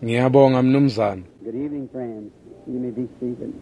Ngiyabonga mnumzane. Good evening, friends. You may be seated.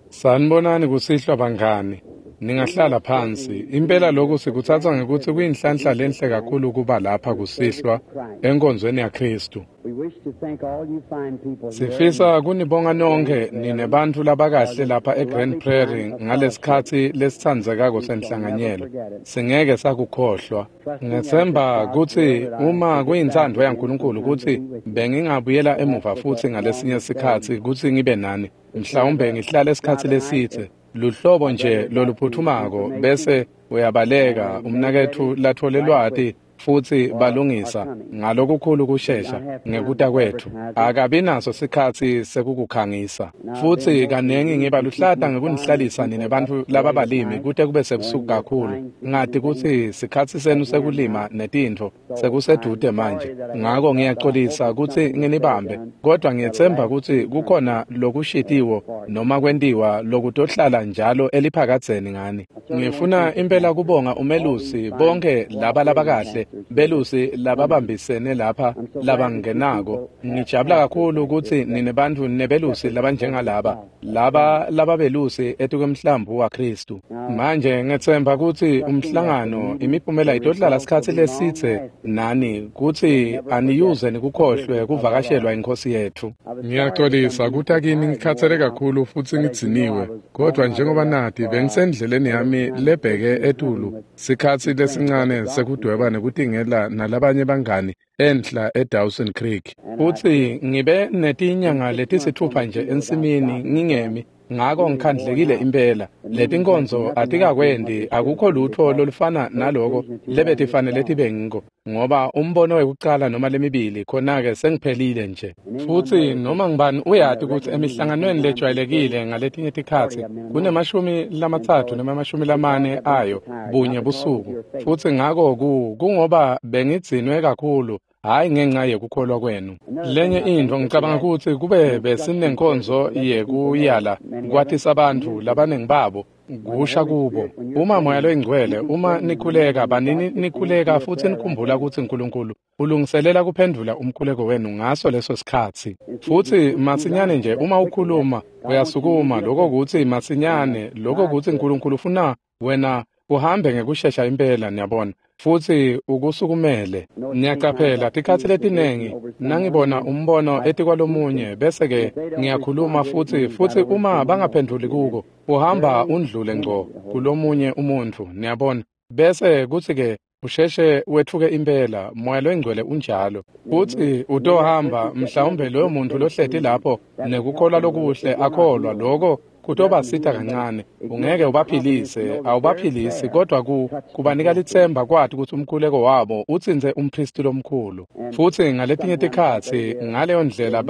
Sanibonani kusihlwa bangani. Ningahlala phansi. Impela lokhu sikuthatha ngekuthi kuyinhlanhla lenhle kakhulu kuba lapha kusihlwa enkonzweni yaKristu. We wish to thank all you fine people here. Sifisa kunibonga nonke nine bantfu labakahle lapha eGrand Prairie ngalesikhatsi lesitsandzekako senhlanganyelo. Singeke sakukhohlwa. Ngethemba kutsi uma kuyintsandvo yaNkulunkulu kutsi bengingabuyela emuva futsi ngalesinye sikhatsi kutsi ngibe nani. Mhlawumbe ngihlale isikhatsi lesitse. Luhlobo nje loluphuthumako bese uyabaleka umnaketfu lathole lwati futsi balungisa ngalokukhulu kushesha ngekuta kwetfu. Akabi naso sikhatsi sekukukhangisa. Futsi kanengi ngiba luhlata ngekunihlalisa nine bantfu lababalimi kute kube sebusuku kakhulu. Ngati kutsi sikhatsi senu sekulima netintfo sekusedvute manje. Ngako ngiyacolisa kutsi nginibambe, kodwa ngiyetsemba kutsi kukhona lokushitiwo noma kwentiwa lokutohlala njalo eliphakadzeni ngani. Ngifuna impela kubonga umelusi bonke laba labakahle belusi lababambisene lapha labangenako. Ngijabula kakhulu kutsi nine bantfu nebelusi labanjengalaba laba lababelusi etukwemhlambi waKristu. Manje ngethemba kutsi umhlangano imiphumela itohlala sikhatsi lesitse nani kutsi aniyuze nikukhohlwe kuvakashelwa iNkhosi yetfu. Ngiyacolisa kuta kini ngikhatsele kakhulu futsi ngidziniwe, kodwa njengoba nati bengisendleleni yami lebheke etulu sikhatsi lesincane sekudweba nekutingela nalabanye bangani enhla eDawson Creek. Futsi ngibe netinyanga letisitfupha nje ensimini ngingemi, ngako ngikhandlekile impela. Letinkonzo atikakwendi, akukho lutho lolufana naloko lebetifanele tibe ngiko, ngoba umbono wekucala noma lemibili khona-ke sengiphelile nje. Futsi noma ngibani uyati kutsi emihlanganweni lejwayelekile ngaletinye tikhatsi kunemashumi 30 noma 40 ayo bunye busuku. Futsi ngako kungoba bengidzinwe kakhulu, hhayi ngenxa yekukholwa kwenu. Lenye intfo ngicabanga kutsi kube besinenkonzo yekuyala kwatisa bantfu labaningi babo kusha kubo. Uma Moya loyiNgcwele, uma nikhuleka, banini nikhuleka futsi nikhumbula kutsi Nkulunkulu ulungiselela kuphendvula umkhuleko wenu ngaso leso sikhatsi. Futsi masinyane nje uma ukhuluma uyasukuma, lokho kutsi masinyane, lokho kutsi Nkulunkulu ufuna wena uhambe ngekushesha impela, niyabona, futsi ukusukumele. Ngiyacaphela tikhatsi letinengi nangibona umbono etikwalomunye bese-ke ngiyakhuluma futsi uma bangaphendvuli kuko, uhamba undlule ngco kulomunye umuntfu, niyabona, bese kutsi-ke usheshe wetfuke impela. Moya loyiNgcwele unjalo. Futsi utohamba mhlawumbe loyo muntfu lohleti lapho nekukholwa lokuhle akholwa, lokho kutobasita kancane. Ungeke ubaphilise, awubaphilisi, kodwa kubanika litsemba kwati kutsi umkhuleko wabo utsintse umphristi lomkhulu. Futsi ngaletinye tikhatsi ngaleyo ndlela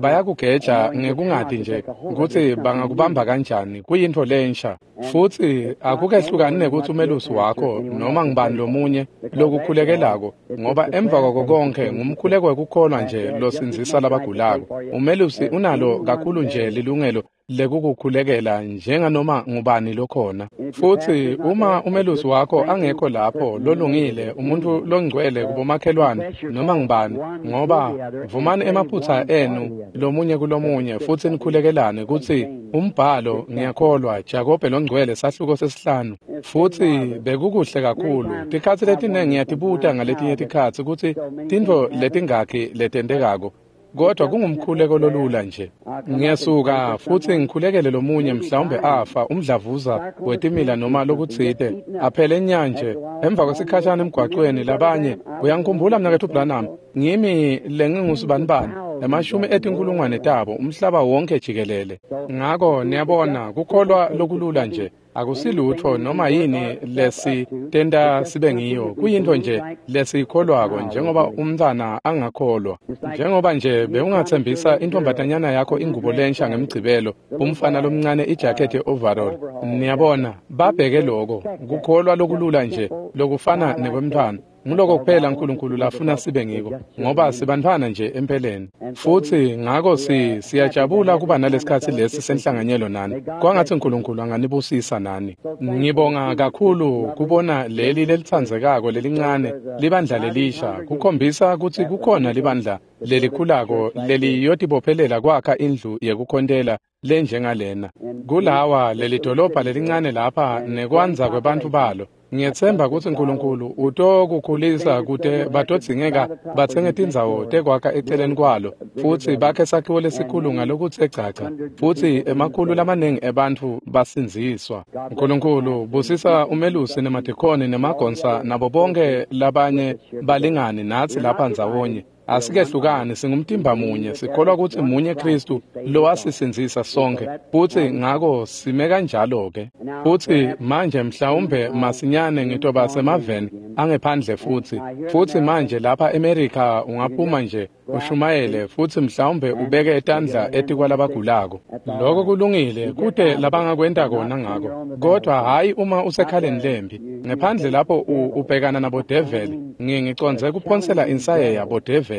bayakugeja ngekungati nje kutsi bangakubamba kanjani, kuyintfo lensha. Futsi akukehlukani nekutsi umelusi wakho noma ngibani lomunye lokukhulekelako, ngoba emva kwako konke ngumkhuleko wekukholwa nje losindzisa labagulako. Umelusi unalo kakhulu nje lilungelo lekukukhulekela njenganoma ngubani lokhona. Futsi uma umelusi wakho angekho lapho lolungile, umuntu longcwele kubomakhelwane noma ngubani, ngoba vumani emaphutsa enu lomunye kulomunye futsi nikhulekelane kutsi umbhalo, ngiyakholwa, Jakobe longcwele sahluko 5. Futsi bekukuhle kakhulu. Tikhatsi letinengi ngiyatibuta ngaletinye tikhatsi kutsi tintfo letingakhi letentekako, kodwa kungumkhuleko lolula nje. Ngiyasuka futsi ngikhulekele lomunye, mhlawumbe afa umdlavuza wetimila noma lokutsite, aphele nyanje emva kwesikhashana emgwacweni. Labanye uyangikhumbula mnaketfu Branham, ngimi lengingusibanibani, emashumi etinkulungwane tabo umhlaba wonke jikelele. Ngako niyabona, kukholwa lokulula nje akusilutfo noma yini lesitenta sibe ngiyo, kuyintfo nje lesiyikholwako, njengoba umntfwana angakholwa. Njengoba nje bewungatsembisa intombatanyana yakho ingubo lensha ngemgcibelo, umfana lomncane ijakhethi ye-overall. Niyabona, babheke loko, kukholwa lokulula nje lokufana nekwemntfwana. Nguloko kuphela uNkulunkulu lafuna sibe ngiko, ngoba sibantfwana nje empeleni. Futhi ngako siyajabula kuba nalesikhatsi lesi senhlanganyelo nani. Kwangatsi uNkulunkulu anganibusisa nani. Ngibonga kakhulu kubona leli lelitsandzekako lelincane libandla lelisha, kukhombisa kutsi kukhona libandla lelikhulako leliyotibophelela kwakha indlu yekukhontela lenjengalena. Kulawa lelidolobha lelincane lapha nekwandza kwebantfu balo. Ngiyetsemba kutsi uNkulunkulu utokukhulisa kute batodzingeka batsenge tindzawo tekwakha eceleni kwalo, futsi bakhe sakhiwo lesikhulu ngalokutse gcagca, futsi emakhulu lamanengi ebantfu basindziswa. uNkulunkulu busisa umelusi nemadikhoni nemagonsa nabo bonke labanye balingani natsi lapha ndzawonye. Asikehlukani, singumtimba munye, sikholwa kutsi munye Kristu lowasisindzisa sonke, futsi ngako sime kanjalo-ke. Futsi manje mhlawumbe masinyane ngitoba semaveni angephandle futhi. Futhi manje lapha eMerika ungaphuma nje ushumayele futsi mhlawumbe ubeke tandla etikwalabagulako. Lokho kulungile, kute labangakwenta kona ngako. Kodwa hhayi uma usekhaleni lembi. Ngephandle lapho ubhekana nabodeveli, ngicondze kuphonsela insayeya bodeveli.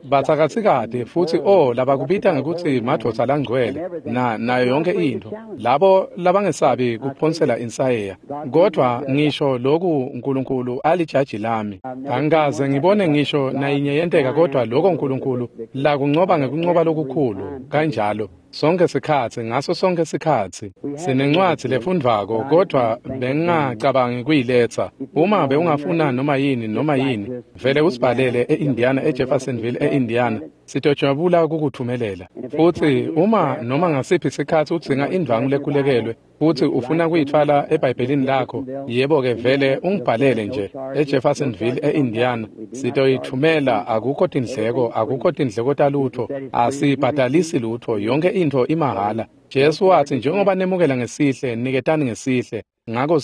Batsakatsikati futsi labakubita ngekutsi madvodza langcwele nayo yonke intfo. Labo labangesabi kuphonsela insayeya. Kodwa ngisho loku uNkulunkulu alijaji lami. Angikaze ngibone ngisho nayinye yenteka, kodwa lokho uNkulunkulu lakuncoba ngekuncoba lokukhulu kanjalo sonke sikhatsi, ngaso sonke sikhatsi. Sinencwadzi lefundvwako, kodwa bengingacabangi kuyiletsa. Uma bewungafuna noma yini, vele usibhalele e-Indiana, eJeffersonville, e-Indiana. Sitojabula kukuthumelela. Futsi uma noma ngasiphi sikhatsi udzinga indvangu lekhulekelwe futsi ufuna kuyitfwala eBhayibhelini lakho, yebo-ke vele ungibhalele nje eJeffersonville, e-Indiana. Sitoyithumela. Akukho tindleko, akukho tindleko talutho, asibhadalisi lutho, yonke intfo imahhala. Jesu watsi njengoba nemukela ngesihle, niketani ngesihle. Ngako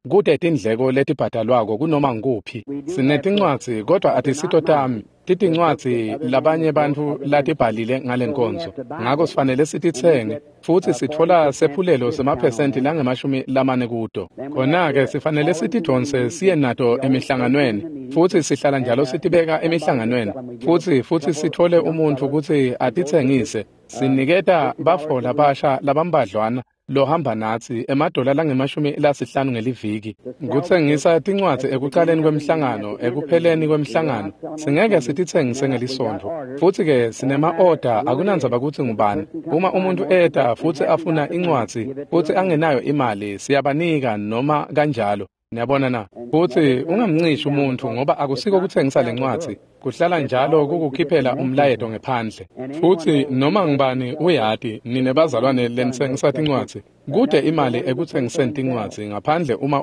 kute tindleko letibhadalwako kunoma ngukuphi. Sinetincwadzi, kodwa atisito tami. Titincwadzi labanye bantfu latibhalile ngalenkonzo. Ngako sifanele sititsenge, futsi sitfola sephulelo semaphesenti langama-40 kuto. Khona-ke sifanele sitidvonse siye nato emihlanganweni, futsi sihlala njalo sitibeka emihlanganweni, futsi sitfole umuntfu kutsi atitsengise. Siniketa bafo labasha labambadlwana lohamba natsi emadola langama-50 ngeliviki. Kutsengisa tincwadzi ekucaleni kwemhlangano, ekupheleni kwemhlangano. Singeke sititsengise ngelisontfo. Futsi-ke sinema-oda, akunandzaba kutsi ngubani. Uma umuntu eta futsi afuna incwadzi futsi angenayo imali, siyabanika noma kanjalo. Niyabona na? Futsi ungamncishi umuntfu, ngoba akusiko kutsengisa lencwadzi. Kuhlala njalo kukukhiphela umlayeto ngephandle. Futsi noma ngubani uyati, nine bazalwane lenitsengisa tincwadzi, kute imali ekutsengiseni tincwadzi ngaphandle uma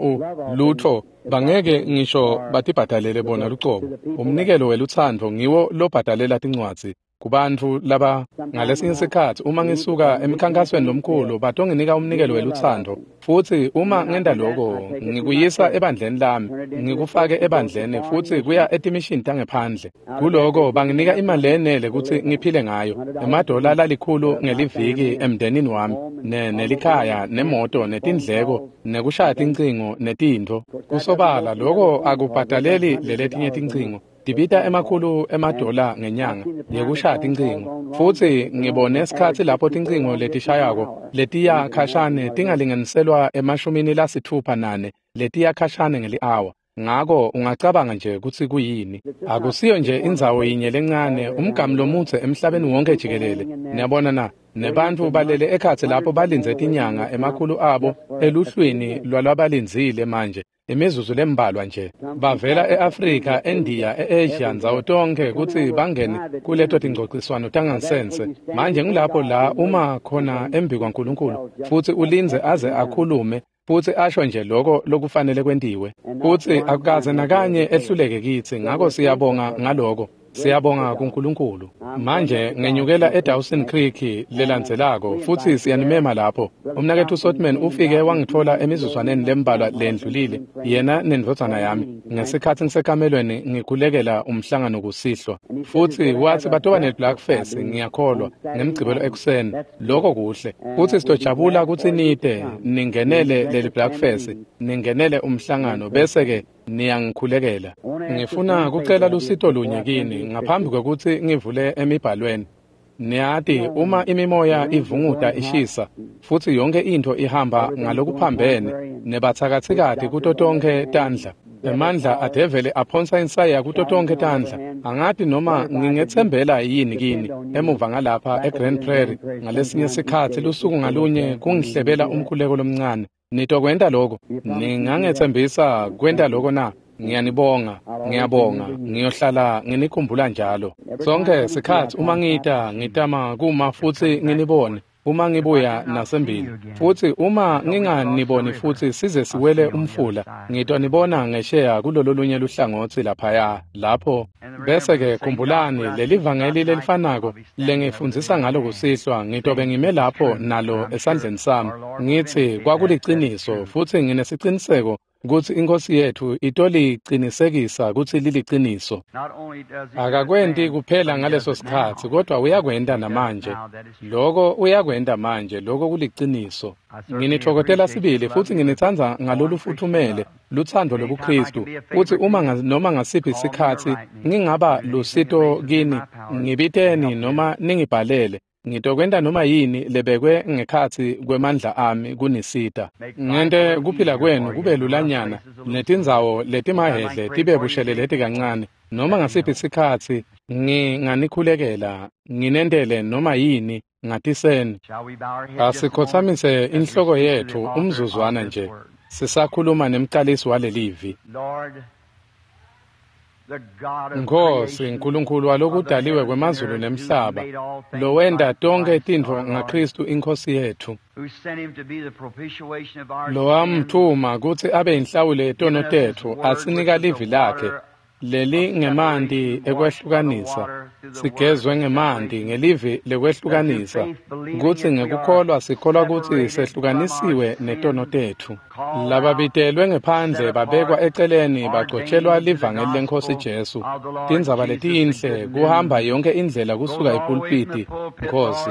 lutho bangeke ngisho batibhadalele bona lucobo. Umnikelo welutsandvo ngiwo lobhadalela tincwadzi kubantfu laba. Ngalesinye sikhatsi uma ngisuka emkhankasweni lomkhulu, batonginika umnikelo welutsandvo, futsi uma ngenta lokho ngikuyisa ebandleni lami, ngikufake ebandleni, futsi kuya etimishini tangephandle. Kuloko banginika imali lenele kutsi ngiphile ngayo, emadola lalikhulu ngeliviki emndenini wami, nelikhaya, nemoto, netindleko, nekushaya tincingo, netintfo. Kusobala lokho akubhadaleli leletinye tincingo. Tibita $100 ngenyanga yekushaya tincingo. Futsi ngibone sikhatsi lapho tincingo letishayako letiya khashane tingalinganiselwa e-64 letiya khashane ngeli-awa. Ngako ungacabanga nje kutsi kuyini. Akusiyo nje indzawo yinye lencane, umgamu lomudze emhlabeni wonke jikelele. Niyabona na? Nebantfu balele ekhatsi lapho balindze tinyanga, emakhulu abo eluhlwini lwalabalindzile manje. Imizuzu lembalwa nje. Bavela e-Afrika, eNdiya, e-Asia, ndzawo tonkhe kutsi bangene kuleto tingcociswano tangansense. Manje ngulapho la uma khona embikwaNkulunkulu, futsi ulindze aze akhulume, futsi asho nje lokho lokufanele kwentiwe. Futsi akukaze nakanye ehluleke kitsi, ngako siyabonga ngaloko. Siyabonga kuNkulunkulu. Manje ngenyukela eDawson Creek lelandzelako, futsi siyanimema lapho. Umnaketfu Sotman ufike wangitfola emizuzwaneni lembalwa lendlulile, yena nendvodzana yami, ngesikhatsi ngisekamelweni ngikhulekela umhlangano kusihlwa. Futsi watsi batoba ne-Blackfest, ngiyakholwa, ngemgcibelo ekuseni. Lokho kuhle. Futsi sitojabula kutsi nite ningenele leli Blackfest, ningenele umhlangano, bese-ke Niyangikhulekela. Ngifuna kucela lusito lunye kini ngaphambi kwekutsi ngivule emibhalweni. Niyati uma imimoya ivunguta ishisa futsi yonke intfo ihamba ngalokuphambene nebatsakatsikati kuto tonkhe tandla. Emandla adevele aphonsa insaya kuto tonkhe tandla. Angati noma ngingetsembela yini kini emuva ngalapha eGrand Prairie ngalesinye sikhatsi lusuku ngalunye kungihlebela umkhuleko lomncane. Nitokwenta lokho? Ningangetsembisa kwenta lokho na? Ngiyanibonga, ngiyabonga, ngiyohlala nginikhumbula njalo. Sonke sikhatsi uma ngita ngitama kuma futsi nginibone. Uma ngibuya nasembili futsi uma nginganiboni futsi size siwele umfula, ngitonibona ngesheya kulolo lunye luhlangotsi laphaya lapho. Bese-ke khumbulani leli vangeli lelifanako lengifundzisa ngalo kusihlwa, ngitobe ngime lapho nalo esandleni sami ngitsi kwakuliciniso futsi nginesiciniseko kutsi iNkhosi yetfu itolicinisekisa kutsi liliciniso. Akakwenti kuphela ngaleso sikhatsi, kodwa uyakwenta namanje. Loko uyakwenta manje, loko kuliciniso. Nginitfokotela sibili futsi nginitsandza ngalolufuthumele lutsandvo lobuKhristu. Futsi uma noma ngasiphi sikhatsi ngingaba lusito kini, ngibiteni noma ningibhalele. Ngitokwenta noma yini lebekwe ngekhatsi kwemandla ami kunisita. Ngente kuphila kwenu kube lulanyana netindzawo letimahhedle tibe busheleleti kancane. Noma ngasiphi sikhatsi nginganikhulekela, nginentele noma yini ngatiseni. Asikhotsamise inhloko yetfu umzuzwana nje sisakhuluma nemcalisi walelivi. Nkhosi Nkulunkulu walokudaliwe kwemazulu nemhlaba, lowenta tonkhe tintfo ngaKhristu iNkhosi yetfu, lowamtfuma kutsi abe yinhlawulo yetono tetfu, asinika livi lakhe lelingemanti ekwehlukanisa, sigezwe ngemanti ngelivi lekwehlukanisa, kutsi ngekukholwa sikholwa kutsi sehlukanisiwe netono tetfu. Lababitelwe ngephandle babekwa eceleni bagcotshelwa livangeli leNkhosi Jesu. Tindzaba letinhle kuhamba yonke indlela kusuka epulpiti, Nkhosi,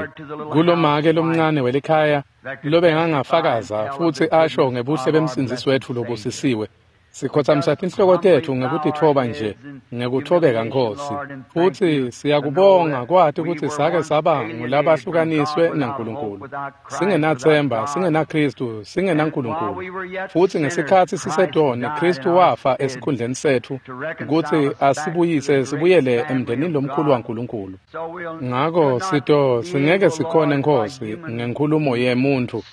kulomake lomncane welikhaya lobengangafakaza futsi asho ngebuhle bemsindzisi wetfu lobusisiwe. Sikhotsamisa tinhloko tetfu ngekutitfoba nje, ngekutfobeka Nkhosi. Futsi siyakubonga kwati kutsi sake saba ngulabahlukaniswe naNkulunkulu. Singenatsemba, singenaKhristu, singenaNkulunkulu. Futsi ngesikhatsi sisetoni, Khristu wafa esikhundleni setfu kutsi asibuyise sibuyele emndenini lomkhulu waNkulunkulu. Ngako singeke sikhone Nkhosi ngenkhulumo yemuntfu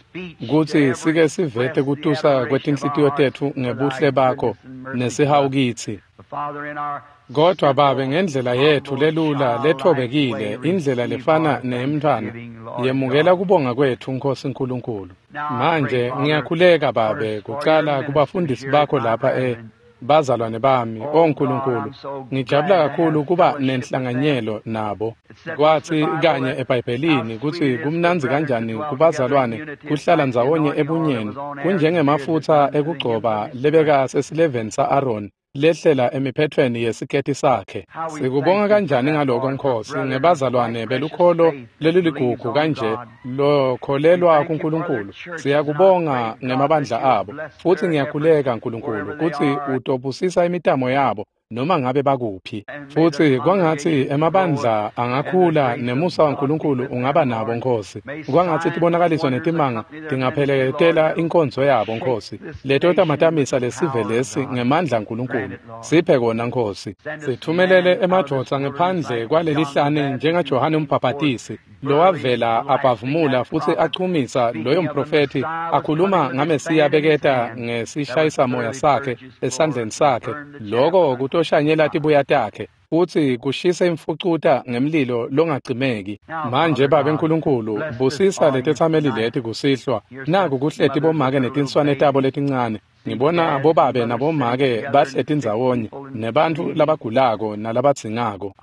kutsi sike sivete kutusa kwetinhlitiyo tetfu ngebuhle bakho nesihawu kitsi. Kodwa Babe, ngendlela yetfu lelula lethobekile, indlela lefana neyemntfwana, yemukela kubonga kwetfu Nkhosi Nkulunkulu. Manje ngiyakhuleka Babe, kucala kubafundisi bakho lapha bazalwane bami, o Nkulunkulu, ngijabula kakhulu kuba nenhlanganyelo nabo. Kwatsi kanye eBhayibhelini kutsi kumnandzi kanjani kubazalwane kuhlala ndzawonye ebunyeni, kunjengemafutsa ekugcoba lebeka sesileveni sa-Aroni lehlela emiphethweni yesiketi sakhe. Sikubonga kanjani ngaloko Nkhosi, ngebazalwane belukholo leliligugu kanje lokholelwa kuNkulunkulu. Siyakubonga ngemabandla abo, futsi ngiyakhuleka Nkulunkulu kutsi utobusisa imitamo yabo noma ngabe bakuphi. Futsi kwangatsi emabandla angakhula nemusa waNkulunkulu ungaba nabo Nkhosi. Kwangatsi tibonakaliso netimanga tingapheleketela inkonzo yabo Nkhosi. Leto tamatamisa lesive lesi ngemandla aNkulunkulu. Siphe kona Nkhosi. Sithumelele emadvodza ngephandle kwalelihlane njengaJohane uMbhabhatisi, lowavela abhavumula futsi achumisa loyo mprofethi akhuluma ngaMesiya beketa ngesishayisamoya sakhe esandleni sakhe. Loko kutoshanyela tibuya takhe futsi kushise imfucuta ngemlilo longacimeki. Manje Babe Nkulunkulu, busisa letetsameli leti kusihlwa. Naku kuhleti bomake netinswane tabo letincane. Ngibona bobabe nabomake bahleti ndzawonye nebantfu labagulako nalabadzingako.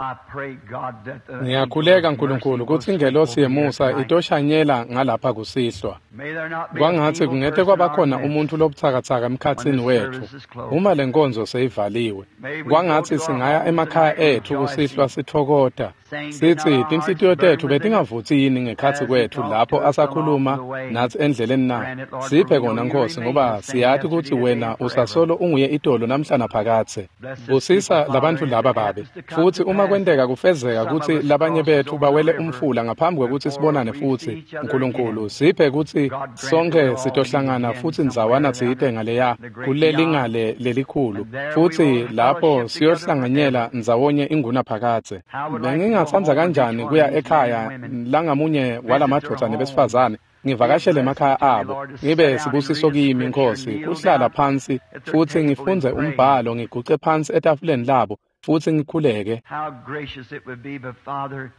Ngiyakhuleka Nkulunkulu kutsi ingelosi yemusa itoshanyela ngalapha kusihlwa. Kwangatsi kungete kwabakhona umuntfu lobutsakatsaka emkhatsini wetfu uma lenkonzo seyivaliwe. Kwangatsi singaya emakhaya etfu kusihlwa sitfokota. Sithi tinhlitiyo tetfu betingavutsi yini ngekhatsi kwetfu lapho asakhuluma natsi endleleni na? Siphe kona Nkosi, ngoba siyati kutsi wena usasolo unguye itolo namhla naphakadze. Busisa labantfu laba babe, futsi uma kwenteka kufezeka kutsi labanye betfu bawele umfula ngaphambi kwekutsi sibonane futsi, Nkulunkulu siphe kutsi sonke sitohlangana futsi ndzawana tsite ngaleya kulelingale lelikhulu, futsi lapho siyohlanganyela ndzawonye ingunaphakadze. Bengingatsandza kanjani kuya ekhaya langamunye walamadvodza nebesifazane, ngivakashele emakhaya abo, ngibe sibusiso kimi Nkosi, kuhlala phansi futsi ngifundze umbhalo, ngiguce phansi etafuleni labo futsi ngikhuleke.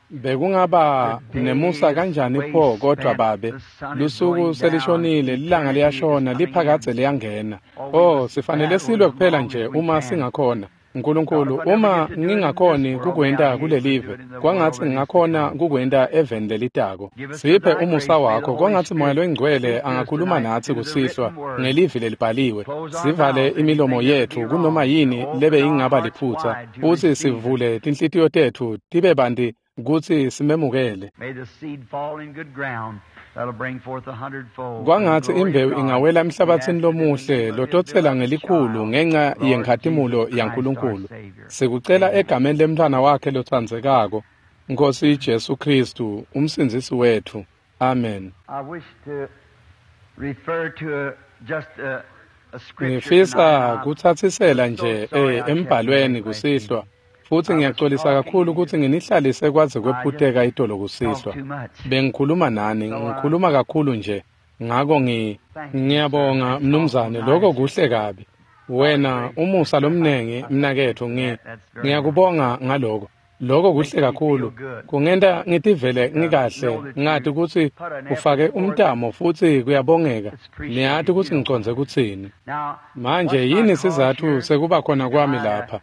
Bekungaba nemusa kanjani pho kodwa babe, lusuku selishonile, lilanga liyashona, liphakadze liyangena. Oh, sifanele silwe kuphela nje uma singakhona. Nkulunkulu, uma ngingakhoni kukwenta kulelive, kwangatsi ngingakhona kukwenta eveni lelitako. Siphe umusa wakho, kwangatsi Moya Loyingcwele angakhuluma natsi kusihlwa ngelivi lelibhaliwe. Sivale imilomo yetfu kunoma yini lebe ingaba liphutsa, futsi sivule tinhlitiyo tetfu tibe banti kutsi simemukele. Kwangatsi imbewu ingawela emhlabatsini lomuhle lototsela ngelikhulu ngenca yenkhatimulo yaNkulunkulu. Sikucela egameni lemntfwana wakhe lotsandzekako, Nkosi Jesu Khristu, umsindzisi wetfu. Amen. Ngifisa kutsatsisela nje embhalweni kusihlwa. Futsi ngiyaxolisa kakhulu kutsi nginihlalise kwaze kwephuteka itolo kusihlwa. Bengikhuluma nani, ngikhuluma kakhulu nje. Ngako ngiyabonga mnumzane, lokho kuhle kabi. Wena umusa lomnengi mnaketfu, ngiyakubonga ngaloko. Lokho kuhle kakhulu. Kungenta ngitivele ngikahle, ngati kutsi ufake umtamo futsi kuyabongeka. Niyati kutsi ngicondze kutsini. Manje yini sizatfu sekuba khona kwami lapha?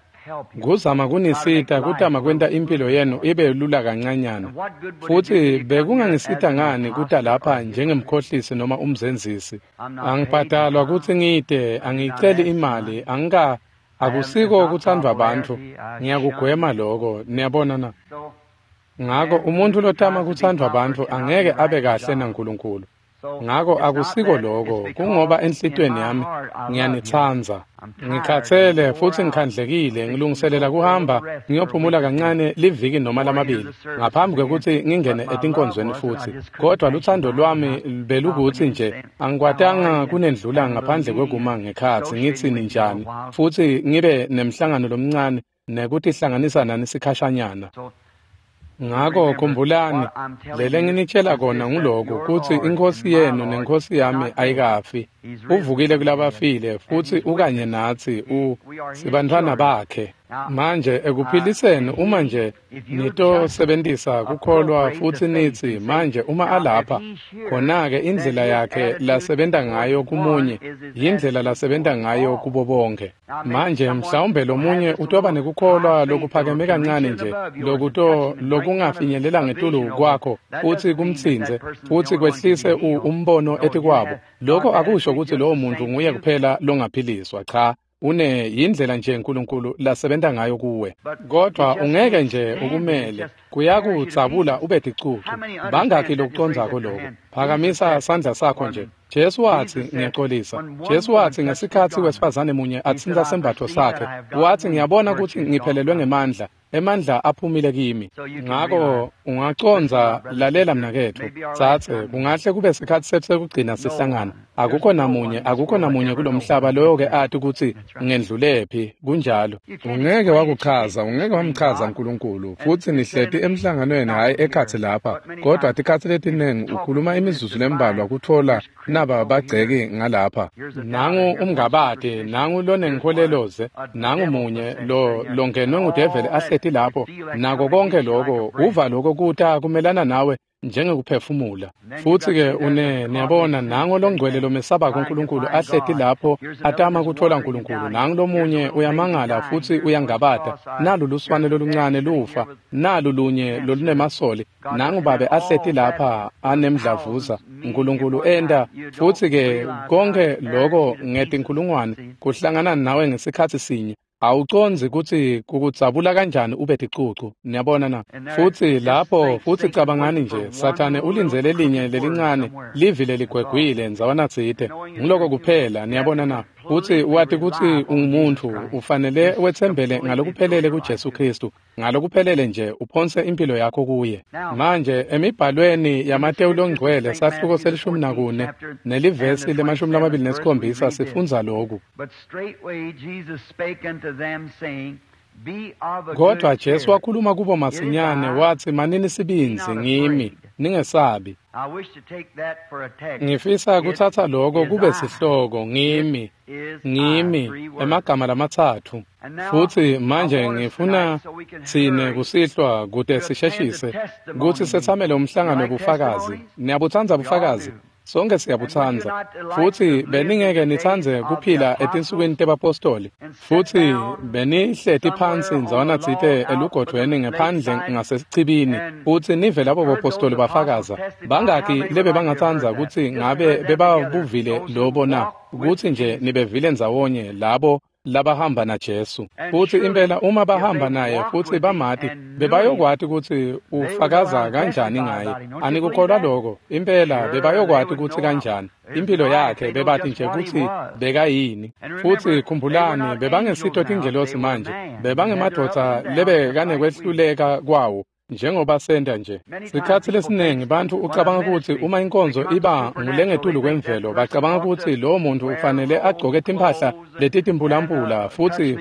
Kuzama kunisita kutama kwenta impilo yenu ibe lula kancanyana. Futsi bekungangisita ngani kuta lapha njengemkhohlisi noma umzenzisi? Angibhadalwa kutsi ngite, angiceli imali, akusiko kutsandvwa bantfu. Ngiyakugwema lokho, niyabona na? Ngako umuntfu lotama kutsandvwa bantfu angeke abe kahle naNkulunkulu. Ngako akusiko lokho, kungoba enhlitiyweni yami ngiyanitsandza. Ngikhathele futsi ngikhandlekile, ngilungiselela kuhamba ngiyophumula kancane liviki noma lamabili ngaphambi kwekutsi ngingene etinkonzweni futsi. Kodwa lutsandvo lwami belukutsi nje angikwatanga kunendlula ngaphandle kwekuma ngekhatsi ngitsi ninjani, futsi ngibe nemhlangano lomncane nekutihlanganisa nani sikhashanyana. Ngako khumbulani, lele nginitshela kona nguloku kutsi iNkhosi yenu neNkhosi yami ayikafi. Uvukile kulabafile futsi ukanye natsi, sibantfwana bakhe. Manje ekuphiliseni uma nje nitosebentisa kukholwa futsi nitsi manje uma alapha, khona-ke indlela yakhe lasebenta ngayo kumunye yindlela lasebenta ngayo kubo bonke. Manje mhlawumbe lomunye utoba nekukholwa lokuphakeme kancane nje lokungafinyelela ngetulu kwakho futsi kumtsintse futsi kwehlise umbono etikwabo. Lokho akusho kutsi lowo muntu nguye kuphela longaphiliswa, cha. Une yindlela nje uNkulunkulu lasebenta ngayo kuwe, kodwa ungeke nje ukumele, kuyakudzabula ube ticucu. Bangakhi lokucondzako lokho? Phakamisa sandla sakho nje. Jesu watsi, ngiyaxolisa. Jesu watsi ngesikhatsi wesifazane munye atsintsa sembatfo sakhe, watsi ngiyabona kutsi ngiphelelwe ngemandla, emandla aphumile kimi. Ngako ungacondza, lalela mnaketfu, tsatse, kungahle kube sikhatsi setfu sekugcina sihlangana. Akukho namunye, akukho namunye kulomhlaba loyo-ke ati kutsi ngendlulephi, kunjalo. Ungeke wakuchaza, ungeke wamchaza uNkulunkulu, futsi nihleti emhlanganweni hhayi ekhatsi lapha, kodwa tikhatsi letinengi ukhuluma imizuzu lembalwa kutfola naba bagceki ngalapha. Nangu umngabade, nangu lonenkholeloze, nangu munye lo longenwe ngudeveli ahleti lapho, nako konke lokho, uva lokho kuta kumelana nawe njengekuphefumula. Futsi-ke niyabona, nango longcwele lomesabako uNkulunkulu ahleti lapho atama kutfola uNkulunkulu, nangu lomunye uyamangala futsi uyangabata, nalu luswane loluncane lufa, nalu lunye lolunemasoli, nangu babe ahleti lapha anemdlavuza, uNkulunkulu enta, futsi-ke konke loko ngetinkhulungwane kuhlangana nawe ngesikhatsi sinye. Awucondzi kutsi kukudzabula kanjani ube ticucu, niyabona na? Futsi lapho, futsi cabangani nje, Sathane ulindzele linye lelincane, livi leligwegwile ndzawana tsite. Ngiloko kuphela, niyabona na? Futsi wati kutsi ungumuntfu, ufanele wetsembele ngalokuphelele kuJesu Kristu, ngalokuphelele nje uphonse impilo yakho kuye. Manje emibhalweni yaMateyu longcwele sahluko se-14 nelivesi le-27 sifundza lokhu. Kodwa Jesu wakhuluma kubo masinyane wathi, manini sibindzi, ngimi, ningesabi. Ngifisa kutsatsa loko kube sihloko, ngimi, ngimi, emagama lamatsatfu. Futsi manje ngifuna tsine kusihlwa kute sisheshise kutsi setsamele umhlangano wobufakazi. Niyabutsandza bufakazi? Sonke siyabutsandza. Futsi beningeke nitsandze kuphila etinsukwini tebapostoli. Futsi benihleti phansi ndzawana tsite elugodvweni ngephandle ngasesichibini, futsi nive labo bapostoli bafakaza. Bangaki lebe bangatsandza kutsi ngabe bebabuvile lobo na? Kutsi nje nibevile ndzawonye labo labahamba naJesu. Futsi impela uma bahamba naye futsi bamati, bebayokwati kutsi ufakaza kanjani ngaye. Anikukholwa lokho? Impela bebayokwati kutsi kanjani impilo yakhe, bebati nje kutsi bekayini. Futsi khumbulani, bebangesito tingelosi manje, bebangemadvodza lebekanekwehluleka kwawo, njengoba senta nje. Sikhatsi lesiningi bantfu ucabanga kutsi uma inkonzo iba ngulengetulu kwemvelo, bacabanga kutsi lowo muntu ufanele agcoke timphahla letitimpulampula futsi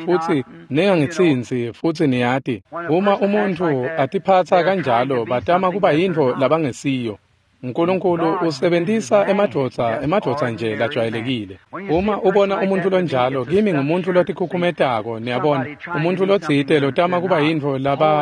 ningangitsintsi, futsi niyati. Uma umuntfu atiphatsa kanjalo, batama kuba yintfo labangesiyo. Nkulunkulu usebentisa emadvodza nje lajwayelekile. Uma ubona umuntfu lonjalo, kimi ngumuntu lotikhukhumetako, niyabona, umuntfu lotsite lotama kuba yintfo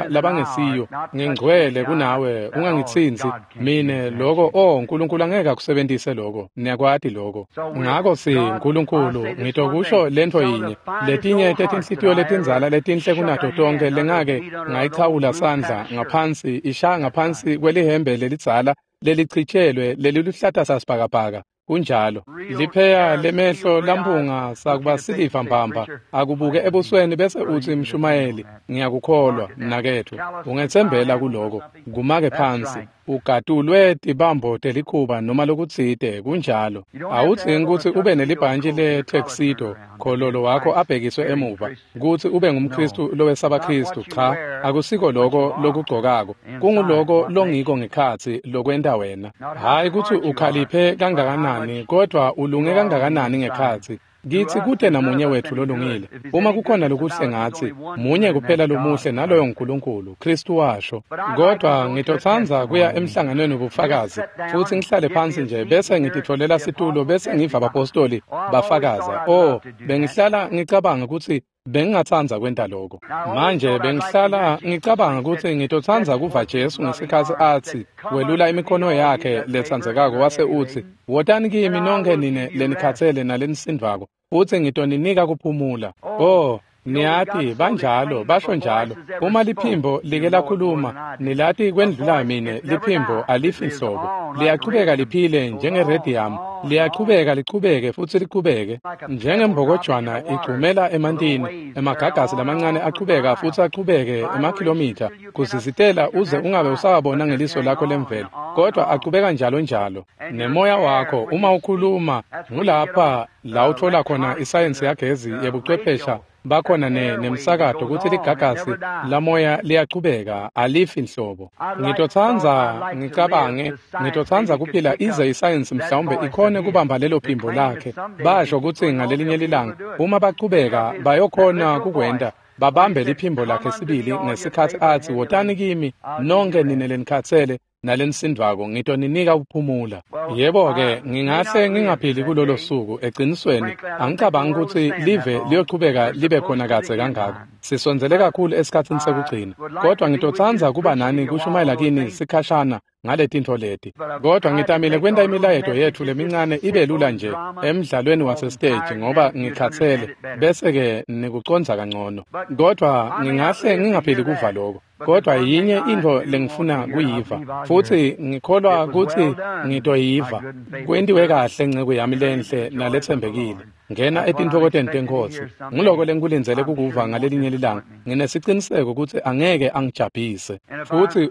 labangesiyo, ngingcwele kunawe, ungangitsintsi mine loko, oh, Nkulunkulu angeke akusebentise loko, niyakwati loko. Ngako si Nkulunkulu, ngitokusho lentfo yinye, letinye tetinhlitiyo letindzala letinhle kunato tonke lengake ngayichawula sandla ngaphansi, ishaya ngaphansi kwelihembe lelidzala lelichitshelwe leliluhlata sasibhakabhaka. Kunjalo. Lipheya lemehlo lampunga sakuba siliva mbamba, akubuke ebusweni bese utsi, mshumayeli, ngiyakukholwa mnaketfu, ungetsembela kuloko. Kumake phansi, ugatulwe tibambo telikhuba noma lokutsite. Kunjalo. Awudzingi kutsi ube nelibhantji le-tuxedo, khololo wakho abhekiswe emuva, kutsi ube ngumKristu lowesaba Kristu. Cha, akusiko loko lokugcokako, kunguloko longiko ngekhatsi lokwenta wena. Hhayi kutsi ukhaliphe kangakanani, kodwa ulunge kangakanani ngekhatsi. Kithi kute namunye wethu lolungile. Uma kukhona lokuhle ngatsi, munye kuphela lomuhle, naloyo nguNkulunkulu, Kristu washo. Kodwa ngitotsandza kuya emhlanganweni wobufakazi, futsi ngihlale phansi nje bese ngititfolela situlo bese ngiva abapostoli bafakaza. Oh, bengihlala ngicabanga kutsi bengingatsandza kwenta lokho. Manje bengihlala ngicabanga kutsi ngitotsandza kuva Jesu ngesikhatsi atsi, welula imikhono yakhe letsandzekako wase utsi, wotani kimi nonkhe nine lenikhatsele nalenisindvako, futsi ngitoninika kuphumula. Oh, niyati, banjalo, basho njalo. Uma liphimbo like lakhuluma, nilati kwendlula mine, liphimbo alifi nhlobo. Liyachubeka liphile njengerediyamu, liyachubeka lichubeke futsi lichubeke. Njengembokojwana igcumela emantini, emagagasi lamancane achubeka futsi achubeke emakhilomitha, kuzizitela uze ungabe usawabona ngeliso lakho lemvelo, kodwa achubeka njalo njalo. Nemoya wakho, uma ukhuluma, ngulapha la utfola khona isayensi yagezi yebuchwephesha bakhona nemsakato kutsi ligagasi lamoya liyachubeka, alifi nhlobo. Ngitotsandza ngicabange, ngitotsandza kuphila ize isayensi mhlawumbe ikhone kubamba lelo phimbo lakhe. Basho kutsi ngalelinye lilanga uma bachubeka bayokhona kukwenta, babambe liphimbo lakhe sibili ngesikhatsi atsi, wotani kimi nonke nine lenikhatsele nalenisindvako, ngitoninika ukuphumula. Yebo-ke, ngingahle ngingaphili kulolo suku. Eqinisweni, angicabangi kutsi live liyochubeka libe khona kadze kangako. Sisondzele kakhulu esikhatsini sekugcina. Kodwa ngitotsandza kuba nani kushumayela kini sikhashana ngaletintfo leti. Kodwa ngitamile kwenta imilayeto yetfu lemincane ibe lula nje emdlalweni wasesiteji ngoba ngikhatsele, bese-ke nikucondza kangcono. Kodwa ngingahle ngingaphili kuva lokho. Kodwa yinye intfo lengifuna kuyiva, futsi ngikholwa kutsi ngitoyiva. Kwentiwe kahle nceku yami lenhle naletsembekile. Ngena etintfokotweni teNkhosi. Nguloko lengikulindzele kukuva ngalelinye lilanga. Nginesiciniseko kutsi angeke angijabhise. Futsi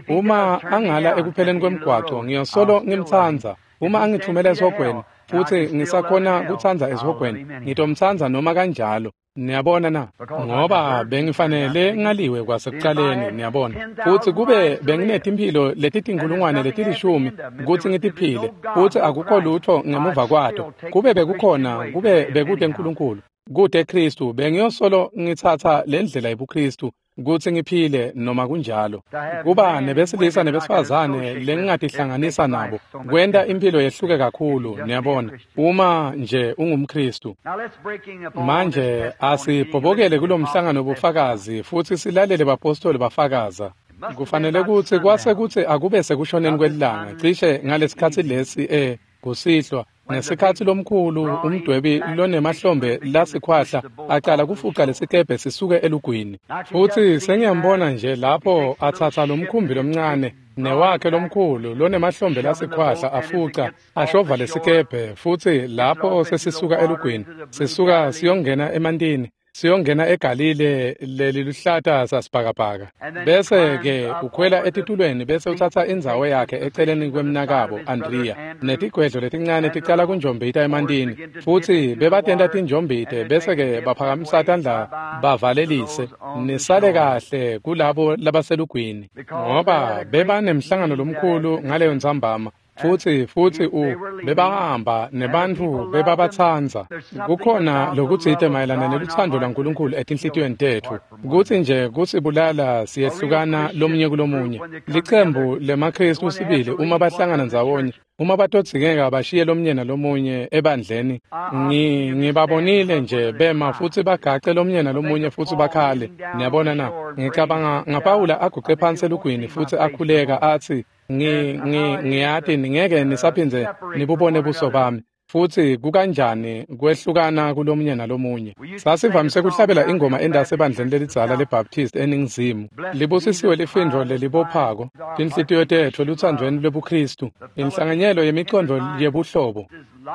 uma angala ekupheleni kwemgwaco, ngiyosolo ngimtsandza. Uma angithumela esihogweni, futsi ngisakhona kutsandza esihogweni, ngitomtsandza noma kanjalo. Niyabona na? Ngoba bengifanele ngaliwe kwasekucaleni, niyabona. Futsi kube benginetimphilo letitinkhulungwane letilishumi kutsi ngitiphile, futsi akukho lutfo ngemuva kwato. Kube bekukhona, kube bekute uNkulunkulu, kute Kristu, bengiyosolo ngitsatsa le ndlela yebuKristu kutsi ngiphile noma kunjalo. Kuba nebesilisa nebesifazane lengingatihlanganisa nabo kwenta imphilo yehluke kakhulu, niyabona, uma nje ungumKristu. Manje asibhobokele kulomhlangano bufakazi futsi silalele bapostoli bafakaza. Kufanele kutsi kwase kutsi akube sekushoneni kwelilanga cishe ngalesikhatsi lesi kusihlwa, ngesikhatsi lomkhulu umdwebi lonemahlombe lasikhwahla acala kufuca lesikebhe sisuke elugwini. Futsi sengiyambona nje lapho atsatsa lomkhumbi lomncane newakhe lomkhulu lonemahlombe lasikhwahla afuca ashova lesikebhe, futsi lapho sesisuka elugwini sisuka siyongena emantini, siyongena eGalile leliluhlata sasibhakabhaka. Bese-ke ukhwela etitulweni bese utsatsa indzawo yakhe eceleni kwemnakabo Andrea, netigwedlo letincane ticala kunjombita emantini, futsi bebatenta tinjombite bese-ke baphakamisa tandla bavalelise, nisale kahle kulabo labaselugwini, ngoba bebanemhlangano lomkhulu ngaleyo ntsambama. Futsi bebahamba nebantfu bebabatsandza. Kukhona lokutsite mayelana nelutsandvo lwaNkulunkulu etinhlitiyweni tetfu, kutsi nje kusibulala siyehlukana lomunye kulomunye. Licembu lemaKristu sibili uma bahlangana ndzawonye, uma batodzingeka bashiye lomunye nalomunye ebandleni, ngibabonile nje bema futsi bagace lomunye nalomunye futsi bakhale. Niyabona na? Ngicabanga ngaPawula aguqe phansi elugwini futsi akhuleka atsi, ngiyati ningeke nisaphindze nibubone buso bami. Futsi kukanjani kwehlukana kulomunye nalomunye. Sasivamise kuhlabela ingoma endase ebandleni lelidzala leBaptist eNingizimu. Libusisiwe lifindvo lelibophako, tinhlitiyo tetfu luthandweni lwebuKristu, inhlanganyelo yemicondvo yebuhlobo,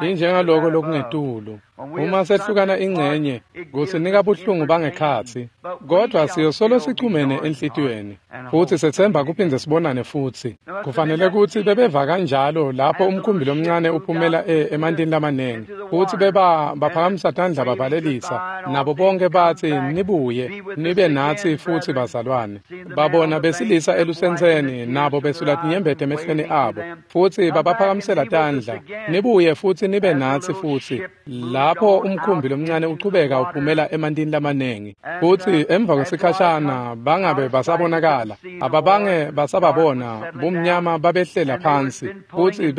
injengaloko lokungetulu. Uma sehlukana ingcenye, kusinika buhlungu bangekhatsi, kodwa siyosolo sichumene enhlitiyweni, futsi setsemba kuphindze sibonane futsi. Kufanele kutsi bebeva kanjalo lapho umkhumbi lomncane uphumela emantini lamanengi, futsi baphakamisa tandla bavalelisa, nabo bonke batsi, nibuye, nibe natsi futsi bazalwane. Babona besilisa elusentseni, nabo besula tinyembeti emehlweni abo, futsi babaphakamisela tandla, nibuye futsi nibe natsi futsi. Lapho umkhumbi lomncane uchubeka uphumela emantini lamanengi, futsi emva kwesikhashana bangabe basabonakala, ababange basababona, bumnyama babehlela phansi, futsi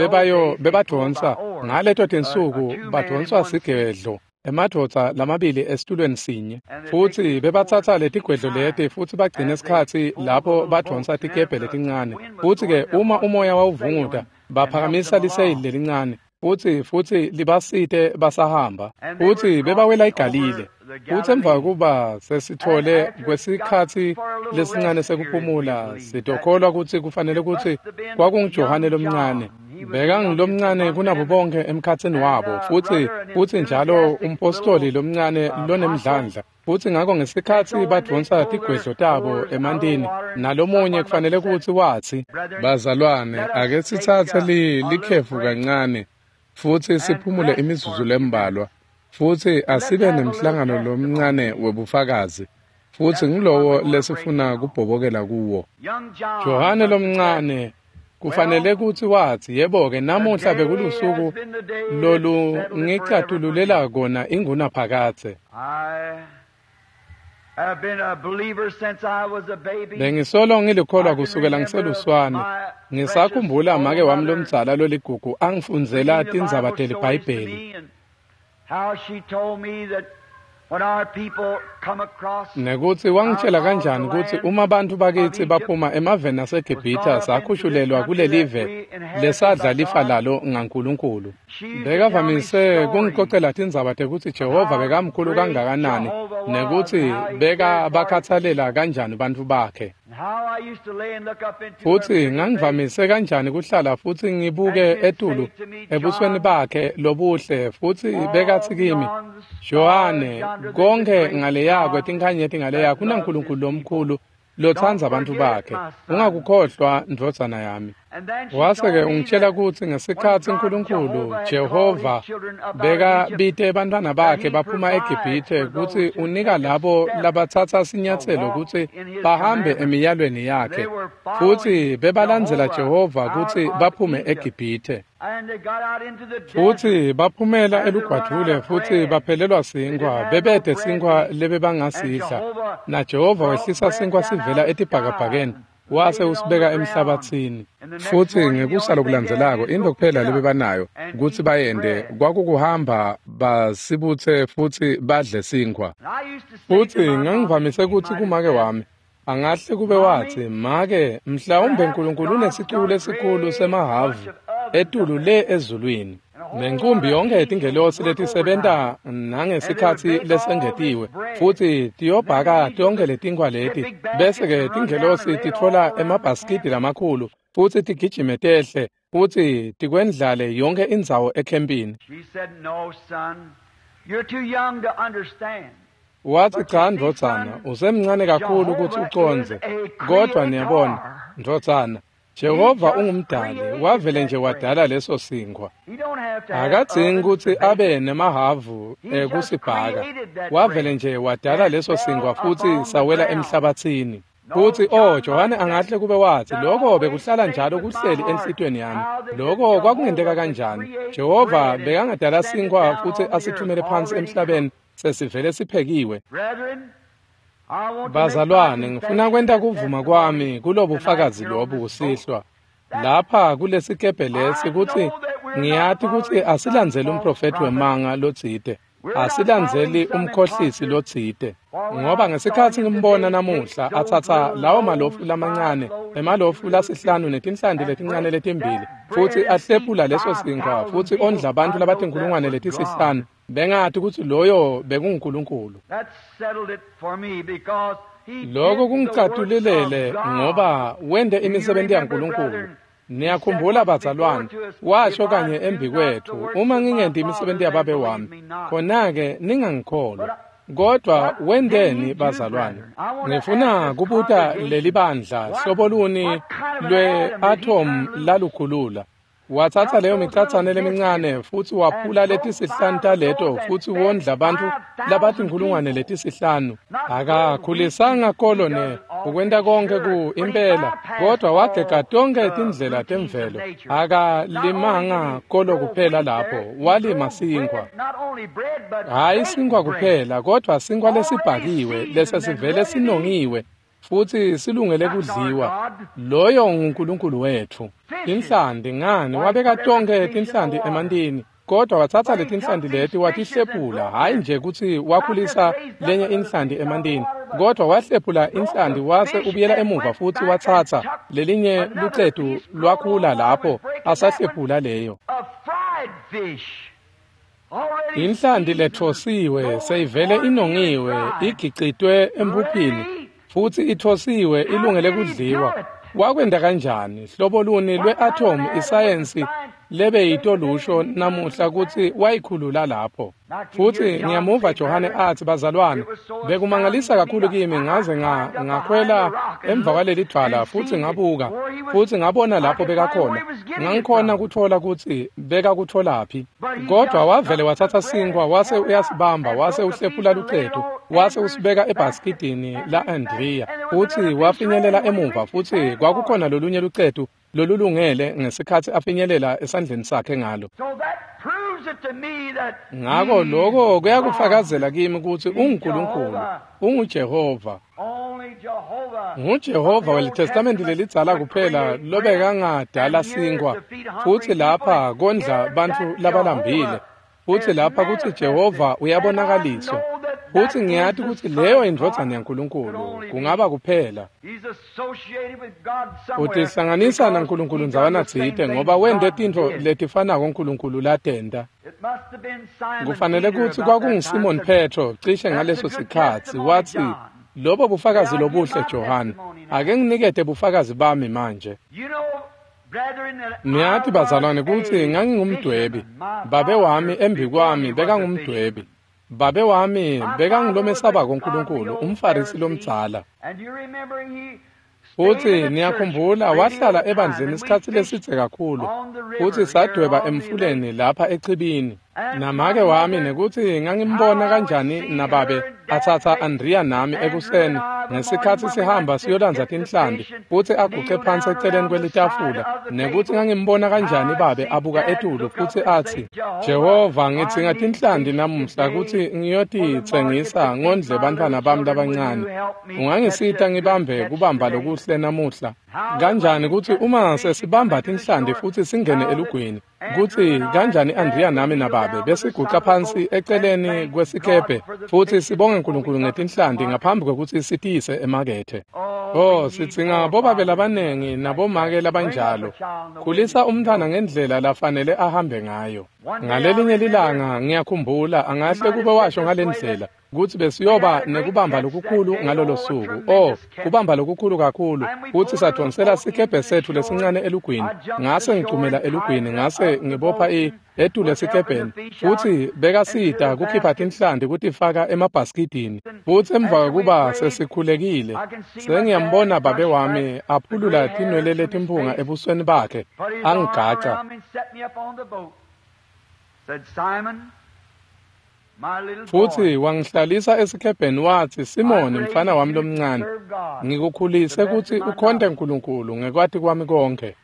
bebadvonsa ngaleto tinsuku badvonswa sigedlo, emadvodza lamabili esitulweni sinye, futsi bebatsatsa letigwedlo leti futsi bagcine isikhatsi lapho badvonsa tikebhe letincane. Futsi-ke uma umoya wawuvunguta, baphakamisa liseyili lelincane, futsi libasite basahamba, futsi bebawela iGalile. Futsi emva kuba sesithole kwesikhatsi lesincane sekuphumula, sitokholwa kutsi kufanele kutsi kwakunguJohane lomncane. Bekangulomncane kunabo bonke emkhatsini wabo, futsi njalo umpostoli lomncane lonemdlandla. Futsi ngako ngesikhatsi badvonsa tigwedlo tabo emantini, nalomunye kufanele kutsi watsi, bazalwane, ake sitsatse likhefu kancane futsi siphumule imizuzu lembalwa, futsi asibe nemhlangano lomncane webufakazi, futsi ngilowo lesifuna kubhobokela kuwo. Johane lomncane kufanele kutsi watsi, yebo-ke, namuhla bekulusuku lolungicatululela kona ingunaphakadze. Bengisolo ngilikholwa kusukela ngiseluswane. Ngisakhumbula make wami lomdzala loligugu angifundzela tindzaba teliBhayibheli. Nekutsi wangitshela kanjani kutsi uma bantfu bakitsi baphuma emaveni aseGibhithe sakhushulelwa kulelive lesadla lifa lalo ngaNkulunkulu. Bekavamise kungicocela tindzaba tekutsi Jehova bekamkhulu kangakanani nekutsi bekabakhatsalela kanjani bantfu bakhe. Futsi ngangivamise kanjani kuhlala futsi ngibuke etulu ebusweni bakhe lobuhle futsi bekatsi kimi, Johane, konke ngaleya kwetinkhanyeti ngaleya kunaNkulunkulu lomkhulu lotsandza bantfu bakhe. Ungakukhohlwa ndvodzana yami. Wase-ke ungitshela kutsi ngesikhatsi Nkulunkulu Jehova bekabite bantfwana bakhe baphuma eGibhithe kutsi unika labo labatsatsa sinyatselo kutsi bahambe emiyalweni yakhe futsi bebalandzela Jehova kutsi baphume eGibhithe. Futsi baphumela elugwadvule futsi baphelelwa sinkhwa, bebede sinkhwa lebebangasidla. NaJehova wehlisa sinkhwa sivela etibhakabhakeni wase usibeka emhlabatsini. Futsi ngekusa lokulandzelako intfo kuphela lebebanayo kutsi bayente kwakukuhamba basibutse futsi badle sinkhwa. Futsi ngangivamise kutsi kumake wami, angahle kube watsi, make, mhlawumbe Nkulunkulu unesicuku lesikhulu semahavu etulu le ezulwini. Nenkumbi yonke yetingelosi letisebenta nangesikhatsi lesengetiwe futsi tiyobhaka tonke letinkhwa leti bese-ke tingelosi titfola emabhasikidi lamakhulu futsi tigijime tehle futsi tikwendlale yonke indzawo ekhempini. Watsi, cha ndvodzana, usemncane kakhulu kutsi ucondze, kodvwa niyabona, ndvodzana, Jehova ungumdali, wavele nje wadala leso sinkhwa. Akadzingi kutsi abe nemahavu ekusibhaka. Wavele nje wadala leso sinkhwa futsi sawela emhlabatsini. Futsi Johane angahle kube watsi, lokho bekuhlala njalo kuhleli enhlitiyweni yami. Lokho kwakungenteka kanjani? Jehova bekangadala sinkhwa futsi asithumele phansi emhlabeni sesivele siphekiwe. Bazalwane, ngifuna kwenta kuvuma kwami kulobufakazi lobu kusihlwa. Lapha kulesikebhe lesi kutsi ngiyati kutsi asilandzeli umprofethi wemanga lotsite, asilandzeli umkhohlisi lotsite. Ngoba ngesikhatsi ngimbona namuhla atsatsa lawo malofu lamancane, emalofu lasihlanu netinhlanti letincane letimbili, futsi ahlephula leso sinkhwa futsi ondla bantfu labatinkhulungwane letisihlanu, bengati kutsi loyo bekunguNkulunkulu. Lokho kungicatululele ngoba wente imisebenti yaNkulunkulu. Niyakhumbula bazalwane, washo kanye embi kwethu, uma ngingenti imisebenti yababe wami, khona-ke ningangikholwa. Kodwa wenteni bazalwane? Ngifuna kubuta leli bandla hlobo luni lwe-atom lalukhulula. Watsatsa leyo micatsane lemincane futsi waphula letisihlanu taleto futsi wondla bantfu labatinkhulungwane letisihlanu. Akakhulisanga kolone ukwenta konke ku impela, kodwa wagega tonke tindlela temvelo. Akalimanga kolo kuphela lapho, walima sinkhwa. Hhayi sinkhwa kuphela, kodwa sinkhwa lesibhakiwe lesesivele sinongiwe futsi silungele kudliwa. Loyo nguNkulunkulu wetfu. Tinhlanti ngani wabeka tonke tinhlanti emantini, kodwa watsatsa letinhlanti leti watihlephula, hhayi nje kutsi wakhulisa lenye inhlanti emantini, kodwa wahlephula inhlanti wase ubuyela emuva futsi watsatsa lelinye lucetu lwakhula lapho asahlephula leyo. Inhlanti lethosiwe seyivele inongiwe igicitwe emphuphini futsi ithosiwe ilungele kudliwa. Wakwenta kanjani? Hlobo luni lwe-atom isayensi lebeyitolusho namuhla kutsi wayikhulula lapho. Futsi ngiyamuva Johane atsi, bazalwane, bekumangalisa kakhulu kimi ngaze ngakhwela emva kwaleli dvwala futsi ngabuka futsi ngabona lapho bekakhona. Ngangikhona kutfola kutsi bekakutfolaphi. Kodwa wavele watsatsa sinkhwa wase uyasibamba wase uhlephula lucetu wase usibeka ebhasikidini la-Andrea futsi wafinyelela emuva futsi kwakukhona lolunye lucetu lolulungele ngesikhatsi afinyelela esandleni sakhe ngalo. Ngako lokho kuyakufakazela kimi kutsi unguNkulunkulu, unguJehova. NguJehova weliTestamenti lelidzala kuphela lobekangadala sinkhwa futsi lapha kondla bantfu labalambile, futsi lapha kutsi Jehova uyabonakaliswa. Futsi ngiyati kutsi leyo indvodzana yaNkulunkulu kungaba kuphela. Utihlanganisa naNkulunkulu ndzawana tsite ngoba wente tintfo letifanako uNkulunkulu latenta. Kufanele kutsi kwakunguSimon Petro cishe ngaleso sikhatsi watsi, "Lobo bufakazi lobuhle Johane, ake nginikete bufakazi bami manje." Niyati bazalwane kutsi ngangingumdwebi. Babe wami embikwami bekangumdwebi. Babe wami bekangilomesabako uNkulunkulu, umFarisi lomdzala. Futsi niyakhumbula wahlala ebandleni isikhatsi lesidze kakhulu, futsi sadweba emfuleni lapha echibini. Namake wami nekutsi ngangimbona kanjani nababe atsatsa Andrea nami ekuseni ngesikhatsi sihamba siyolandza tinhlambi futsi aguce phansi eceleni kwelitafula, nekutsi ngangimbona kanjani babe abuka etulu futsi atsi, "Jehova, ngidzinga tinhlanti namuhla kutsi ngiyotitsengisa ngondle bantfwana bami labancane. Ungangisita ngibambe kubamba lokuhle namuhla?" Kanjani kutsi uma sesibamba tinhlanti futsi singene elugwini, kutsi kanjani Andrea nami nababe besiguca phansi eceleni kwesikebhe futsi sibonge uNkulunkulu ngetinhlanti ngaphambi kwekutsi sitiyise emakethe. Oh, sidzinga bobabe labanengi nabomake labanjalo. Khulisa umntfwana ngendlela lafanele ahambe ngayo. Ngalelinye lilanga ngiyakhumbula angahle kube washo ngalendlela kutsi besiyoba nekubamba lokukhulu ngalolo suku. Oh, kubamba lokukhulu kakhulu. Futsi sadvonsela sikebhe setfu lesincane elugwini. Ngase ngigcumela elugwini, ngase ngibopha etulu esikebheni. Futsi bekasita kukhipha tinhlanti kutifaka emabhasikidini. Futsi emva kwekuba sesikhulekile, sengiyambona babe wami aphulula tinwele letimphunga ebusweni bakhe, angigaca. Futsi wangihlalisa esikebheni watsi, "Simoni, mfana wami lomncane, ngikukhulise kutsi ukhonte uNkulunkulu ngekwati kwami konkhe."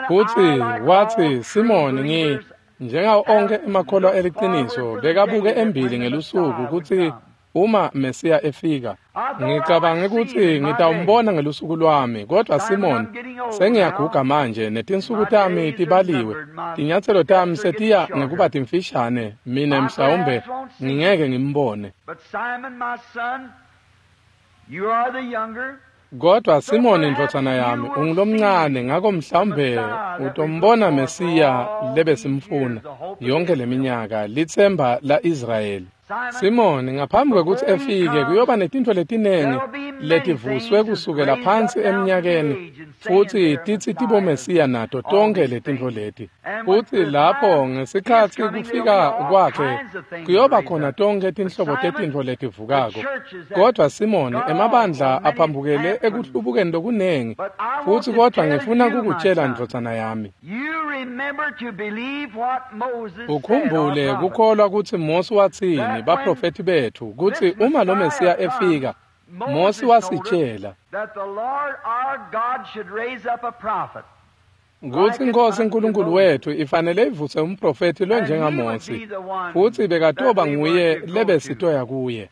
Futsi watsi, "Simoni, njengawo onkhe emakholwa eliciniso bekabuke embili ngelusuku kutsi uma Mesiya efika. Ngicabange kutsi ngitawumbona ngelusuku lwami, kodwa Simoni, sengiyaguga manje netinsuku tami tibaliwe. Tinyatselo tami setiya ngekuba timfishane, mina mhlawumbe ngingeke ngimbone. Kodwa Simoni ndvodzana yami, ungulomncane, ngako mhlawumbe utombona Mesiya lebesimfuna yonke leminyaka, litsemba la-Israyeli. Simoni, ngaphambi kwekutsi efike kuyoba netintfo letinengi letivuswe kusukela phansi eminyakeni, futsi titsi tiboMesiya nato tonkhe letintfo leti. Futsi lapho ngesikhatsi kufika kwakhe kuyoba khona tonkhe tinhlobo tetintfo letivukako. Kodwa Simoni, emabandla aphambukele ekuhlubukeni lokunengi, futsi kodwa ngifuna kukutjela ndvodzana yami, ukhumbule kukholwa kutsi Mosi watsini, baprofethi bethu, kutsi uma lo Mesiya efika, Mosi wasitjela kutsi iNkhosi uNkulunkulu wethu ifanele ivuse umprofethi lonjengaMosi, futsi bekatoba nguye lebesitoya kuye.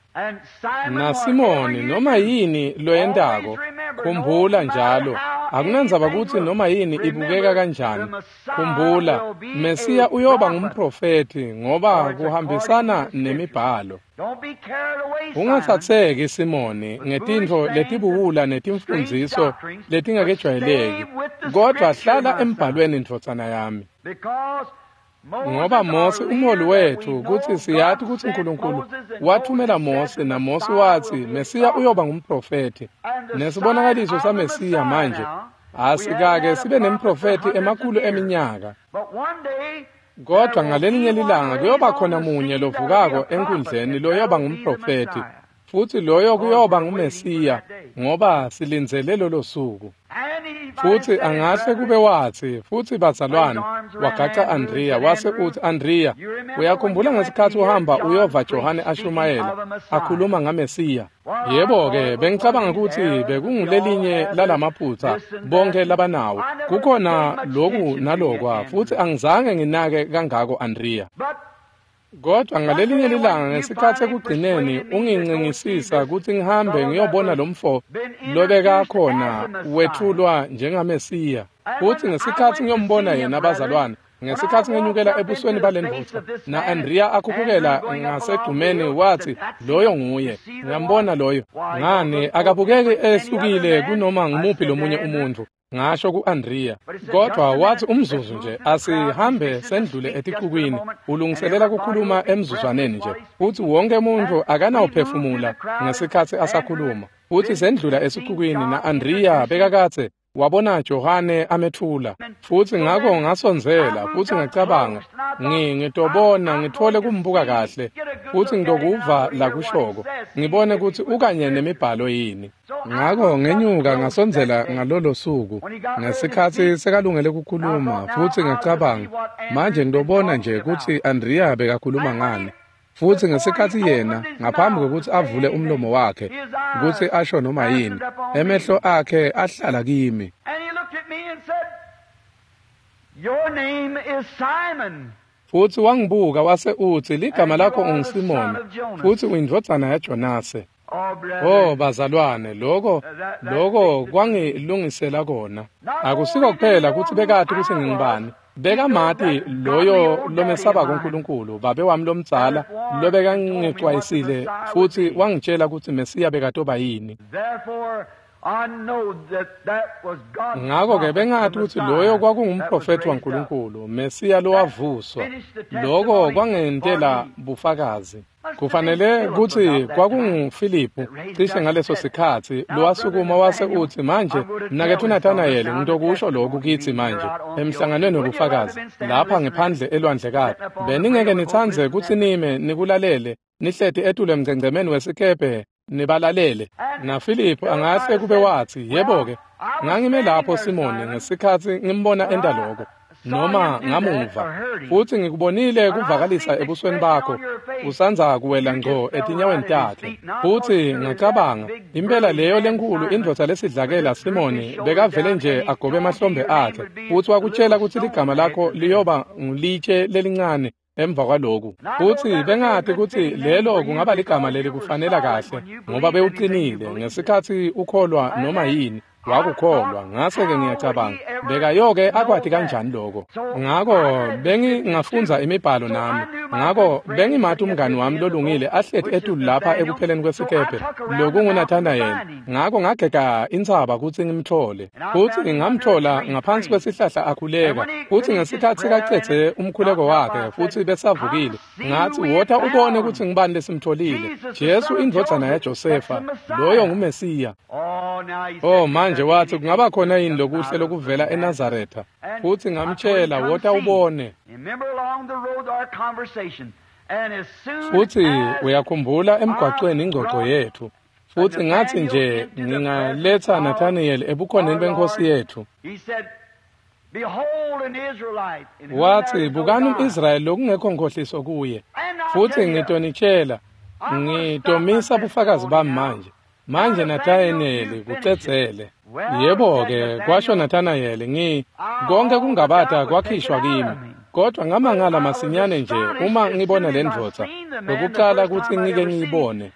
NaSimoni, noma yini loyentako, khumbula njalo, akunandzaba kutsi noma yini ibukeka kanjani, khumbula, Mesiya uyoba ngumprofethi ngoba kuhambisana nemibhalo. Ungatsatseki Simoni ngetintfo letibuwula netimfundziso letingakejwayeleki, kodwa hlala embhalweni ndvodzana yami. Ngoba Mosi umholi wethu, kutsi siyati kutsi uNkulunkulu wathumela Mosi, naMosi watsi Mesiya uyoba ngumprofethi. Nesibonakaliso saMesiya manje asikake sibe nemprofethi emakhulu eminyaka. Kodwa ngalelinye lilanga kuyoba khona munye lovukako enkundleni loyoba ngumprofethi, futsi loyo kuyoba nguMesiya, ngoba silindzele lolo suku. Futsi angahle kube watsi, futsi bazalwane, wagaca Andrea, wase utsi, "Andrea, uyakhumbula ngesikhatsi uhamba uyova Johane ashumayela, akhuluma ngaMesiya?" Yebo-ke, bengicabanga kutsi bekungulelinye lalamaphutsa bonke labanawo. Kukhona loku nalokwa, futsi angizange nginake kangako Andrea. Kodwa ngalelinye lilanga ngesikhatsi ekugcineni ungincingisisa kutsi ngihambe ngiyobona lomfo lobekakhona wethulwa njengaMesiya. Futsi ngesikhatsi ngiyombona yena bazalwane, Ngesikhatsi ngenyukela ebusweni balendvodza na-Andrea akhuphukela ngasegcumeni wathi loyo nguye, ngiyambona loyo. Ngani akabukeki ehlukile kunoma ngumuphi lomunye umuntfu, ngasho ku-Andrea. Kodwa wathi umzuzu nje asihambe sendlule eticukwini, ulungiselela kukhuluma emzuzwaneni nje. Futhi wonke umuntu akanawuphefumula ngesikhatsi asakhuluma. Futhi sendlula esicukwini na-Andrea bekakatse wabona Johane amethula. Futhi ngako ngasondzela futhi ngacabanga ngitobona ngithole kumbuka kahle futhi ngitokuva lakushoko ngibone ukuthi ukanye nemibhalo yini. Ngako ngenyuka ngasondzela ngalolo suku ngesikhatsi sekalungele kukhuluma futhi ngacabanga manje ngitobona nje kutsi Andrea bekakhuluma ngani. Futhi ngesikhatsi yena ngaphambi kokuthi avule umlomo wakhe kutsi asho noma yini, emehlo akhe ahlala kimi. Futhi wangibuka wase utsi ligama lakho unguSimoni futhi uyindvodzana yaJonase. Oh bazalwane, lokho kwangilungisela kona. Akusiko kuphela kutsi bekati kutsi ngingubani, bekamati loyo lomesabako uNkulunkulu, babe wami lomdzala lobekangixwayisile futhi wangitshela kutsi Mesiya bekatoba yini. Ngako-ke bengati kutsi loyo kwakungumprofethi waNkulunkulu, Mesiya lowavuswa. Loko kwangentela bufakazi. Kufanele kutsi kwakunguFiliphu cishe ngaleso sikhatsi lowasukuma wase utsi manje mnaketfu Nathanayeli ngitokusho lokhu kitsi manje emhlanganweni wobufakazi lapha ngephandle elwandlekati. Beningeke nitsandze kutsi nime nikulalele nihleti etulu emngcengcemeni wesikebhe nibalalele. NaFiliphu angahle kube watsi yebo-ke ngangime lapho Simoni ngesikhatsi ngimbona enta loko noma ngamuva futhi ngikubonile kuvakalisa ebusweni bakho usandza kuwela ngco etinyaweni takhe. Futhi ngacabanga impela leyo lenkulu indvodza lesidlakela Simoni bekavele nje agobe emahlombe akhe futhi wakutshela kutsi ligama lakho liyoba ngulitshe lelincane emva kwaloku. Futhi bengati kutsi lelo kungaba ligama leli kufanela kahle ngoba bewuqinile ngesikhatsi ukholwa noma yini wakukholwa. Ngase-ke ngiyacabanga bekayoke akwati kanjani lokho. Ngako bengingafundza imibhalo nami, ngako bengimati umngani wami lolungile ahleti etulu lapha ekupheleni kwesikebhe lokunguNathanayeli. Ngako ngagega intsaba kutsi ngimthole futhi ngamthola ngaphansi kwesihlahla akhuleka. Futhi ngesikhatsi kacedze umkhuleko wakhe futhi besavukile ngathi wota ubone kutsi ngibani lesimtholile, Jesu indvodzana yaJosefa, loyo nguMesiya. Oh manje wathi kungaba khona yini lokuhle lokuvela eNazaretha. Futhi ngamtshela wota ubone. Futhi uyakhumbula emgwaqweni ingxoxo yethu. Futhi ngathi nje ngingaletha Nathaniel ebukhoneni benkosi yethu. Wathi bukani umIsrayeli lokungekho nkhohliso kuye. Futhi ngitonitshela ngitomisa bufakazi bami manje. Manje Nathanayeli kucedzele. Yebo-ke kwasho Nathanayeli, konke kungabata kwakhishwa kimi. Kodwa ngamangala masinyane nje uma ngibona le ndvodza lokuqala kutsi ngike ngiyibone.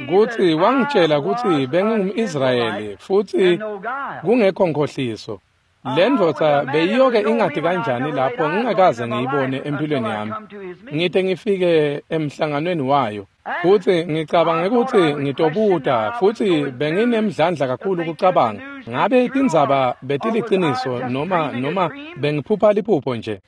Kutsi wangitshela kutsi bengingumIsrayeli futhi kungekho nkhohliso. Le ndvodza beyiyoke ingati kanjani lapho ngingakaze ngiyibone empilweni yami ngite ngifike emhlanganweni wayo. Futhi ngicabange ukuthi ngitobuta futhi benginemdlandla kakhulu kucabanga ngabe tindzaba betiliciniso noma bengiphupha liphupho nje.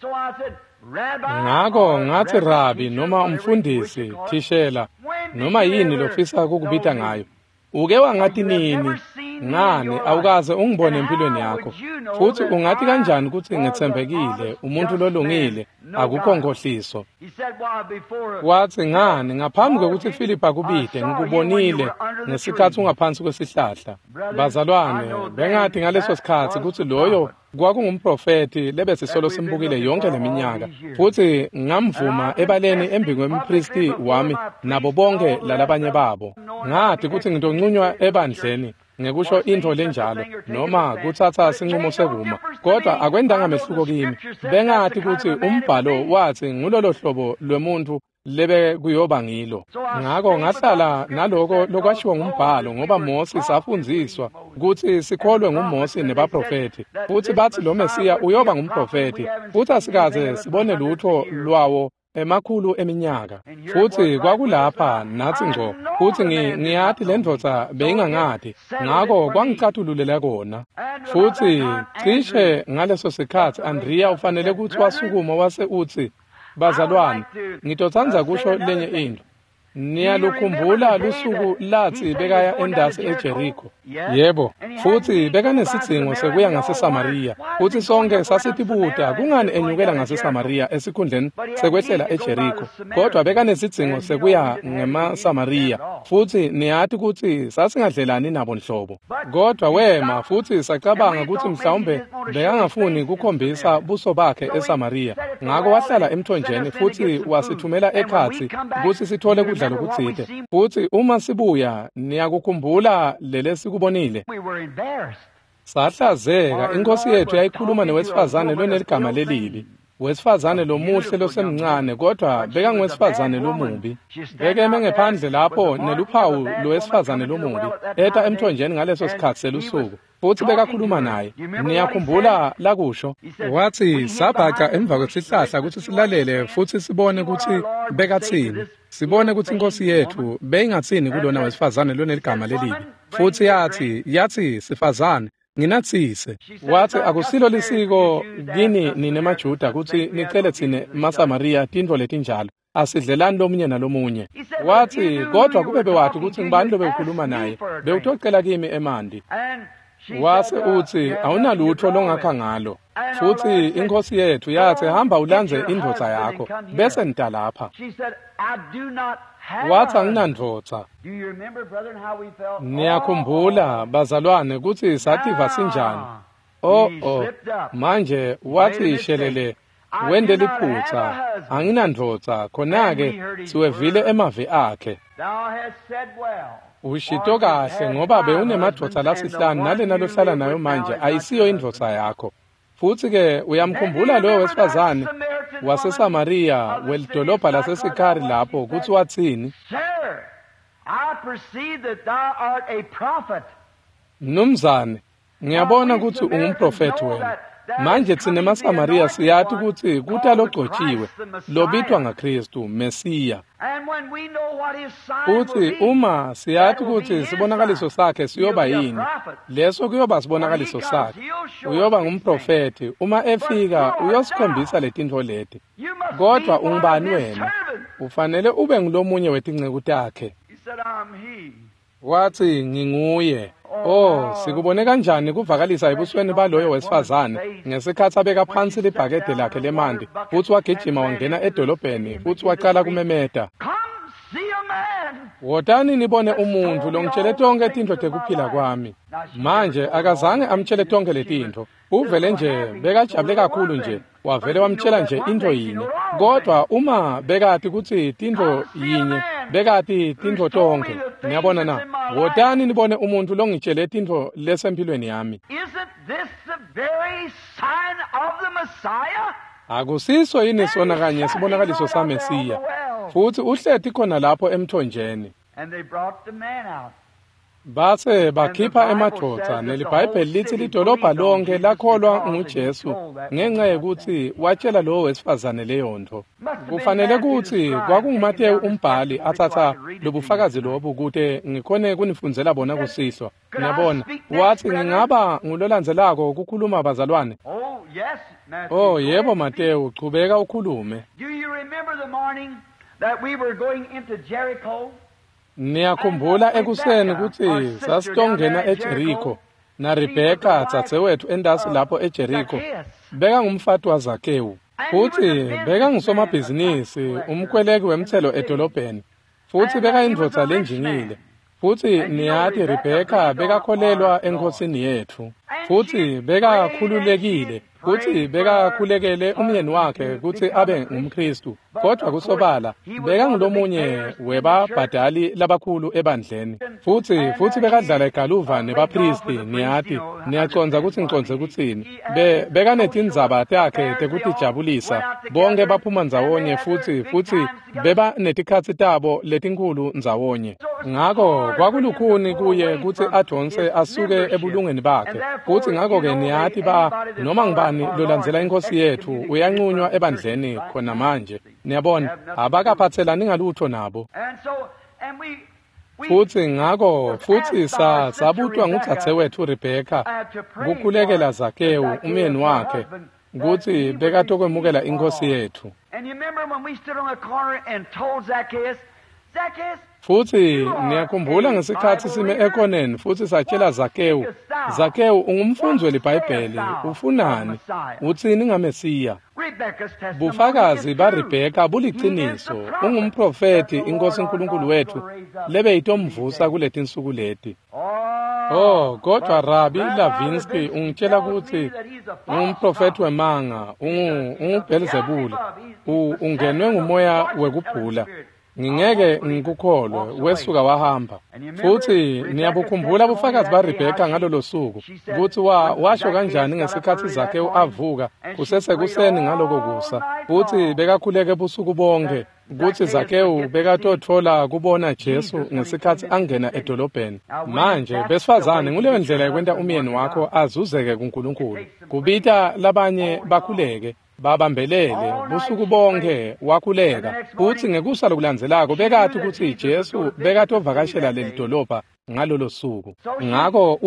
Ngako ngathi rabi noma umfundisi thishela noma yini lofisa kukubita ngayo, uke wangati nini ngani awukaze ungibone empilweni yakho futhi ungathi kanjani ukuthi ngetsembekile umuntu lolungile akukho nkhohliso. Wathi ngani ngaphambi kokuthi Philip akubide ngikubonile ngesikhatsi ungaphansi kwesihlahla. Bazalwane bengathi ngaleso sikhatsi kutsi loyo kwakungumprofethi lebesisolo simbukile yonke leminyaka futhi ngamvuma ebaleni embi kwempristi wami nabo bonke lalabanye babo. Ngathi kutsi ngitoncunywa ebandleni. ngekusho intfo lenjalo noma kutsatsa sincumo sekuma, kodwa akwendanga mehluko kimi. Bengathi kutsi umbhalo watsi ngulolo hlobo lwemuntu lebe kuyoba ngilo. Ngako ngahlala naloko lokwashiwo ngumbhalo, ngoba Mose safundziswa kutsi sikholwe nguMose nebaprofethi, futsi batsi lo Mesiya uyoba ngumprofethi, futsi asikaze sibone lutho lwawo emakhulu eminyaka. Futsi kwakulapha natsi ngco, futsi ngiyati le ndvodza beyingangati, ngako kwangicatululela kona. Futsi cishe ngaleso sikhatsi Andrea ufanele kutsi wasukuma wase utsi, "Bazalwane, ngitotsandza kusho lenye intfo. Niyalukhumbula lusuku latsi bekaya endasi eJeriko?" Yebo, futsi bekanesidzingo sekuya ngaseSamariya, futsi sonke sasitibuta kungani enyukela ngaseSamariya esikhundleni sekwehlela eJeriko, kodwa bekanesidzingo sekuya ngemaSamariya, futsi niyati kutsi sasingadlelani nabo nhlobo. Kodwa wema, futsi sacabanga kutsi mhlawumbe bekangafuni kukhombisa buso bakhe eSamariya, ngako wahlala emthonjeni futsi wasithumela ekhatsi kutsi sithole kudla lokutsite. Futsi uma sibuya, niyakukhumbula lelesikubonile? Sahlazeka. Inkosi yethu yayikhuluma newesifazane loneligama lelibi, wesifazane lomuhle losemncane, kodwa bekanguwesifazane lomubi. Bekeme ngephandle lapho neluphawu lowesifazane lomubi, eta emthonjeni ngaleso sikhatsi selusuku, futsi bekakhuluma naye. Niyakhumbula lakusho? Watsi, "Sabhaca emva kwesihlahla kutsi silalele futsi sibone kutsi bekatsini, sibone kutsi inkosi yethu beyingatsini kulona wesifazane loneligama lelibi." Futsi yatsi, "Sifazane, nginatsise." Watsi, "Akusilo lisiko kini nine maJuda kutsi nicele tsine maSamariya tintfo letinjalo. Asidlelani lomunye nalomunye." Watsi, "Kodwa kube bewati kutsi ngubani lobewukhuluma naye, bewutocela kimi emanti." Wase utsi, "Awunalutho longakha ngalo." Futsi inkosi yethu yatsi, "Hamba ulandze indvodza yakho, bese nita lapha." Watsi, "Anginandvodza." Niyakhumbula, bazalwane, kutsi sativa sinjani? Oh, oh, manje watsi, "Shelele, wente liphutsa, anginandvodza." Khona-ke siwevile emavi akhe. "Ushito kahle, ngoba bewunemadvodza lasihlanu, nalena lohlala nayo manje ayisiyo indvodza yakho." Futsi-ke uyamkhumbula loyo wesifazane waseSamariya welidolobha laseSikhari lapho kutsi watsini? "Mnumzane, ngiyabona kutsi ungumprofethi wena. Manje tsine maSamariya siyati kutsi kuta logcotjiwe lobitwa ngaKhristu, Mesiya. Futsi uma siyati kutsi sibonakaliso sakhe siyoba yini, leso kuyoba sibonakaliso sakhe. Uyoba ngumprofethi. Uma efika uyosikhombisa letintfo leti. Kodwa ungubani wena? Ufanele ube ngulomunye wetinceku takhe." Watsi, "Nginguye." Oh, sikubone kanjani kuvakalisa ebusweni baloyo wesifazane ngesikhatsi abeka phansi libhakede lakhe lemanti, futsi wagijima wangena edolobheni futsi wacala kumemeta, "Wotani nibone umuntfu longitshele tonkhe tintfo tekuphila kwami." Manje akazange amtshele tonkhe letintfo. Uvele nje bekajabule kakhulu nje, wavele wamtshela nje intfo yinye. Kodwa uma bekati kutsi tintfo yinye, bekati tintfo tonkhe. Niyabona na? "Wotani nibone umuntfu longitshele tintfo lesemphilweni yami. Akusiso yini sona kanye sibonakaliso saMesiya? Futsi uhleti khona lapho emthonjeni." Base bakhipha emadvodza, neliBhayibheli litsi lidolobha lonke lakholwa nguJesu ngenxa yekutsi watshela lowo wesifazane leyontfo. Kufanele kutsi kwakunguMatewu umbhali atsatsa lobufakazi lobu kute ngikhone kunifundzela bona kusihlwa. Niyabona, watsi, "Ngingaba ngulolandzelako kukhuluma, bazalwane?" Oh, yebo, Matewu, chubeka ukhulume. Niyakhumbula ekuseni kutsi sasitongena eJeriko, naRebheka dzadzewethu entasi lapho eJeriko bekangumfati waZakewu, futsi bekangusomabhizinisi, umkweleki wemtselo edolobheni, futsi bekayindvodza lenjingile. Futsi niyati Rebheka bekakholelwa eNkhosini yetfu, futsi bekakhululekile, kutsi bekakhulekele umyeni wakhe kutsi abe ngumKhristu, kodwa kusobala bekangulomunye webabhadali labakhulu ebandleni, futsi bekadlala igaluva nebaphristi. Niyati, niyacondza kutsi ngicondze kutsini. Bekanetindzaba takhe tekutijabulisa, bonke baphuma ndzawonye futsi beba netikhatsi tabo letinkhulu ndzawonye. Ngako kwakulukhuni kuye kutsi adonse asuke ebulungeni bakhe, futsi ngako-ke niyati noma ngubani lolandzela iNkhosi yetfu uyanqunywa ebandleni khona manje. Niyabona, abakaphatselani ngalutho nabo. Futsi ngako futsi sabutwa ngudzadzewetfu Rebheka kukhulekela Zakewu umyeni wakhe kutsi bekatokwemukela iNkhosi yetfu. Futsi niyakhumbula ngesikhatsi sime ekoneni futsi satshela Zakewu, Zakewu ungumfundzi weliBhayibheli, ufunani? Utsini ngaMesiya? Bufakazi baRebheka buliciniso, ungumprofethi iNkhosi uNkulunkulu wetfu lebeyitomvusa kuletinsuku leti. Oh, kodwa Rabi Lavinsky ungitshela kutsi ungumprofethi wemanga, unguBhelzebule, ungenwe ngumoya wekubhula. Ngingeke ngikukholwe. Wesuka wahamba. Futsi niyabukhumbula bufakazi baRebheka ngalolo suku kutsi washo kanjani ngesikhatsi Zakewu avuka kusesekuseni ngaloko kusa, futsi bekakhuleke busuku bonke kutsi Zakewu bekatotfola kubona Jesu ngesikhatsi angena edolobheni. Manje besifazane, nguleyo ndlela yekwenta umyeni wakho azuzeke kuNkulunkulu, kubita labanye bakhuleke babambelele busuku bonke wakhuleka. Futsi ngekusa lokulandzelako bekati kutsi Jesu bekatovakashela leli dolobha ngalolo suku. Ngako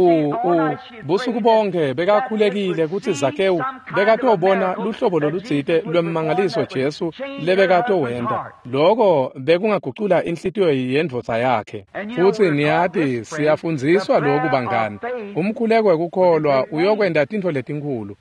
busuku bonke bekakhulekile kutsi Zakewu bekatobona luhlobo lolutsite lwemmangaliso Jesu lebekatowenta. Loko bekungagucula inhlitiyo yendvodza yakhe. Futsi niyati, siyafundziswa loku bangani, umkhuleko wekukholwa uyokwenta tintfo letinkhulu.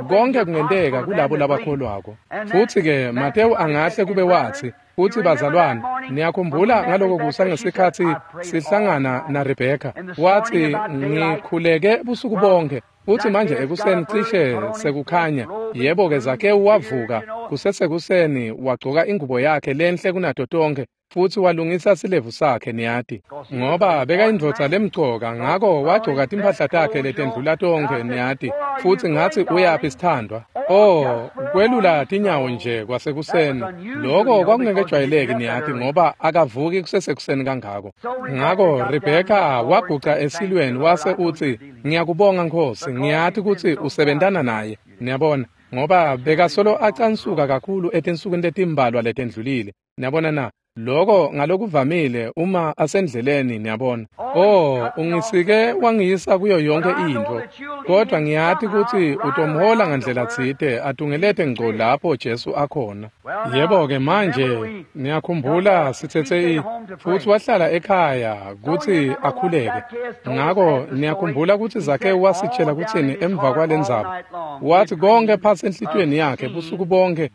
Konke kungenteka kulabo labakholwako. Futsi-ke Matewu angahle kube watsi, futsi bazalwane, niyakhumbula ngaloko kusa ngesikhatsi sihlangana naRebheka, watsi ngikhuleke busuku bonke, futsi manje ekuseni cishe sekukhanya. Yebo-ke, Zakewu wavuka kusesekuseni, wagcoka ingubo yakhe lenhle kunato tonke, futsi walungisa silevu sakhe, niyati, ngoba bekayindvodza lemcoka, ngako wagcoka timphahla takhe letendlula tonkhe, niyati. Futsi ngatsi, uyaphi sithandwa? Oh, kwelula tinyawo nje kwasekuseni. Loko kwakungekejwayeleki, niyati, ngoba akavuki kusesekuseni kangako. Ngako Rebheka waguca esilweni wase utsi, ngiyakubonga Nkhosi, ngiyati kutsi usebentana naye. Niyabona, ngoba bekasolo acansuka kakhulu etinsukwini letimbalwa letendlulile. Niyabona na? Loko ngalokuvamile uma asendleleni, niyabona. Oh, ungisike wangiyisa kuyo yonke intfo, kodwa ngiyati kutsi utomhola ngandlela tsite atungelete ngco lapho Jesu akhona. Yebo-ke manje niyakhumbula sitsetse futsi wahlala ekhaya kutsi akhuleke. Ngako niyakhumbula kutsi Zakewu wasitshela kutsini emva kwalendzaba. Wathi konke phasi enhlitiyweni yakhe busuku bonke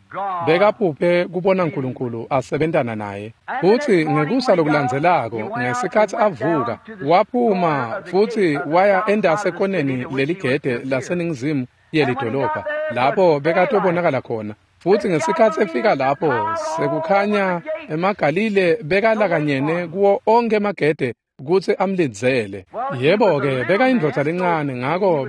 bekaphuphe kubona uNkulunkulu asebentana naye. Futsi ngekusa lokulandzelako ngesikhatsi avuka waphuma futsi waya endase ekoneni leligede laseningizimu yelidolobha lapho bekatobonakala khona. Futsi ngesikhatsi efika lapho sekukhanya emaGalile bekalakanyene kuwo onke emagede kutsi amlindzele. Yebo-ke, bekayindvodza lencane, ngako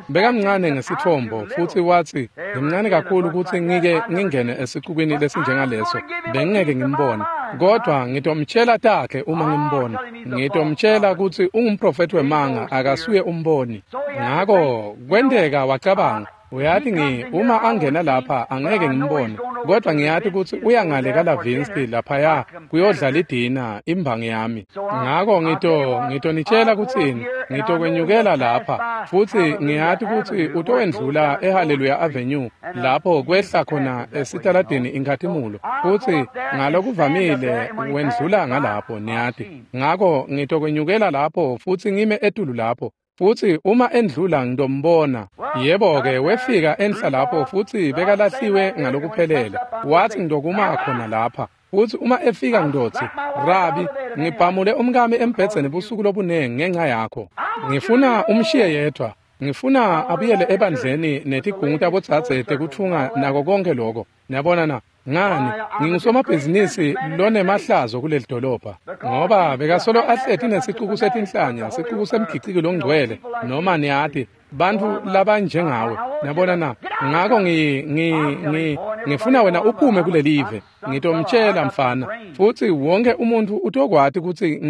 bekamncane ngesitfombo, futsi watsi ngimncane kakhulu kutsi ngike ngingene esicukwini lesinjengaleso, bengingeke ngimbone, kodwa ngitomtshela takhe uma ngimbona, ngitomtshela kutsi ungumprofethi wemanga, akasuye umboni. Ngako kwenteka wacabanga, uyati uma angena lapha angeke ngimbone, kodwa ngiyati kutsi uya ngale kaLavinsky laphaya kuyodlala idina imbangi yami. Ngako ngitonitshela kutsini, ngitokwenyukela lapha, futsi ngiyati kutsi utowendlula eHallelujah Avenue lapho kwehla khona esitaladini Inkhatimulo, futsi ngalokuvamile wendlula ngalapho, niyati. Ngako ngitokwenyukela lapho futsi ngime etulu lapho, futsi uma endlula ngitombona. Yebo-ke, wefika enhla lapho futsi bekalahliwe ngalokuphelele. Watsi ngitokuma khona lapha, futsi uma efika ngitotsi, Rabi, ngibhamule umkami embhedzeni busuku lobunengi ngenxa yakho. Ngifuna umshiye yedwa. Ngifuna abuyele ebandleni netigungu tabodzadze tekutfunga nako konke lokho. Niyabona na? Ngani, ngingusomabhizinisi lonemahlazo kuleli dolobha, ngoba bekasolo ahleti nesicuku setinhlanya, sicuku semgiciki longcwele, noma niyati, bantfu labanjengawe. Niyabona na? Ngako ngifuna wena uphume kulelive. Ngitomtshela mfana, futsi wonke umuntfu utokwati kutsi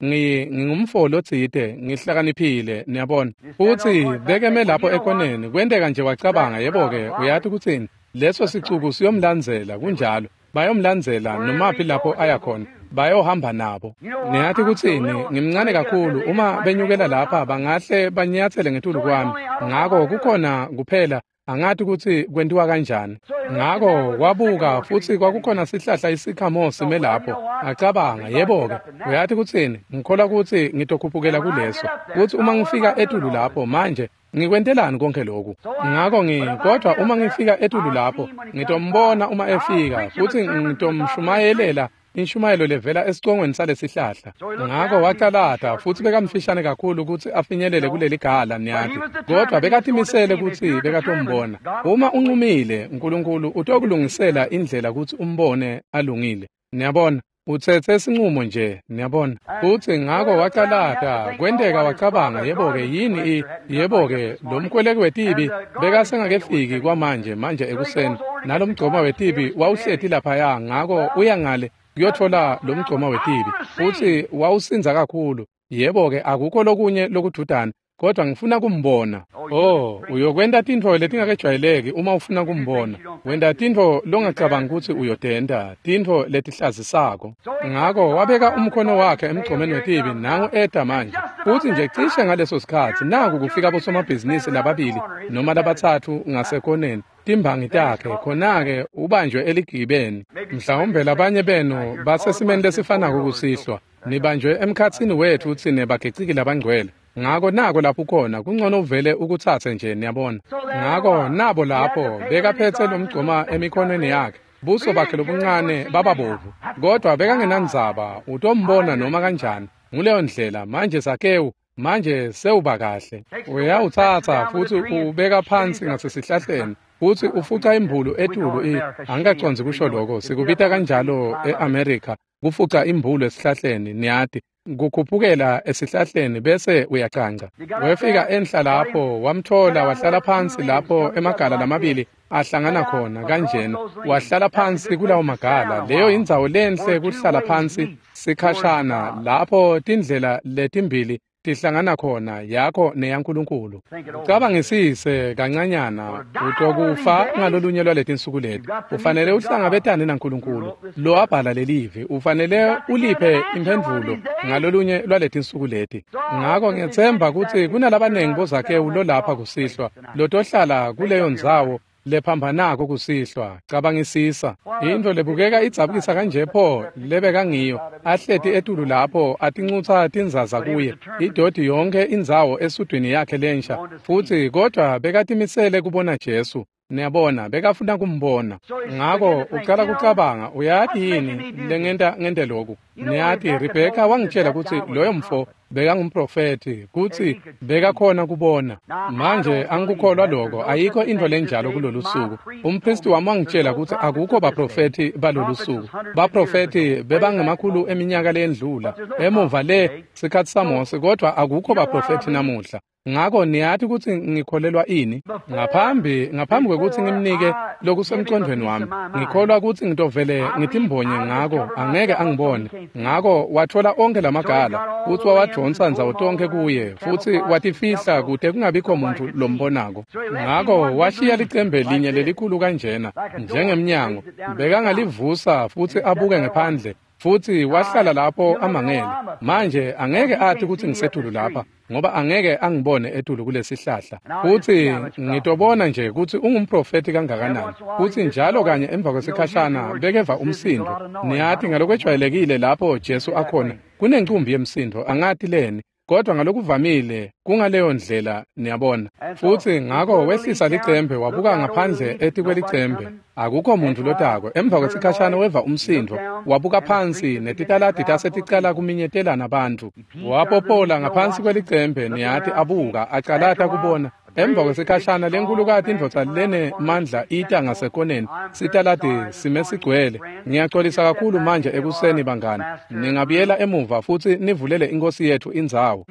ngingumfo lotsite, ngihlakaniphile, niyabona. Futsi bekeme lapho ekoneni, kwenteka nje wacabanga, yebo-ke, uyati kutsini? Leso sicuku siyomlandzela, kunjalo. Bayomlandzela nomaphi lapho aya khona, bayohamba nabo. Niyati kutsini? Ngimncane kakhulu, uma benyukela lapha bangahle banyatsele ngetulu kwami. Ngako kukhona kuphela angati kutsi kwentiwa kanjani. Ngako wabuka futsi kwakukhona sihlahla isikhamo sime lapho. Acabanga, yebo-ke, uyati kutsini? Ngikholwa kutsi ngitokhuphukela kuleso. Kutsi uma ngifika etulu lapho manje, ngikwentelani konke lokhu? Ngako kodwa uma ngifika etulu lapho, ngitombona uma efika, futsi ngitomshumayelela inshumayelo levela esicongweni salesihlahla. Ngako wacalata, futsi bekamfishane kakhulu kutsi afinyelele kuleli gala, niyati. Kodwa bekatimisele kutsi bekatombona. Uma uncumile, uNkulunkulu utokulungisela indlela kutsi umbone alungile. Niyabona? Utsetse sinqumo nje, niyabona. Futsi ngako wacalata, kwenteka wacabanga, yebo-ke, yini yebo-ke, lo mkweleki wetibi bekasengakefiki kwamanje, manje ekuseni. Nalomgcoma wetibi wawuhleti laphaya, ngako uya ngale kuyotfola lo mgcoma wetibi. Futsi wawusindza kakhulu. Yebo-ke, akukho lokunye lokududana, kodwa ngifuna kumbona. Oh, uyokwenta tintfo letingakejwayeleki uma ufuna kumbona. Wenta tintfo longacabangi kutsi uyotenta, tintfo letihlazisako. Ngako wabeka umkhono wakhe emgcomeni wetibi, nangu eta manje. Futsi nje cishe ngaleso sikhatsi, naku kufika bosomabhizinisi lababili noma labatsatfu ngasekoneni, timbangi takhe, khona-ke ubanjwe eligibeni. Mhlawumbe labanye benu basesimeni lesifanako kusihlwa. Nibanjwe emkhatsini wetfu tsine bagiciki labangcwele. Ngako nako lapho khona, kungcono uvele ukutsatse nje, niyabona. Ngako nabo lapho bekaphetse lomgcoma emikhonweni yakhe, buso bakhe lobuncane bababovu, kodwa bekangenandzaba, utombona noma kanjani. Nguleyo ndlela manje Zakewu manje sewuba kahle. Uyawutsatsa futsi ubeka phansi ngasesihlahleni, futsi ufuca imbulu etulu. Angikacondzi kusho lokho, sikubita kanjalo e-America, kufuca imbulu esihlahleni, niyati. Kukhuphukela esihlahleni bese uyacanca. Wefika enhla lapho, wamthola, wahlala phansi lapho emagala lamabili ahlangana khona kanjena. Wahlala phansi kulawo magala. Leyo indzawo lenhle kuhlala phansi sikhashana, lapho tindlela letimbili tihlangana khona, yakho neyaNkulunkulu. Ucabangisise kancanyana, utokufa ngalolunye lwaletinsuku leti. Ufanele uhlangabetane naNkulunkulu lo wabhala lelivi. Ufanele uliphe imphendvulo ngalolunye lwaletinsuku leti. Ngako ngiyetsemba kutsi kunalabanengi boZakewu lolapha kusihlwa, lotohlala kuleyo ndzawo lephambanako kusihlwa. Cabangisisa intfo lebukeka idzabukisa kanje pho lebekangiyo, ahleti etulu lapho atincutsa tinzaza kuye, idodi yonke indzawo esudwini yakhe lensha, futsi kodwa bekatimisele kubona Jesu. Niyabona, bekafuna kumbona. Ngako ucala kucabanga, uyati yini lengenta ngente lokhu? Niyati, Rebheka wangitshela kutsi loyo mfo bekangumprofethi, kutsi bekakhona kubona. Manje angikukholwa lokho, ayikho intfo lenjalo kulolu suku. Umpristi wami wangitshela kutsi akukho baprofethi balolu suku. Baprofethi bebangemakhulu eminyaka leyendlula, emuva le sikhatsi saMose, kodwa akukho baprofethi namuhla. Ngako niyati kutsi ngikholelwa ini? Ngaphambi kwekutsi ngimnike lokusemcondvweni wami, ngikholwa kutsi ngitovele ngitimbonye ngako, angeke angibone. Ngako watfola onkhe lamagala, futsi wawadvonsa ndzawo tonkhe kuye, futsi watifihla kute kungabikho muntfu lombonako. Ngako washiya licembe linye lelikhulu kanjena, njengemnyango, bekangalivusa futsi abuke ngephandle. Futsi wahlala lapho amangele. Manje angeke athi kutsi ngisetulu lapha, ngoba angeke angibone etulu kulesihlahla. Futsi ngitobona nje kutsi ungumprofethi kangakanani. Futsi njalo kanye emva kwesikhashana bekeva umsindo. Niyati ngalokwejwayelekile lapho Jesu akhona, kunencumbi yemsindo, angati leni. Kodwa ngalokuvamile kungaleyo ndlela, niyabona. Futhi ngako wehlisa licembe, wabuka ngaphandle etikwelicembe. Akukho muntu lotako. Emva kwesikhashana weva umsindvo, wabuka phansi netitaladi taseticala kuminyetelana abantu. Wapopola ngaphansi kwelicembe, niyati, abuka, acalata kubona. Emva kwesikhashana lenkulukati indvodza lenemandla ita ngasekoneni, sitaladi sime sigcwele. Ngiyaxolisa kakhulu manje ekuseni bangani. Ningabuyela emuva futhi nivulele inkosi yethu indzawo.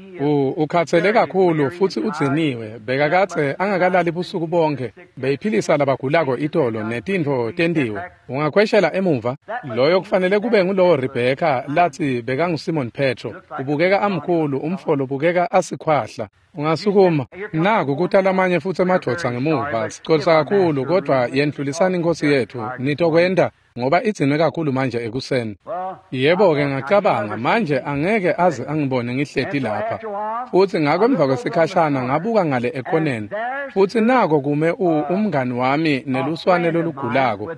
Ukhathele kakhulu futhi udziniwe, bekakadze angakalali busuku bonke. Beyiphilisa labagulako itolo netintfo tentiwe. Ungakhweshela emuva? Loyo kufanele kube ngulowo Rebheka lathi bekanguSimon Petro. Ubukeka amkhulu, umfolo ubukeka asikhwahla. Ungasukuma. Naku kuta lamanye futhi emadvodza ngemuva. Sixolisa kakhulu, kodwa yendlulisani inkosi yethu. Nitokwenta ngoba idzinwe kakhulu manje ekuseni. Yebo-ke ngacabanga, manje angeke aze angibone ngihleti lapha. Futhi ngako emva kwesikhashana ngabuka ngale ekoneni. Futhi nako kume umngani wami neluswane lolugulako.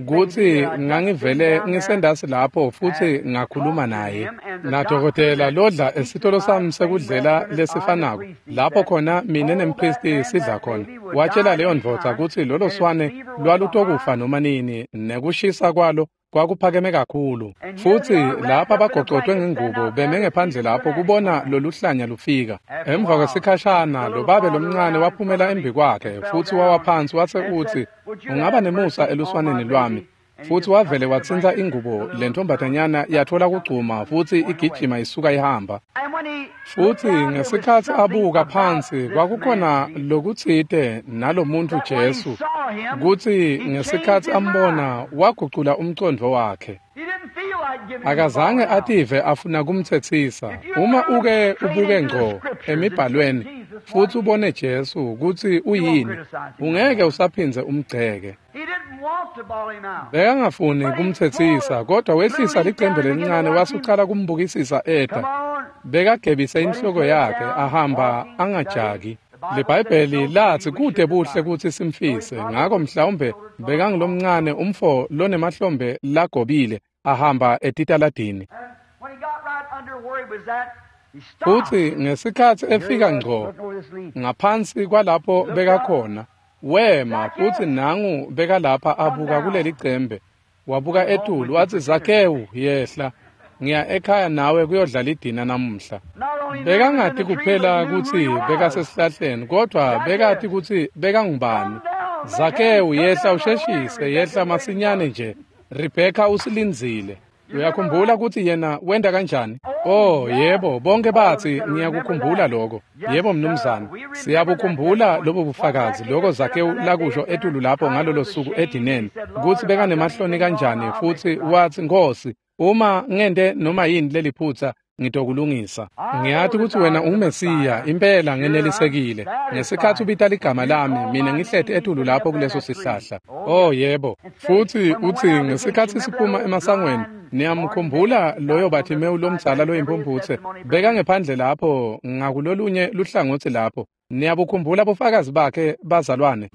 Kuthi ngangivele ngisendasi lapho futhi ngakhuluma naye. Nadokotela lodla esitolo sami sekudlela lesifanako, lapho khona mine nempristi sidla khona. Watshela leyo ndvodza kutsi lolo swane lwalutokufa noma nini, nekushisa kwalo kwakuphakeme kakhulu. Futhi lapha bagocotwe ngengubo beme ngephandle lapho kubona loluhlanya lufika. Emva kwesikhashana lo babe lomncane waphumela embi kwakhe futhi wawa phansi wase utsi, ungaba nemusa eluswaneni lwami. Futhi wavele watsintsa ingubo, lentombazanyana yathola kugcuma futhi igijima isuka ihamba. Futhi ngesikhatsi abuka phansi kwakukhona lokutsite nalomuntu Jesu, kutsi ngesikhatsi ambona wagucula umcondvo wakhe. Akazange ative afuna kumtsetsisa. Uma uke ubuke ngco emibhalweni futhi ubone Jesu kutsi uyini, ungeke usaphindze umgceke. Bekangafuni kumtsetsisa, kodwa wehlisa licembe lelincane wasucala kumbukisisa eta. Bekagebise inhloko yakhe ahamba angajaki. LiBhayibheli lathi kude buhle kutsi simfise, ngako mhlawumbe bekangulomncane umfo lonemahlombe lagobile ahamba etitaladini. Futhi ngesikhatsi efika ngco ngaphansi kwalapho bekakhona, wema futhi nangu bekalapha abuka kuleli cembe. Wabuka etulu wathi, Zakewu, yehla, ngiya ekhaya nawe kuyodlala idina namuhla. Bekangati kuphela kutsi bekasesihlahleni, kodwa bekati kutsi bekangubani. Zakewu, yehla usheshise, yehla masinyane nje. Rebheka usilindzile. Uyakhumbula kutsi yena wenta kanjani? Oh, yebo, bonke batsi ngiyakukhumbula lokho. Yebo mnumzane, siyabukhumbula lobo bufakazi, lokho Zakewu lakusho etulu lapho ngalolo suku edineni, kutsi bekanemahloni kanjani, futhi watsi, Nkosi, uma ngente noma yini leliphutsa, ngitokulungisa. Ngiyati kutsi wena unguMesiya, impela ngenelisekile. Ngesikhatsi ubita ligama lami, mina ngihleti etulu lapho kuleso sihlahla. Oh yebo. Futhi utsi ngesikhatsi siphuma emasangweni, niyamkhumbula loyo Bartimewu lomdzala loyimpumphutse, bekangephandle lapho ngakulolunye luhlangotsi lapho. Niyabukhumbula bufakazi bakhe bazalwane?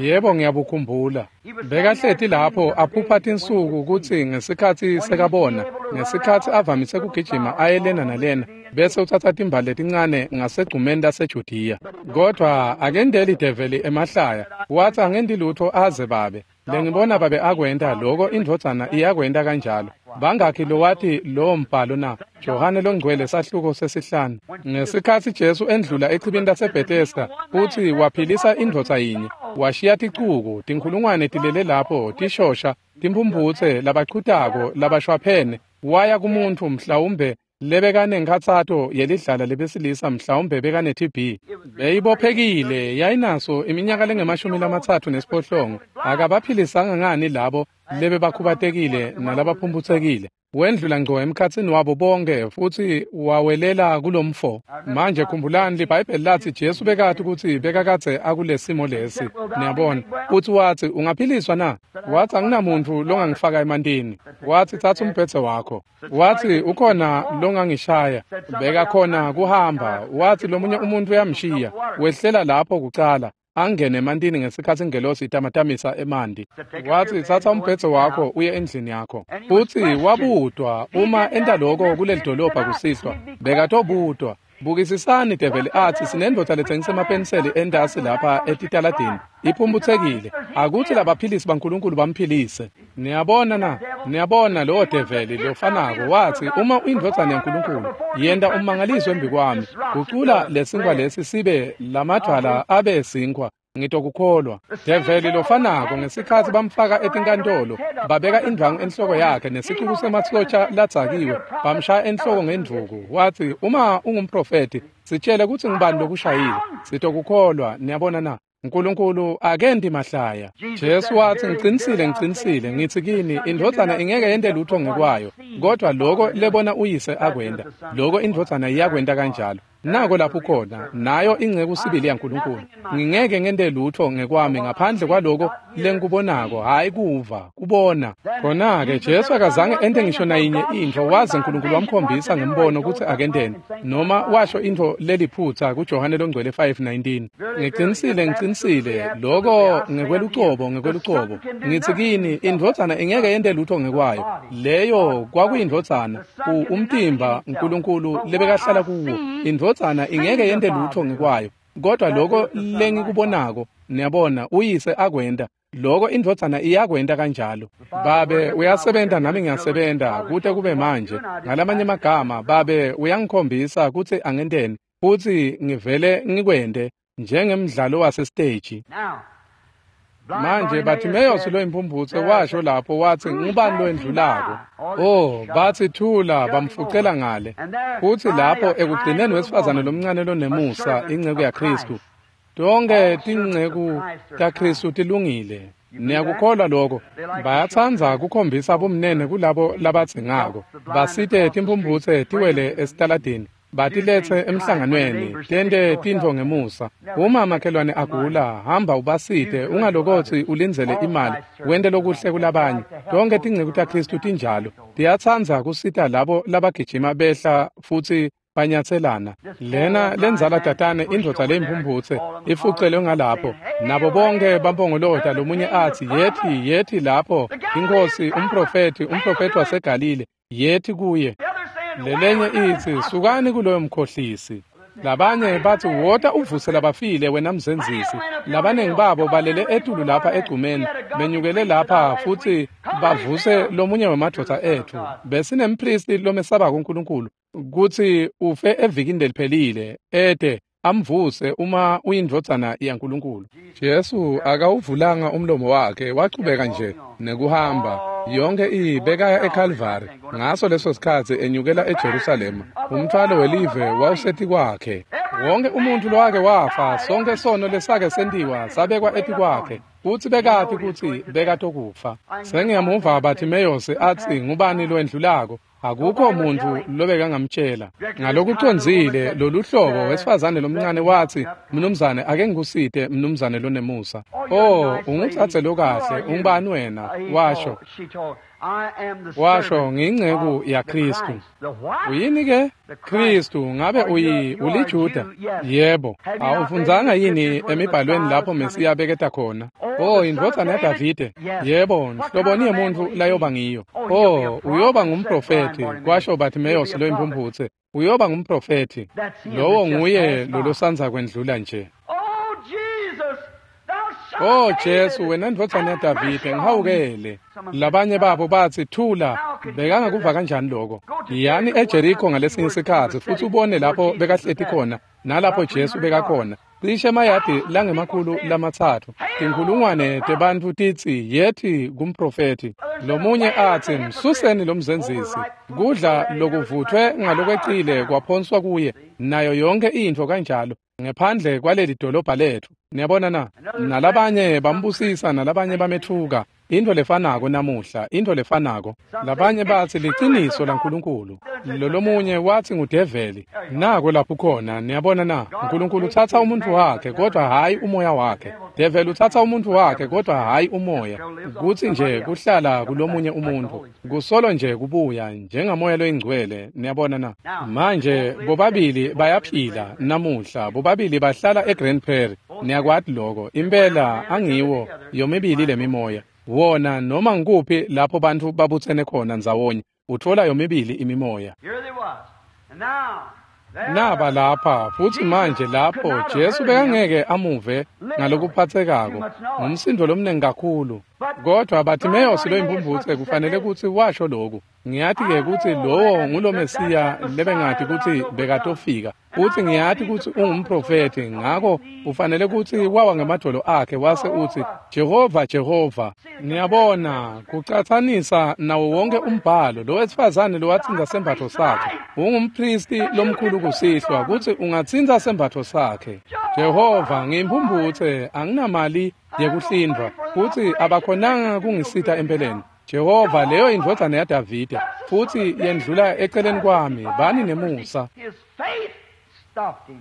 Yebo, ngiyabukhumbula. Bekahleti lapho aphupha tinsuku kutsi ngesikhatsi sekabona, ngesikhatsi avamise kugijima aye lena nalena, bese utsatsa timbali letincane ngasegcumeni laseJudiya. Kodwa akendeli develi emahlaya, watsi angendi lutho aze babe. Lengibona babe akwenta loko, indvodzana iyakwenta kanjalo. Bangakhi lowati lowo mbhalo na? Johane longcwele sahluko 5. Ngesikhatsi Jesu endlula echibini laseBethesda futhi waphilisa indvodza yinye, washiya ticuku tinkhulungwane tilele lapho tishosha, timphumphutse, labachutako, labashwaphene. Waya kumuntfu mhlawumbe lebekanenkhatsato yelidlala lebesilisa, mhlawumbe bekane-TB. Beyibophekile, yayinaso iminyaka lengu-38. Akabaphilisanga ngani labo lebebakhubatekile nalabaphumphutsekile? Wendlula ngco emkhatsini wabo bonke futhi wawelela kulomfo. Manje khumbulani, liBhayibheli lathi Jesu bekati kutsi bekakadze akulesimo lesi. Niyabona, futhi watsi, ungaphiliswa na? Watsi, anginamuntfu longangifaka emantini. Watsi, tsatsa umbhedze wakho. Watsi, ukhona longangishaya. Bekakhona kuhamba. Watsi, lomunye umuntu uyamshiya. Wehlela lapho kucala, angene emantini ngesikhatsi ingelosi itamatamisa emanti. Watsi, tsatsa umbhedze wakho uye endlini yakho. Futsi wabutwa uma enta lokho kuleli dolobha kusihlwa, bekatobutwa. Bukisisani develi athi sinendvodza letsengisa emapeniseli entasi lapha etitaladini, iphumphutsekile. Akuthi labaphilisi baNkulunkulu bamphilise. Niyabona na? Niyabona lowo develi lofanako wathi, uma uyindvodzana yaNkulunkulu, yenta ummangaliso embikwami, gucula lesinkwa lesi sibe lamadvwala abe sinkwa, ngitokukholwa. Develi lofanako ngesikhatsi bamfaka etinkantolo, babeka indvwangu enhloko yakhe nesicuku semasotja ladzakiwe, bamshaya enhloko ngendvuku. Wathi, uma ungumprofethi, sitshele kutsi ngubani lokushayile, sitokukholwa. Niyabona na? uNkulunkulu akenti mahlaya. Jesu wathi, ngicinisile, ngicinisile, ngithi kini, indvodzana ingeke yente lutho ngekwayo, kodwa loko lebona uyise akwenta, loko indvodzana iyakwenta kanjalo. Nako lapho khona, nayo inceku sibili yaNkulunkulu. Ngingeke ngente lutho ngekwami ngaphandle kwaloko lengikubonako, hhayi kuva, kubona. Khona-ke Jesu akazange ente ngisho nayinye intfo waze uNkulunkulu wamkhombisa ngembono kutsi akenteni, noma washo intfo leliphutsa kuJohane Longcwele 5:19. Ngicinisile, ngicinisile, loko ngekwelucobo, ngekwelucobo. Ngithi kini, indvodzana ingeke yente lutho ngekwayo. Leyo kwakuyindvodzana, umtimba uNkulunkulu lebekahlala kuwo. Indvodzana ingeke yente lutho ngekwayo, kodwa loko lengikubonako, niyabona, uyise akwenta, loko indvodzana iyakwenta kanjalo. Babe uyasebenta nami ngiyasebenta kute kube manje. Ngalamanye amagama, Babe uyangikhombisa kutsi angenteni, futsi ngivele ngikwente njengemdlalo wasesiteji. Manje Bartimaeus loyimpumphutse washo lapho wathi, ngubani loyendlulako? Oh, bathi thula, bamfucela ngale. Futhi lapho ekugcineni wesifazane lomncane lonemusa, inceku yaKristu. Tonke tinceku taKristu tilungile. Niyakukholwa lokho? Bayatsandza kukhombisa bumnene kulabo labadzingako. Basite timphumphutse tiwele esitaladini, batilethe emhlanganweni, tente tintfo ngemusa. Uma makhelwane agula, hamba ubasite, ungalokotsi ulindzele imali, wente lokuhle kulabanye. Tonke tinceku taKristu tinjalo. Tiyatsandza kusita labo labagijima behla futsi banyatselana. Lena lenzala tatane indvodza leyimphumphutse ifucelwe ngalapho, nabo bonke bampongolota, lomunye athi, yethi, yethi lapho, inkosi, umprofethi, umprofethi waseGalile, yethi kuye. Lelenye ithi, sukani kuloyo mkhohlisi. Labanye bathi, wota uvuse labafile wena mzenzisi. Labaningi babo balele etulu lapha egcumeni, benyukele lapha futhi bavuse lomunye wemadvodza ethu. Besinempristi lomesabako uNkulunkulu kutsi ufe evikini leliphelile, ete amvuse uma uyindvodzana yaNkulunkulu. Jesu akawuvulanga umlomo wakhe, wachubeka nje nekuhamba. Yonke ibekaya eKalvari ngaso leso sikhatsi enyukela eJerusalema. Umthwalo welive wawusetikwakhe. Wonke umuntu lowake wafa, sonke sono lesake sentiwa sabekwa etikwakhe, futsi bekati kutsi bekatokufa. Sengiyamuva Bartimaeus athi, ngubani loyendlulako? Akukho muntu lobekangamtshela. Ngalokucondzile lolu hlobo wesifazane lomncane wathi, mnumzane, ake ngikusite, mnumzane lonemusa. Oh, ungutsatse lokahle, ungubani wena? Washo. Washo, ngiyinceku yaKristu. Uyini ke? Kristu, ngabe uliJuda? Yebo. Awufundzanga yini emibhalweni lapho Mesiya beketa khona? Oh, indvodzana yaDavide. Yebo, nhloboni yemuntfu layoba ngiyo. Oh, uyoba ngumprofethi, kwasho Bartimaeus loyimpumphutse. Uyoba ngumprofethi. Lowo nguye lolosanza kwendlula nje. Oh Jesu, wena ndvodzana yaDavide, ngihawukele. Labanye babo bathi, thula, bekangakuva kanjani lokho? Yani eJeriko ngalesinye isikhatsi futhi ubone lapho bekahleti khona nalapho Jesu bekakhona. Cishe emayadi langemakhulu 3, tinkhulungwane tebantfu titsi, yethi kumprofethi. Lomunye athi, msuseni lomzenzisi. Kudla lokuvuthwe ngalokwecile kwaphonswa kuye, nayo yonke intfo kanjalo, ngephandle kwaleli dolobha lethu. Niyabona na? Nalabanye bambusisa, nalabanye bamethuka. Intfo lefanako namuhla, intfo lefanako. Labanye bathi liciniso laNkulunkulu. Lolomunye wathi ngudeveli. Nako lapho khona, niyabona na? uNkulunkulu utsatsa umuntu wakhe kodwa hhayi umoya wakhe. Develi utsatsa umuntu wakhe kodwa hhayi umoya. Kutsi nje kuhlala kulomunye umuntu, kusolo nje kubuya njengamoya loyingcwele, niyabona na? Manje bobabili bayaphila namuhla, bobabili bahlala eGrand Prairie. Niyakwati lokho, impela angiwo yomibili lemimoya. Wona noma ngikuphi lapho bantfu babutsene khona ndzawonye, utfola yomibili imimoya. Here they was. And now, Naba lapha futhi manje lapho Jesu bekangeke amuve ngalokuphathekako ngumsindo lomnengi kakhulu, kodwa Bartimeus loyimphumphutse kufanele kutsi washo lokhu. Ngiyati-ke kutsi lowo ngulo Mesiya lebengati kutsi bekatofika, futsi ngiyati kutsi ungumprofethi, ngako ufanele kutsi wawa ngemadvolo akhe wase utsi, Jehova, Jehova. Niyabona, kucatsanisa nawo wonke umbhalo, lo wesifazane lowatsintsa sembatfo sakhe. Ungumpristi lomkhulu kusihlwa kutsi ungatsintsa sembatfo sakhe. Jehova, ngiyimphumphutse, anginamali yekuhlindvwa, futsi abakhonanga kungisita empeleni. Jehova, leyo indvodzana yaDavide, futsi yendlula eceleni kwami, bani nemusa. His faith stopped him.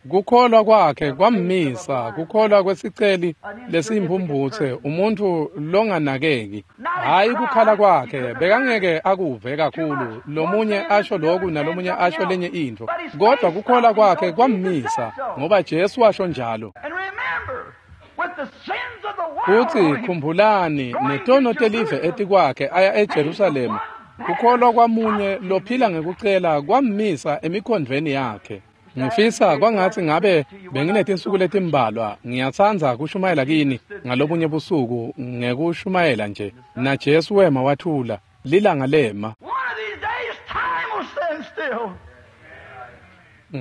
Kukholwa kwakhe kwammisa, kukholwa kwesiceli lesiyimphumphutse, umuntfu longanakeki. Hhayi kukhala kwakhe, bekangeke akuve kakhulu, lomunye asho lokhu nalomunye asho lenye intfo, kodwa kukholwa kwakhe kwammisa, ngoba Jesu washo njalo. And remember, with the sins of the world Futsi on him, khumbulani, netono telive etikwakhe aya eJerusalema, kukholwa kwamunye lophila ngekucela kwammisa emikhondvweni yakhe. Ngifisa kwangatsi ngabe benginetinsuku letimbalwa. Ngiyatsandza kushumayela kini ngalobunye busuku ngekushumayela nje. Na Jesu wema wathula, lilanga lema. One of these days, time will stand still.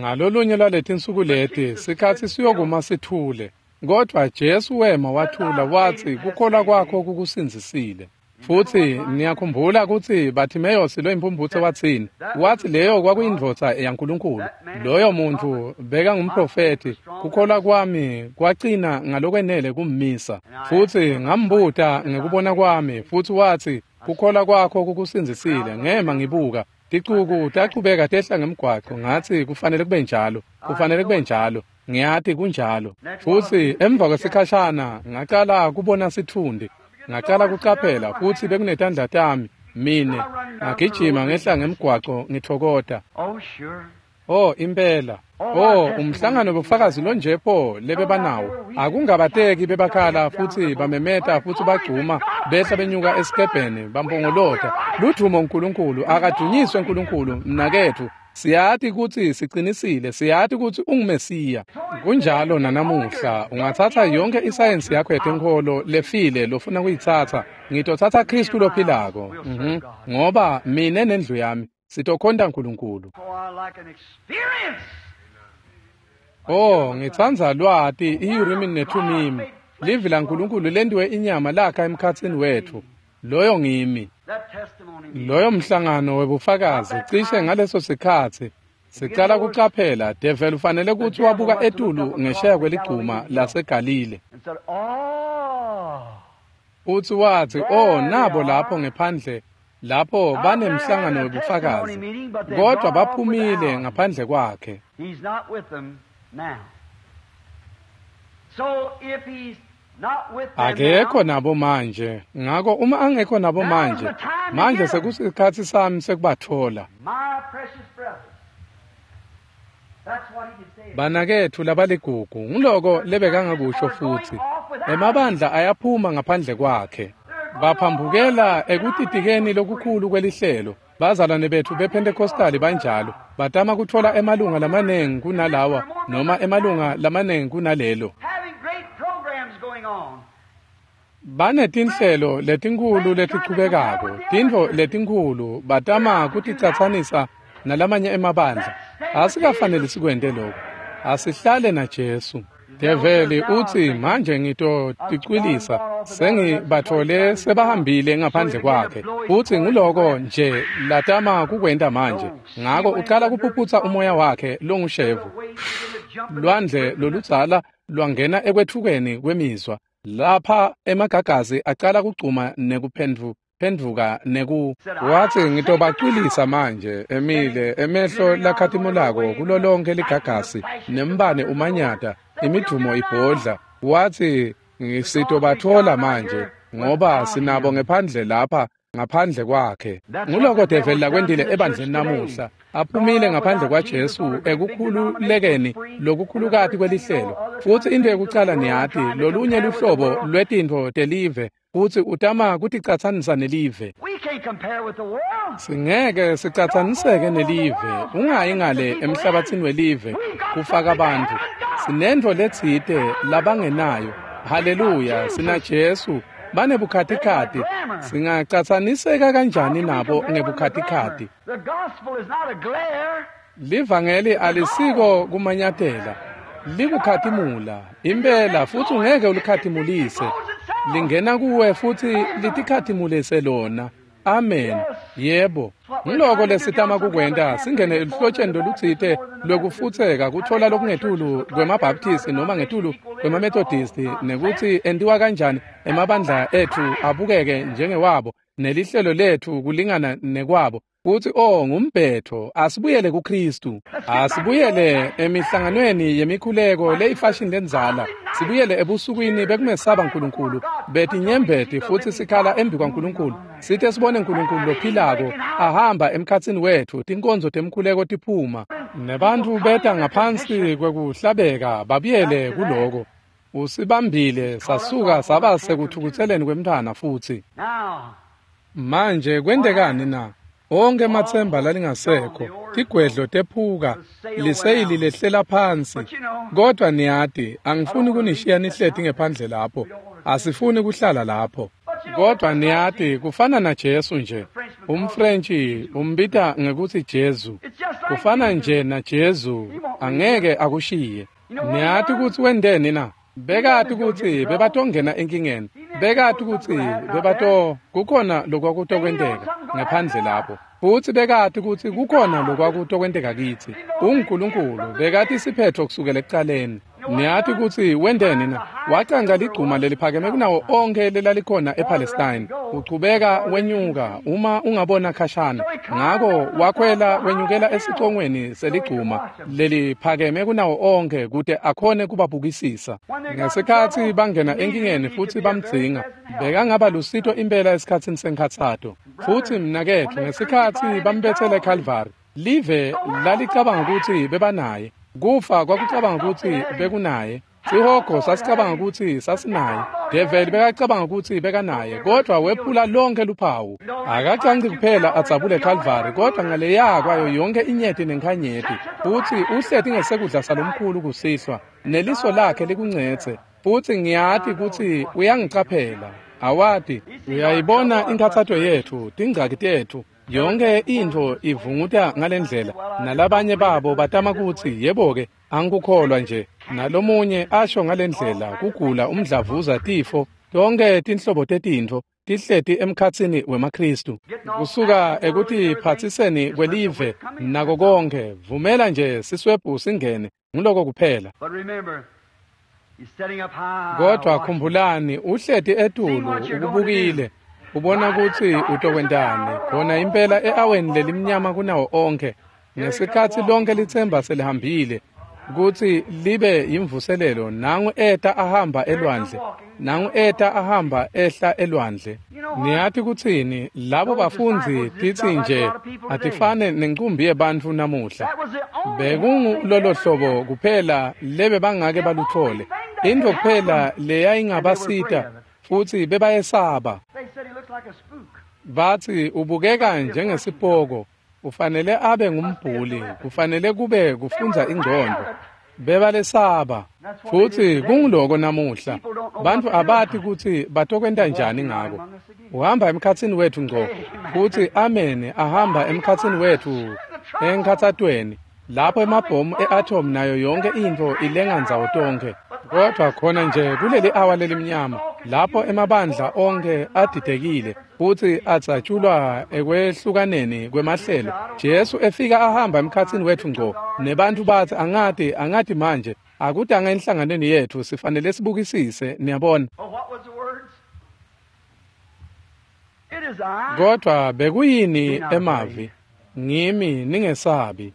Ngalolunye lwaletinsuku leti sikhatsi siyokuma sithule. Kodwa Jesu wema wathula watsi kukholwa kwakho kukusindzisile. Futsi niyakhumbula kutsi Bartimeus loyimphumphutse watsini? Watsi leyo kwakuyindvodza yaNkulunkulu. Loyo muntfu bekangumprofethi. Kukholwa kwami kwacina ngalokwenele kummisa. Futsi ngambuta ngekubona kwami, futsi watsi kukholwa kwakho kukusindzisile. Ngema ngibuka. Ticuku tachubeka tehla ngemgwaco, ngatsi kufanele kube njalo, kufanele kube njalo. Ngiyati kunjalo. Futsi emva kwesikhashana ngacala kubona sitfundi. Ngacala kucaphela futsi bekunetandla tami mine ngagijima ngehla ngemgwaco ngithokota. Oh, sure. Oh impela. Oh, umhlangano bufakazi lonje pho lebebanawo. Akungabateki bebakhala futsi bamemeta futsi bagcuma behla benyuka esikebheni bampongolota. Ludvumo uNkulunkulu, akadunyiswe uNkulunkulu mnaketfu. Siyati kutsi sicinisile, siyati kutsi unguMesiya. Kunjalo nanamuhla, ungatsatsa yonke isayensi yakho yetenkholo lefile lofuna kuyitsatsa. Ngitotsatsa Khristu lophilako. Ngoba mine nendlu yami sitokhonta uNkulunkulu. Oh, I like an experience. Oh, ngitsandza lwati i-Urim neThumim. Livi laNkulunkulu lentiwe inyama lakha emkhatsini wetfu. Loyo ngimi. That testimony. Loyo mhlangano webufakazi cishe ngaleso sikhatsi sicala kucaphela devil ufanele kutsi wabuka etulu ngesheya kweligcuma laseGalile. And said, oh. Utsi watsi, oh, nabo lapho ngephandle lapho banemhlangano webufakazi, kodwa baphumile ngaphandle kwakhe. He's not with them now. So if he's not with them Akekho now, nabo manje. Ngako uma angekho nabo manje, manje sekusikhatsi sami sekubathola. my precious brothers, that's what he could say. Banaketfu labaligugu, nguloko lebekangakusho futsi. Emabandla ayaphuma ngaphandle kwakhe. Baphambukela ekutitikeni lokukhulu kwelihlelo. Bazalwane betfu bePentecostali banjalo. Batama kutfola emalunga lamanengi kunalawa noma emalunga lamanengi kunalelo. Having great programs going on. Banetinhlelo letinkhulu letichubekako, tintfo letinkhulu batama kuticatsanisa nalamanye emabandla. Asikafaneli sikwente lokho. Asihlale naJesu. Develi utsi manje ngitoticwilisa, sengibathole sebahambile ngaphandle kwakhe. Futsi nguloko nje latama kukwenta manje. Ngako ucala kuphuphutsa umoya wakhe longushevu. Lwandle loludzala lwangena ekwethukeni kwemizwa. Lapha emagagazi acala kugcuma nekuphendvuka neku. Watsi ngitobacwilisa manje emile emehlo lakhatimulako kulo lonke ligagasi nembane umanyata imidvumo ibhodla. Watsi sitobathola manje ngoba sinabo ngephandle lapha ngaphandle kwakhe. Nguloko develi lakwentile ebandleni namuhla, aphumile ngaphandle kwaJesu ekukhululekeni lokukhulukati kwelihlelo. Futsi into yekucala niyati, lolunye luhlobo lwetintfo telive, futsi utama kuticatsanisa nelive. Singeke sicatsaniseke nelive, ungayi ngale emhlabatsini welive kufaka bantfu. Sinentfo letsite labangenayo. Haleluya, sina Jesu. Banebukhatikhathi. Singacatsaniseka kanjani nabo ngebukhatikhathi? Livangeli alisiko kumanyatela, likukhatimula impela, futsi ungeke ulikhatimulise. Lingena kuwe futsi litikhatimulise lona. Amen. Yebo. Ngiloko lesitama kukwenta, singene eluhlotsheni lolutsite lwekufutseka kutfola lokungetulu kwemaBaptisti noma ngetulu kwemaMethodisti, nekutsi entiwa kanjani emabandla etfu abukeke njengewabo nelihlelo letfu kulingana nekwabo. Kutsi oh ngumbhetho, asibuyele kuKristu, asibuyele emihlanganweni yemikhuleko leyifashini lendzala, sibuyele ebusukwini bekumesaba Nkulunkulu, betinyembeti futsi sikhala embi kwaNkulunkulu, sithe sibone Nkulunkulu lophilako ahamba emkhatsini wetfu, tinkonzo temkhuleko tiphuma, nebantfu beta ngaphansi kwekuhlabeka babuyele kuloko. Usibambile sasuka saba sekuthukutseleni kwemntfwana futsi. Manje kwentekani na? Onke ematsemba lalingasekho, tigwedlo tephuka, liseyili lehlela phansi. Kodwa niyati, angifuni kunishiya nihleti ngephandle lapho. Asifuni kuhlala lapho. Kodwa niyati, kufana naJesu nje. UmFrentshi umbita ngekutsi Jesu. Kufana nje naJesu, angeke akushiye. Niyati kutsi wenteni na? Bekati kutsi bebatongena enkingeni. Bekati kutsi bebato kukhona lokwakutokwenteka ngaphandle lapho. Futsi bekati kutsi kukhona lokwakutokwenteka kitsi. UNkulunkulu bekati siphetho kusukela ekucaleni. Niyati kutsi wenteni na? Wacanca ligcuma leliphakeme kunawo onkhe lelalikhona ePalestine. Uchubeka wenyuka uma ungabona khashana. Ngako wakhwela wenyukela esicongweni seligcuma leliphakeme kunawo onkhe kute akhone kubabukisisa. Ngesikhatsi bangena enkingeni futsi bamdzinga, bekangaba lusito impela esikhatsini senkhatsato. Futsi mnaketfu, ngesikhatsi bambetsele eCalvary, live lalicabanga kutsi bebanaye. Kufa kwakucabanga kutsi bekunaye. Sihogo sasicabanga kutsi sasinaye. Develi bekacabanga kutsi bekanaye, kodwa wephula lonke luphawu. Akacanci kuphela adzabule Calvary, kodwa ngaleya kwayo yonke inyeti nenkhanyeti. Futsi uhleti ngesekudla salomkhulu kusihlwa, neliso lakhe likuncetse. Futsi ngiyati kutsi uyangicaphela. Awati, uyayibona inkhatsato yetfu, tingcaki tetfu. Yonke intfo ivunguta ngalendlela, nalabanye babo batama kutsi yebo-ke angikukholwa nje, nalomunye asho ngalendlela, kugula, umdlavuza, tifo, tonke tinhlobo tetintfo tihleti emkhatsini wemaKristu. Kusuka ekutiphatsiseni kwelive nako konke, vumela nje siswebhu singene, nguloko kuphela. Kodwa khumbulani, uhleti etulu ukubukile, ubona kutsi utokwentani khona impela e-aweni lelimnyama kunawo onke, ngesikhatsi lonke litsemba selihambile kutsi libe yimvuselelo. Nangu eta ahamba elwandle, nangu eta ahamba ehla elwandle. Niyati kutsini? Labo bafundzi titsi nje atifane nencumbi yebantfu namuhla. Bekungulolo hlobo kuphela lebe bangake baluthole, intfo kuphela leyayingabasita, futsi bebayesaba. Batsi ubukeka njengesipoko, ufanele abe ngumbhuli, kufanele kube kufundza ingcondvo. Bebalesaba. Futsi kunguloko namuhla. Bantfu abati kutsi batokwenta njani ngako. Uhamba emkhatsini wetfu ngco, futsi amen, ahamba emkhatsini wetfu enkhatsatweni, lapho emabhomu e-atom nayo yonke intfo ilenga ndzawo tonkhe. Kodwa khona nje kuleli awa lelimnyama, lapho emabandla onke adidekile futsi adzatshulwa ekwehlukaneni kwemahlelo, Jesu efika ahamba emkhatsini wetfu ngco, nebantfu batsi angati manje, akutanga enhlanganweni yetfu, sifanele sibukisise, niyabona. Kodwa bekuyini emavi? Ngimi, ningesabi.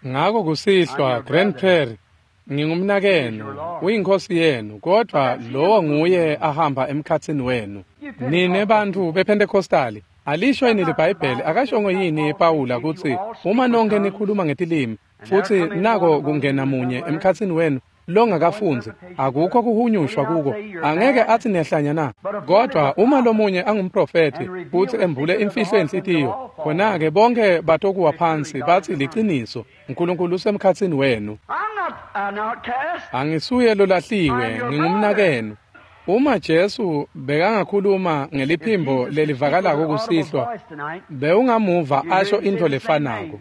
Ngako kusihlwa, Grand Prairie, ngingumnakenu, uyinkosi yenu, kodwa lowo nguye ahamba emkhatsini wenu. Nine bantfu bePentecostali, alisho yini liBhayibheli, akashongo yini Pawula kutsi uma nonke nikhuluma ngetilimi futsi nako kungena munye emkhatsini wenu longakafundzi, akukho kuhunyushwa kuko, angeke athi niyahlanya na? Kodwa uma lomunye angumprofethi futsi embule imfihlo yenhlitiyo, khona-ke bonke batokuwa phansi bathi liciniso, uNkulunkulu usemkhatsini wenu. Angisuye lolahliwe, ngingumnakenu. Uma Jesu bekangakhuluma ngeliphimbo lelivakalako kusihlwa, bewungamuva asho intfo lefanako.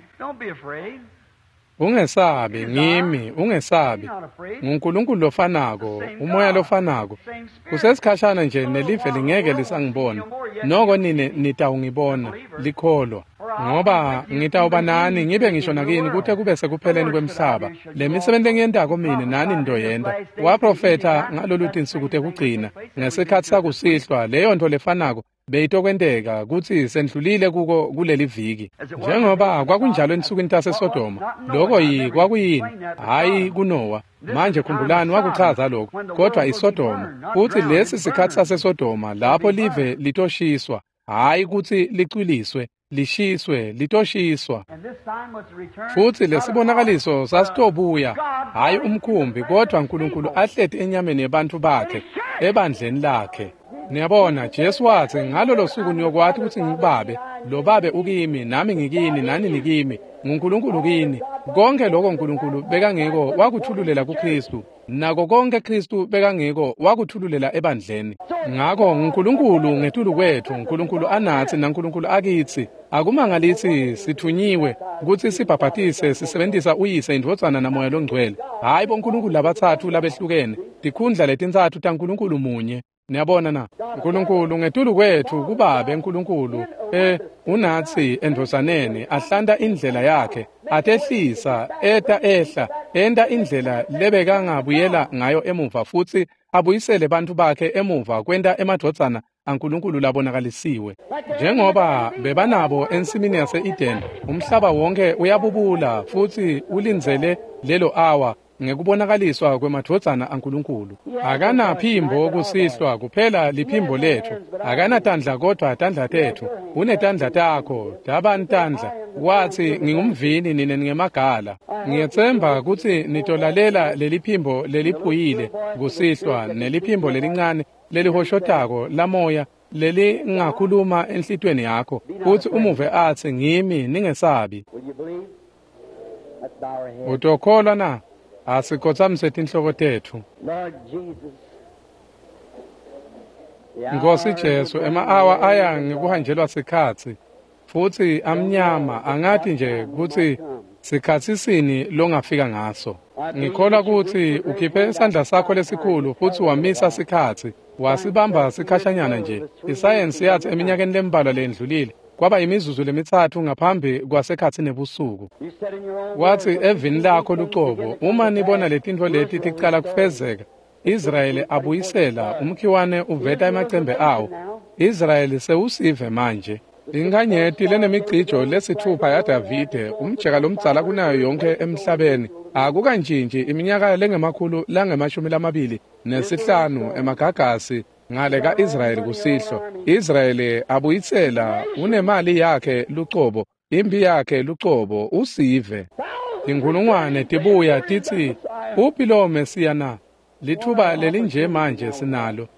Ungesabi, ngimi, ungesabi. NguNkulunkulu lofanako, umoya lofanako. Kusesikhashana nje nelive lingeke lisangibona, noko nine nitawungibona, likholwa. Ngoba ngitawuba nani ngibe ngisho nakini kute kube sekupheleni kwemhlaba. Le misebenti lengiyentako mine nani nitoyenta. Waprofetha ngalolu tinsuku tekugcina ngesikhatsi sakusihlwa, leyo nto lefanako beyitokwenteka kutsi sendlulile kuko kuleli viki. Njengoba kwakunjalo ensukwini taseSodoma, lokho kwakuyini? Hhayi kuNowa. Manje khumbulani wakuchaza lokho, kodwa iSodoma. Futsi lesi sikhatsi saseSodoma lapho live litoshiswa, hhayi kutsi licwiliswe, lishiswe, litoshiswa. Futsi lesibonakaliso sasitobuya, hhayi umkhumbi, kodwa uNkulunkulu ahleti enyameni yebantfu bakhe, ebandleni lakhe. Niyabona, Jesu watsi ngalolo suku niyokwati kutsi ngikubabe, lo babe ukimi, nami ngikini, nani nikimi, nguNkulunkulu kini. Konke lokho uNkulunkulu bekangiko wakuthululela kuKristu, nako konke Kristu bekangiko wakuthululela ebandleni. Ngako nguNkulunkulu ngetulu kwethu, uNkulunkulu anatsi naNkulunkulu akitsi. Akumangalitsi sithunyiwe kutsi sibhabhatise sisebentisa uyise, indvodzana namoya longcwele. Hhayi boNkulunkulu labatsatfu labehlukene, tikhundla letintsatfu taNkulunkulu munye. Niyabona na? uNkulunkulu ngetulu kwethu kubabe uNkulunkulu unatsi endvodzaneni ahlanta indlela yakhe, atehlisa, eta ehla, enta indlela lebekangabuyela ngayo emuva futsi abuyisele bantfu bakhe emuva kwenta emadvodzana aNkulunkulu labonakalisiwe. Njengoba bebanabo ensimini yase-Eden, umhlaba wonke uyabubula futsi ulindzele lelo awa ngekubonakaliswa kwemadvodzana aNkulunkulu. Akanaphimbo kusihlwa, kuphela liphimbo letfu. Akanatandla kodwa tandla tetfu. Unetandla takho, tabani tandla. Watsi ngingumvini nine ningemagala. Ngiyetsemba kutsi nitolalela leliphimbo leliphuyile kusihlwa neliphimbo lelincane lelihoshotako lamoya lelingakhuluma enhlitiyweni yakho futsi umuve atsi ngimi, ningesabi. Utokholwa na? Asikhotsamise tinhloko tetfu. Nkosi Jesu, ema-awa aya ngekuhanjelwa sikhatsi futsi amnyama, angati nje kutsi sikhatsi sini longafika ngaso. Ngikholwa kutsi ukhiphe isandla sakho lesikhulu futsi wamisa sikhatsi, wasibamba sikhashanyana nje. Isayensi yathi eminyakeni lembalwa lendlulile kwaba imizuzu lemithathu ngaphambi kwasekhatsi nebusuku. Watsi evini lakho lucobo, uma nibona letintfo leti ticala kufezeka, Israyeli abuyisela umkhiwane uveta emacembe awo. Israyeli sewusive manje. Inkanyeti lenemicijo lesitfupha yaDavide, umjeka lomdzala kunayo yonke emhlabeni, akukantshintshi iminyaka lengemakhulu lange-25 emagagasi ngale ka-Israyeli kusihlwa. Israyeli abuyisela unemali yakhe lucobo, impi yakhe lucobo, usive. Tinkhulungwane tibuya titsi, uphi lowo Mesiya na? Lithuba lelinje manje sinalo.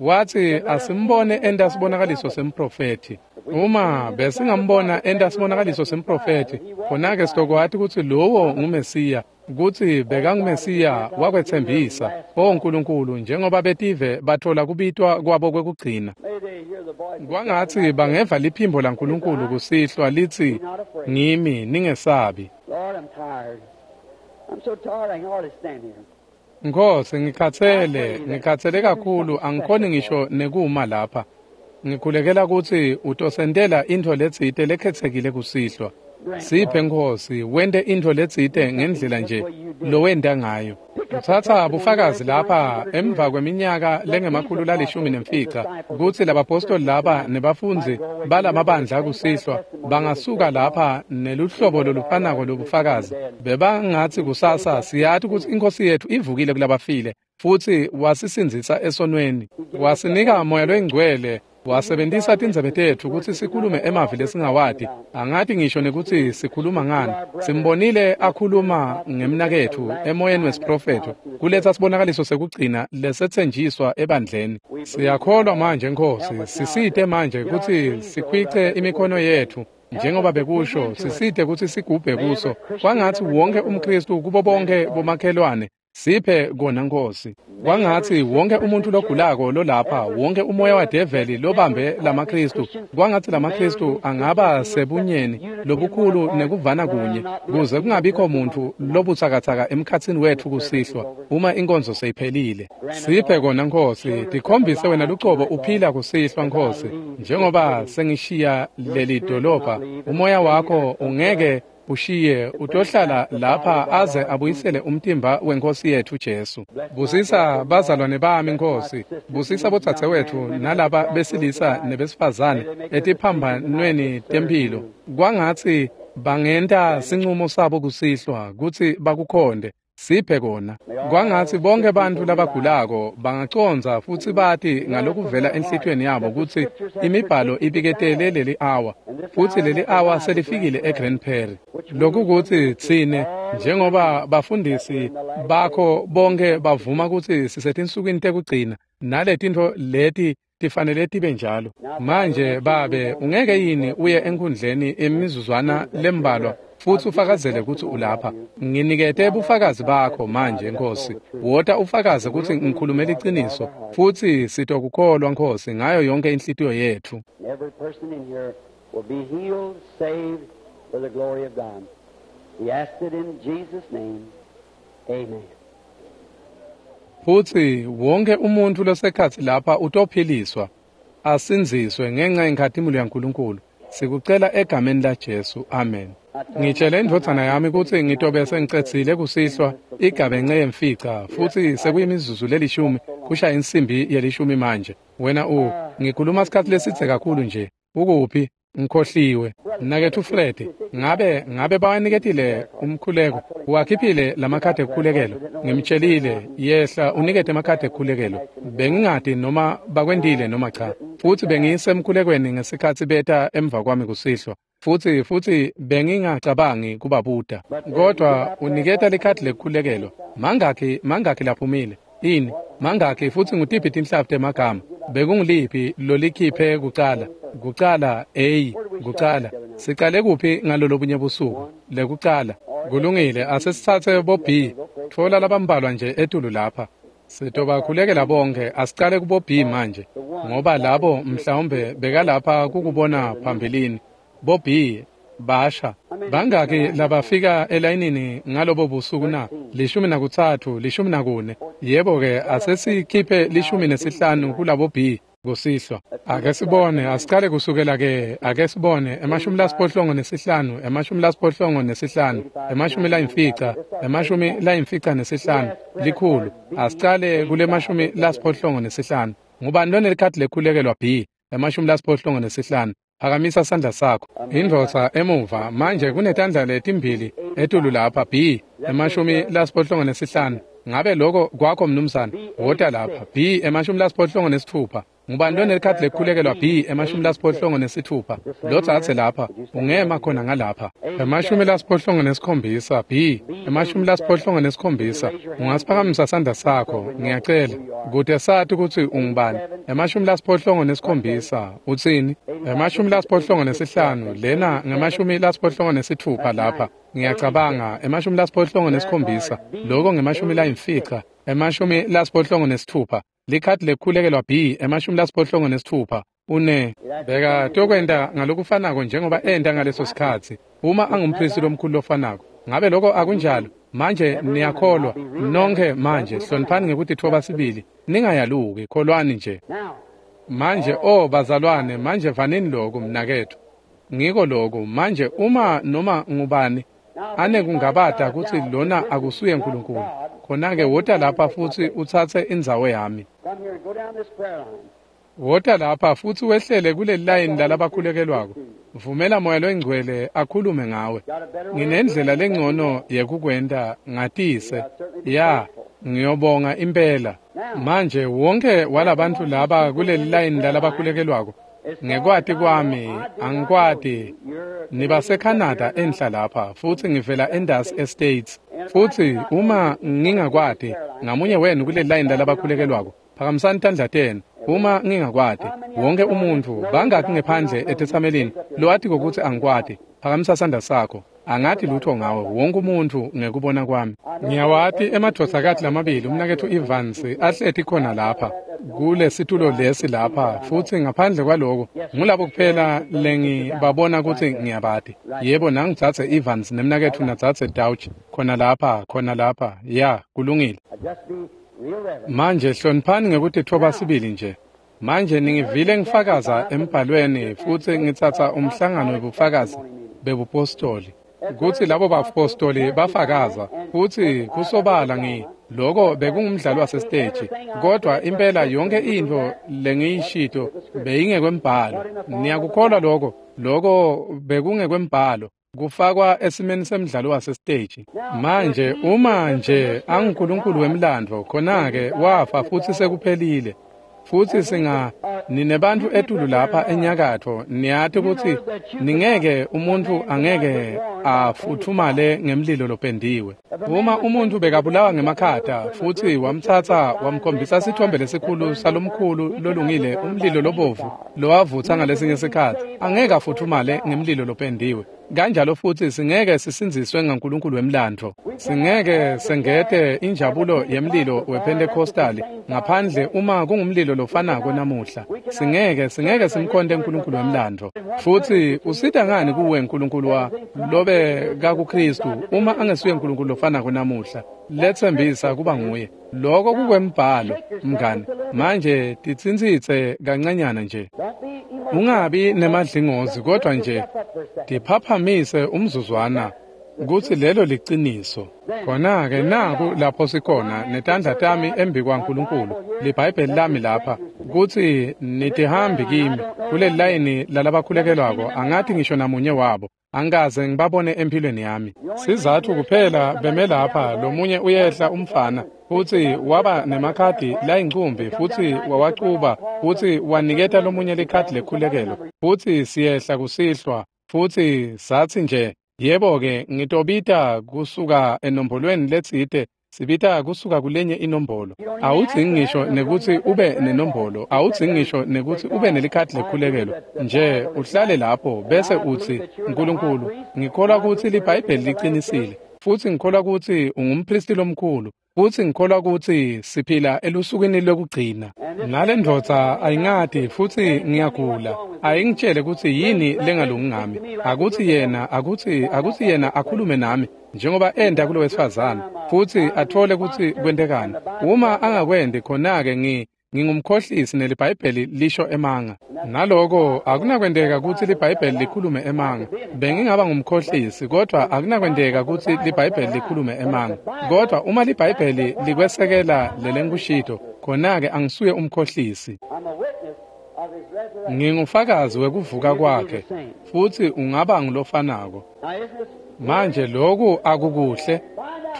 Watsi asimbone enta sibonakaliso semprofethi. Uma besingambona enta sibonakaliso semprofethi, khona-ke sitokwati kutsi lowo nguMesiya, kutsi bekanguMesiya wakwetsembisa. O Nkulunkulu, njengoba betive bathola kubitwa kwabo kwekugcina, kwangatsi bangeva liphimbo laNkulunkulu kusihlwa litsi, ngimi, ningesabi. Nkosi, ngikhatsele kakhulu, angikhoni ngisho nekuma lapha. Ngikhulekela kutsi utosentela intfo letsite lekhetsekile kusihlwa. Siphe Nkosi, wente intfo letsite ngendlela nje lowenta ngayo. Uthatha bufakazi lapha emva kweminyaka lengama-115 kutsi labapostoli laba nebafundzi balamabandla kusihlwa bangasuka lapha neluhlobo lolufanako lobufakazi. Bebangatsi kusasa siyati kutsi iNkhosi yethu ivukile kulabafile futsi wasisindzisa esonweni, wasinika Moya loyiNgcwele. Wasebentisa tindzebe tetfu kutsi sikhulume emavi lesingawati, angati ngisho nekutsi sikhuluma ngani. Simbonile akhuluma ngemnaketfu emoyeni wesiprofetho, kuletsa sibonakaliso sekugcina lesetsenjiswa ebandleni. Siyakholwa manje Nkhosi, sisite manje kutsi sikhwice imikhono yetfu njengoba bekusho, sisite kutsi sigubhe kuso. Kwangatsi wonke umKhristu kubo bonke bomakhelwane, siphe kona Nkhosi. Kwangatsi wonke umuntu logulako lolapha, wonke umoya wadeveli lobambe lamaKhristu, kwangatsi lamaKhristu angaba sebunyeni lobukhulu nekuvana kunye, kuze kungabikho muntu lobutsakatsaka emkhatsini wetfu kusihlwa uma inkonzo seyiphelile. Siphe kona Nkhosi, tikhombise wena lucobo uphila kusihlwa Nkhosi, njengoba sengishiya leli dolobha, umoya wakho ungeke ushiye, utohlala lapha aze abuyisele umtimba wenkosi yetfu Jesu. Busisa bazalwane bami Nkhosi, busisa bodzadzewetfu nalaba besilisa nebesifazane etiphambanweni temphilo. Kwangatsi bangenta sincumo sabo kusihlwa kutsi bakukhonde. Siphe kona. Kwangatsi bonke bantfu labagulako bangacondza futsi bati ngalokuvela enhlitiyweni yabo kutsi imibhalo ibiketele leli awa, futsi leli awa selifikile eGrand Prairie. Lokhu kutsi tsine njengoba bafundisi bakho bonke bavuma kutsi sisetinsukwini tekugcina, naletintfo leti tifanele tibe njalo. Manje Babe, ungeke yini uye enkhundleni imizuzwana lembalwa futsi ufakazele kutsi ulapha? Nginikete bufakazi bakho manje Nkhosi. Wota ufakaze kutsi ngikhulume liciniso, futsi sitokukholwa Nkhosi ngayo yonke inhlitiyo yetfu. Every person in here will be healed, saved for the glory of God. We ask it in Jesus' name. Amen. Futsi wonke umuntfu losekhatsi lapha utophiliswa, asindziswe ngenca yenkhatimulo yaNkulunkulu. Sikucela egameni laJesu. Amen. Ngitshele indvodzana yami kutsi ngitobe sengicedzile kusihlwa igabence yemfica, futsi sekuyimizuzu lelishumi kushaya insimbi yelishumi manje. Wena ngikhuluma sikhatsi lesidze kakhulu nje. Ukuphi? Ngikhohliwe. Mnaketfu Fred, ngabe bawaniketile umkhuleko? Uwakhiphile lamakhadi ekukhulekelo? Ngimtshelile, yehla unikete emakhadi ekukhulekelo. Bengingati noma bakwentile noma cha. Futsi bengisemkhulekweni ngesikhatsi beta emva kwami kusihlwa. Futsi bengingacabangi kubabuta. Kodwa uniketa likhadi lekukhulekelo. Mangakhi laphumile? Ini? Mangakhi futsi ngutiphi tinhlavu temagama? Bekungiliphi lolikhiphe kucala? Kucala A, kucala. Sicale kuphi ngalolobunye busuku? Lekucala. Kulungile, asesitsatse bo B. Tfola labambalwa nje etulu lapha. Sitobakhulekela bonke, asicale kubo B manje, ngoba labo mhlawumbe bekalapha kukubona phambilini. Bo B basha. Bangaki labafika elayinini ngalobo busuku na? 13, 14. Yebo ke, asesikhiphe 15 kulabo B kusihlwa. Ake sibone, asicale kusukela ke, ake sibone 85, 85, 50, 55, 100. Asicale kule 85. Ngubani lonelikhadi lekhulekelwa B? 85. Phakamisa sandla sakho. Indvodza emuva manje kunetandla letimbili etulu lapha B 85. Ngabe lokho kwakho mnumzane? Wota lapha B 86. Ngubani lonelikhadi lekhulekelwa B 86? Lotsatse lapha, ungema khona ngalapha. 87 B 87. Ungasiphakamisa sandla sakho, ngiyacela, kute sati kutsi ungubani. 87 utsini? 85 lena nge-86 lapha. Ngiyacabanga 87 lokho nge-50 86. Likhadi lekhulekelwa B 86 une beka tokwenta ngalokufanako njengoba enta ngaleso sikhatsi uma angumphristi lomkhulu lofanako. Ngabe lokho akunjalo? Manje niyakholwa nonke manje, hloniphani ngekutitfoba sibili, ningayaluki, kholwani nje manje. O bazalwane, manje vanini lokhu mnaketfu, ngiko lokhu manje. Uma noma ngubani anekungabata kutsi lona akusuye uNkulunkulu, khona-ke wota lapha futsi utsatse indzawo yami. Wota lapha futsi wehlele kuleli layini lalabakhulekelwako. Vumela Moya Longcwele akhulume ngawe. Nginendlela lengcono yekukwenta, ngatise. Ya, ngiyobonga impela. Manje wonke walabantu laba kuleli layini lalabakhulekelwako, ngekwati kwami angikwati, nibaseCanada enhla lapha, futhi ngivela endasi eStates. Futhi uma ngingakwati ngamunye wenu kuleli layini lalabakhulekelwako, phakamisani tandla tenu. Uma ngingakwati wonke umuntfu, bangaki ngephandle etetsamelini lowatiko kutsi angikwati, phakamisa sandla sakho. Angathi lutho ngawe wonke umuntfu ngekubona kwami. Ngiyawati emadvodzakati lamabili, umnaketfu Evans ahleti khona lapha kulesitulo lesi lapha, futsi ngaphandle kwaloko ngulabo kuphela lengibabona kutsi ngiyabati. Yebo, nangidzadze Evans nemnaketfu nadzadze Dauch khona lapha, khona lapha. Ya, kulungile. Manje hloniphani ngekutitfoba sibili nje. Manje ningivile ngifakaza embhalweni, futsi ngitsatsa umhlangano webufakazi bebupostoli, kutsi labo bapostoli bafakaza, futsi kusobala loko bekungumdlalo wasesiteji, kodwa impela yonke intfo lengiyishito beyingekwembhalo. Niyakukholwa loko? Loko bekungekwembhalo, kufakwa esimeni semdlalo wasesiteji. Manje uma nje anguNkulunkulu wemlandvo, khona-ke wafa futsi sekuphelile. Futsi ninebantfu etulu lapha enyakatfo, niyati kutsi ningeke umuntfu angeke afutfumale ngemlilo lopendiwe. Uma umuntfu bekabulawa ngemakhata futsi wamtsatsa wamkhombisa sithombe lesikhulu salomkhulu lolungile umlilo lobovu lowavutsa ngalesinye sikhatsi, angeke afutfumale ngemlilo lopendiwe. Kanjalo futsi singeke sisindziswe ngaNkulunkulu wemlandvo. Singeke sengete injabulo yemlilo wePentecostali ngaphandle uma kungumlilo lofanako namuhla. Singeke simkhonte uNkulunkulu wemlandvo. Futsi usita ngani kuwe uNkulunkulu wa lobe kakuKristu uma angesuye uNkulunkulu lofanako namuhla? Letsembisa kuba nguye. Loko kukwembhalo, mngani. Manje titsintsitse kancanyana nje. Ungabi nemadlingozi, kodwa nje tiphaphamise umzuzwana kutsi lelo liciniso. Khona-ke naku lapho sikhona netandla tami embi kwaNkulunkulu, liBhayibheli lami lapha, kutsi nitihambi kimi kuleli layini lalabakhulekelwako, angathi ngisho namunye wabo. Angikaze ngibabone empilweni yami. Sizathu kuphela beme lapha, lomunye uyehla umfana, futsi waba nemakhadi layincumbi, futsi wawacuba, futsi waniketa lomunye likhadi lekhulekelo. Futsi siyehla kusihlwa, futsi satsi nje, yebo-ke, ngitobita kusuka enombolweni letsite, sibita kusuka kulenye inombolo. Awudzingi ngisho nekutsi ube nenombolo, awudzingi ngisho nekutsi ube nelikhadi lekhulekelo. Nje uhlale lapho bese utsi, Nkulunkulu, ngikholwa kutsi liBhayibheli liqinisile, futsi ngikholwa kutsi ungumpristi lomkhulu, futsi ngikholwa kutsi siphila elusukwini lwekugcina. Nale ndvodza ayingati, futsi ngiyagula. Ayingitshele kutsi yini lengalungi ngami. Akutsi yena akhulume nami njengoba enta kulo wesifazane, futsi athole kutsi kwentekani. Uma angakwendi, khona-ke ngingumkhohlisi neliBhayibheli lisho emanga. Naloko akunakwenteka kutsi liBhayibheli likhulume emanga. Bengingaba ngumkhohlisi, kodwa akunakwenteka kutsi liBhayibheli likhulume emanga. Kodwa uma liBhayibheli likwesekela lelengikushito, khona-ke angisuye umkhohlisi. Ngingufakazi wekuvuka kwakhe, futsi ungaba ngulofanako. Manje loku akukuhle.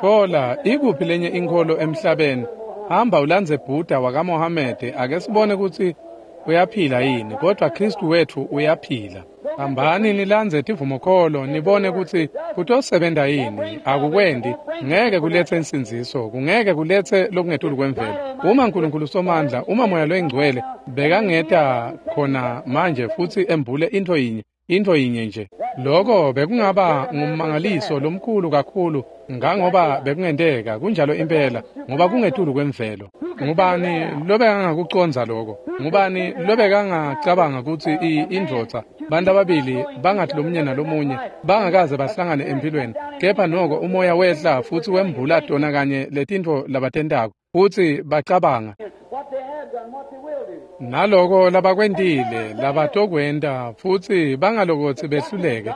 Thola ikuphi lenye inkholo emhlabeni. Hamba ulandze Buddha wakaMohamede, ake sibone kutsi uyaphila yini, kodwa Kristu wetfu uyaphila. Hambani nilandze tivumokholo nibone kutsi kutosebenta yini. Akukwendi, ngeke kuletse insindziso, kungeke kuletse lokungetulu kwemvelo. Uma Nkulunkulu Somandla, uma Moya loyiNgcwele bekangeta khona manje futsi embule intfo yinye nje, loko bekungaba ngummangaliso lomkhulu kakhulu ngangoba bekungenteka. Kunjalo impela, ngoba kungetulu kwemvelo. Ngubani lobekangakucondza loko? Ngubani lobekangacabanga kutsi indvodza, bantu ababili bangathi lomunye nalomunye, bangakaze bahlangane empilweni, kepha noko umoya wehla futsi wembula tona kanye letintfo labatentako, futsi bacabanga naloko labakwentile labatokwenta, futsi bangalokotsi behluleke.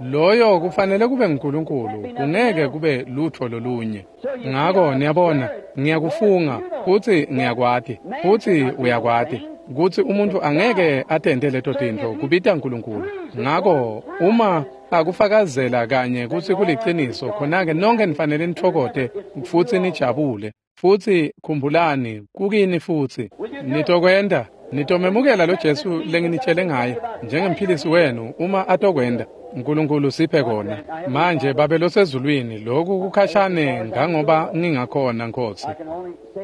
Loyo kufanele kube nguNkulunkulu, kungeke kube lutho lolunye. Ngako niyabona, ngiyakufunga futsi ngiyakwati, futsi uyakwati kutsi umuntu angeke atente leto tintfo, kubita uNkulunkulu. Ngako uma akufakazela kanye kutsi kuliciniso, khona-ke nonke nifanele nitfokote futsi nijabule. Futsi khumbulani, kukini futsi. Nitokwenta, nitomemukela lo Jesu lenginitshele ngaye njengemphilisi wenu uma atokwenta. uNkulunkulu siphe kona. Manje Babe losezulwini, lokhu kukhashane ngangoba ngingakhona Nkosi.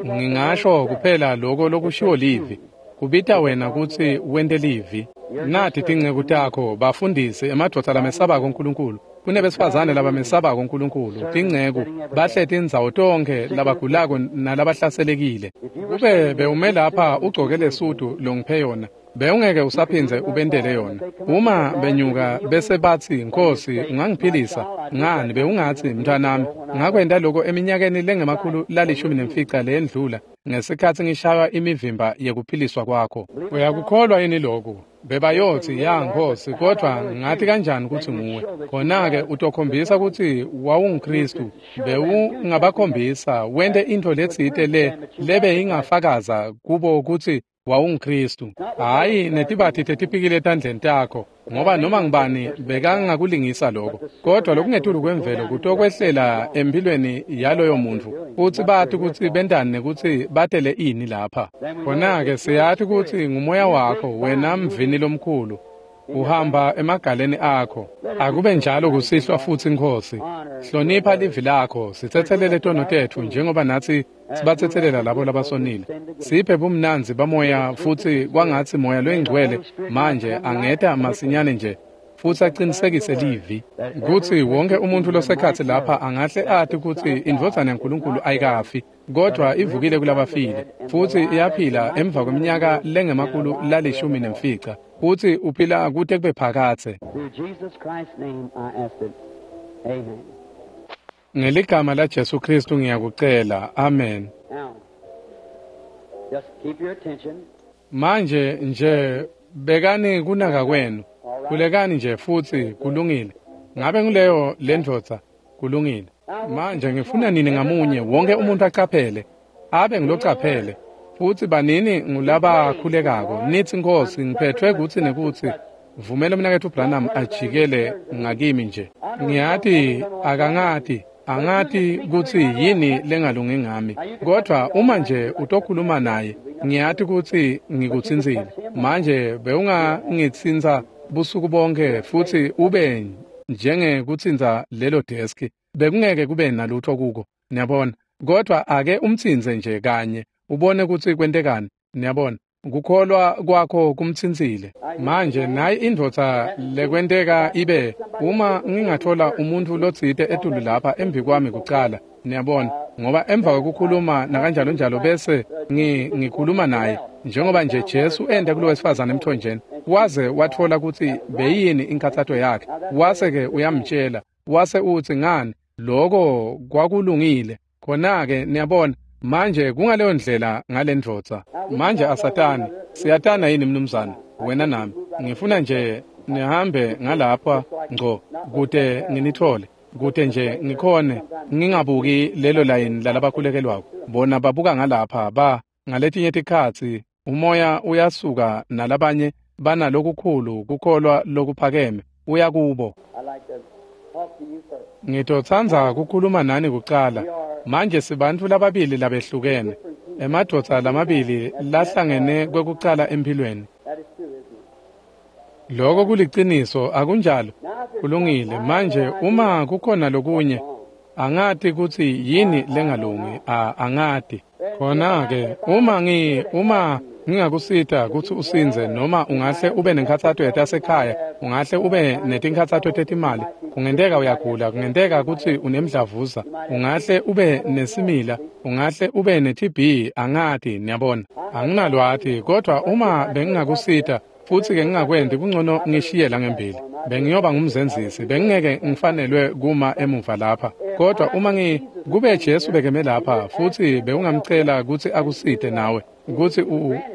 Ngingasho kuphela lokho lokushiwo livi. Kubita wena kutsi wente livi. Nathi tinceku takho, bafundisi, emadvodza lamesabako uNkulunkulu. Kunebesifazane labamesabako uNkulunkulu, tinceku, bahleti indzawo tonkhe labagulako nalabahlaselekile. Kube bewume lapha ugcoke lesudu longiphe yona, bewungeke usaphindze ubentele yona. Uma benyuka bese batsi, Nkosi, ungangiphilisa ngani? Bewungatsi, mntwanami, ngakwenta lokho eminyakeni lengama-115 leyendlula ngesikhatsi ngishaywa imivimba yekuphiliswa kwakho. Uyakukholwa yini lokhu? Bebayotsi, ya Nkosi, kodvwa ngati kanjani kutsi nguwe? Khona-ke utokhombisa kutsi wawunguKhristu. Bewungabakhombisa wente intfo letsite lebe ingafakaza kubo kutsi wawunguKhristu. Hhayi netibati tetipikili etandleni takho, ngoba noma ngubani bekangakulingisa lokho. Kodwa lokungetulu kwemvelo kutokwehlela empilweni yaloyo muntfu, futsi bati kutsi bentani nekutsi batele ini lapha. Khona-ke siyati kutsi ngumoya wakho, wena mvini lomkhulu, uhamba emagaleni akho. Akube njalo kusihlwa futsi Nkosi. Hlonipha livi lakho, sitsetselele tono tetfu njengoba natsi sibatsetselela labo labasonile. Siphe bumnandzi bamoya futsi kwangatsi moya loyingcwele manje angeta masinyane nje futsi aqinisekise livi kutsi wonke umuntu losekhatsi lapha angahle ati kutsi indvodzana yaNkulunkulu ayikafi, kodvwa ivukile kulabafile futsi iyaphila emva kweminyaka lengama-115 futsi uphila kute kube phakadze. Ngeligama la Jesu Kristu ngiyakucela. Amen. Manje nje bekani kunaka kwenu. Khulekani nje futsi kulungile. Ngabe nguleyo lendvodza? Kulungile. Manje ngifuna nini ngamunye wonke umuntu acaphele. Abe ngulocaphele. Futsi banini ngulabakhulekako. Nithi Nkosi ngiphethwe kutsi nekutsi. Vumela umnaketfu Branham ajikele ngakimi nje. Ngiyati akangati. Angati kutsi yini lengalungi ngami. Kodwa uma nje utokhuluma naye, ngiyati kutsi ngikutsintsile. Manje bewungangitsintsa busuku bonke futsi ube njengekutsintsa lelo deski. Bekungeke kube nalutho kuko, niyabona. Kodwa ake umtsintse nje kanye, ubone kutsi kwentekani, niyabona. Kukholwa kwakho kumtsintsile. Manje nayi indvodza lekwenteka ibe uma ngingathola umuntu lotsite etulu lapha embi kwami kucala, niyabona, ngoba emva kwekukhuluma nakanjalo njalo bese ngikhuluma naye njengoba nje Jesu enda kulo wesifazane emthonjeni, waze wathola kutsi beyini inkathato yakhe, wase-ke uyamtshela, wase utsi ngani lokho kwakulungile. Khona-ke niyabona. Manje kungaleyo ndlela ngalendvodza. Manje asatani, siyatana yini mnumzane, wena nami? Ngifuna nje nihambe ngalapha ngco kute nginithole, kute nje ngikhone ngingabuki lelo layini lalabakhulekelwako. Bona babuka ngalapha ba ngaletinye tikhatsi umoya uyasuka nalabanye banalokukhulu kukholwa lokuphakeme uya kubo. Ngitotsandza kukhuluma nani kucala. Manje sibantfu lababili labehlukene, emadvodza lamabili lahlangene kwekucala empilweni. Lokho kuliciniso, akunjalo? Kulungile. Manje uma kukhona lokunye, angati kutsi yini lengalungi, angati. Khona-ke uma ngingakusita kutsi usindze, noma ungahle ube nenkhatsato yetasekhaya, ungahle ube netinkhatsato tetimali, kungenteka uyagula, kungenteka kutsi unemdlavuza, ungahle ube nesimila, ungahle ube ne-TB, angati, niyabona. Anginalwati, kodwa uma bengingakusita futsi-ke ngingakwenti, kungcono ngishiye la ngembili. Bengiyoba ngumzenzisi, bengingeke ngifanelwe kuma emuva lapha. Kodwa uma kube Jesu bekeme lapha futsi bewungamcela kutsi akusite nawe, kutsi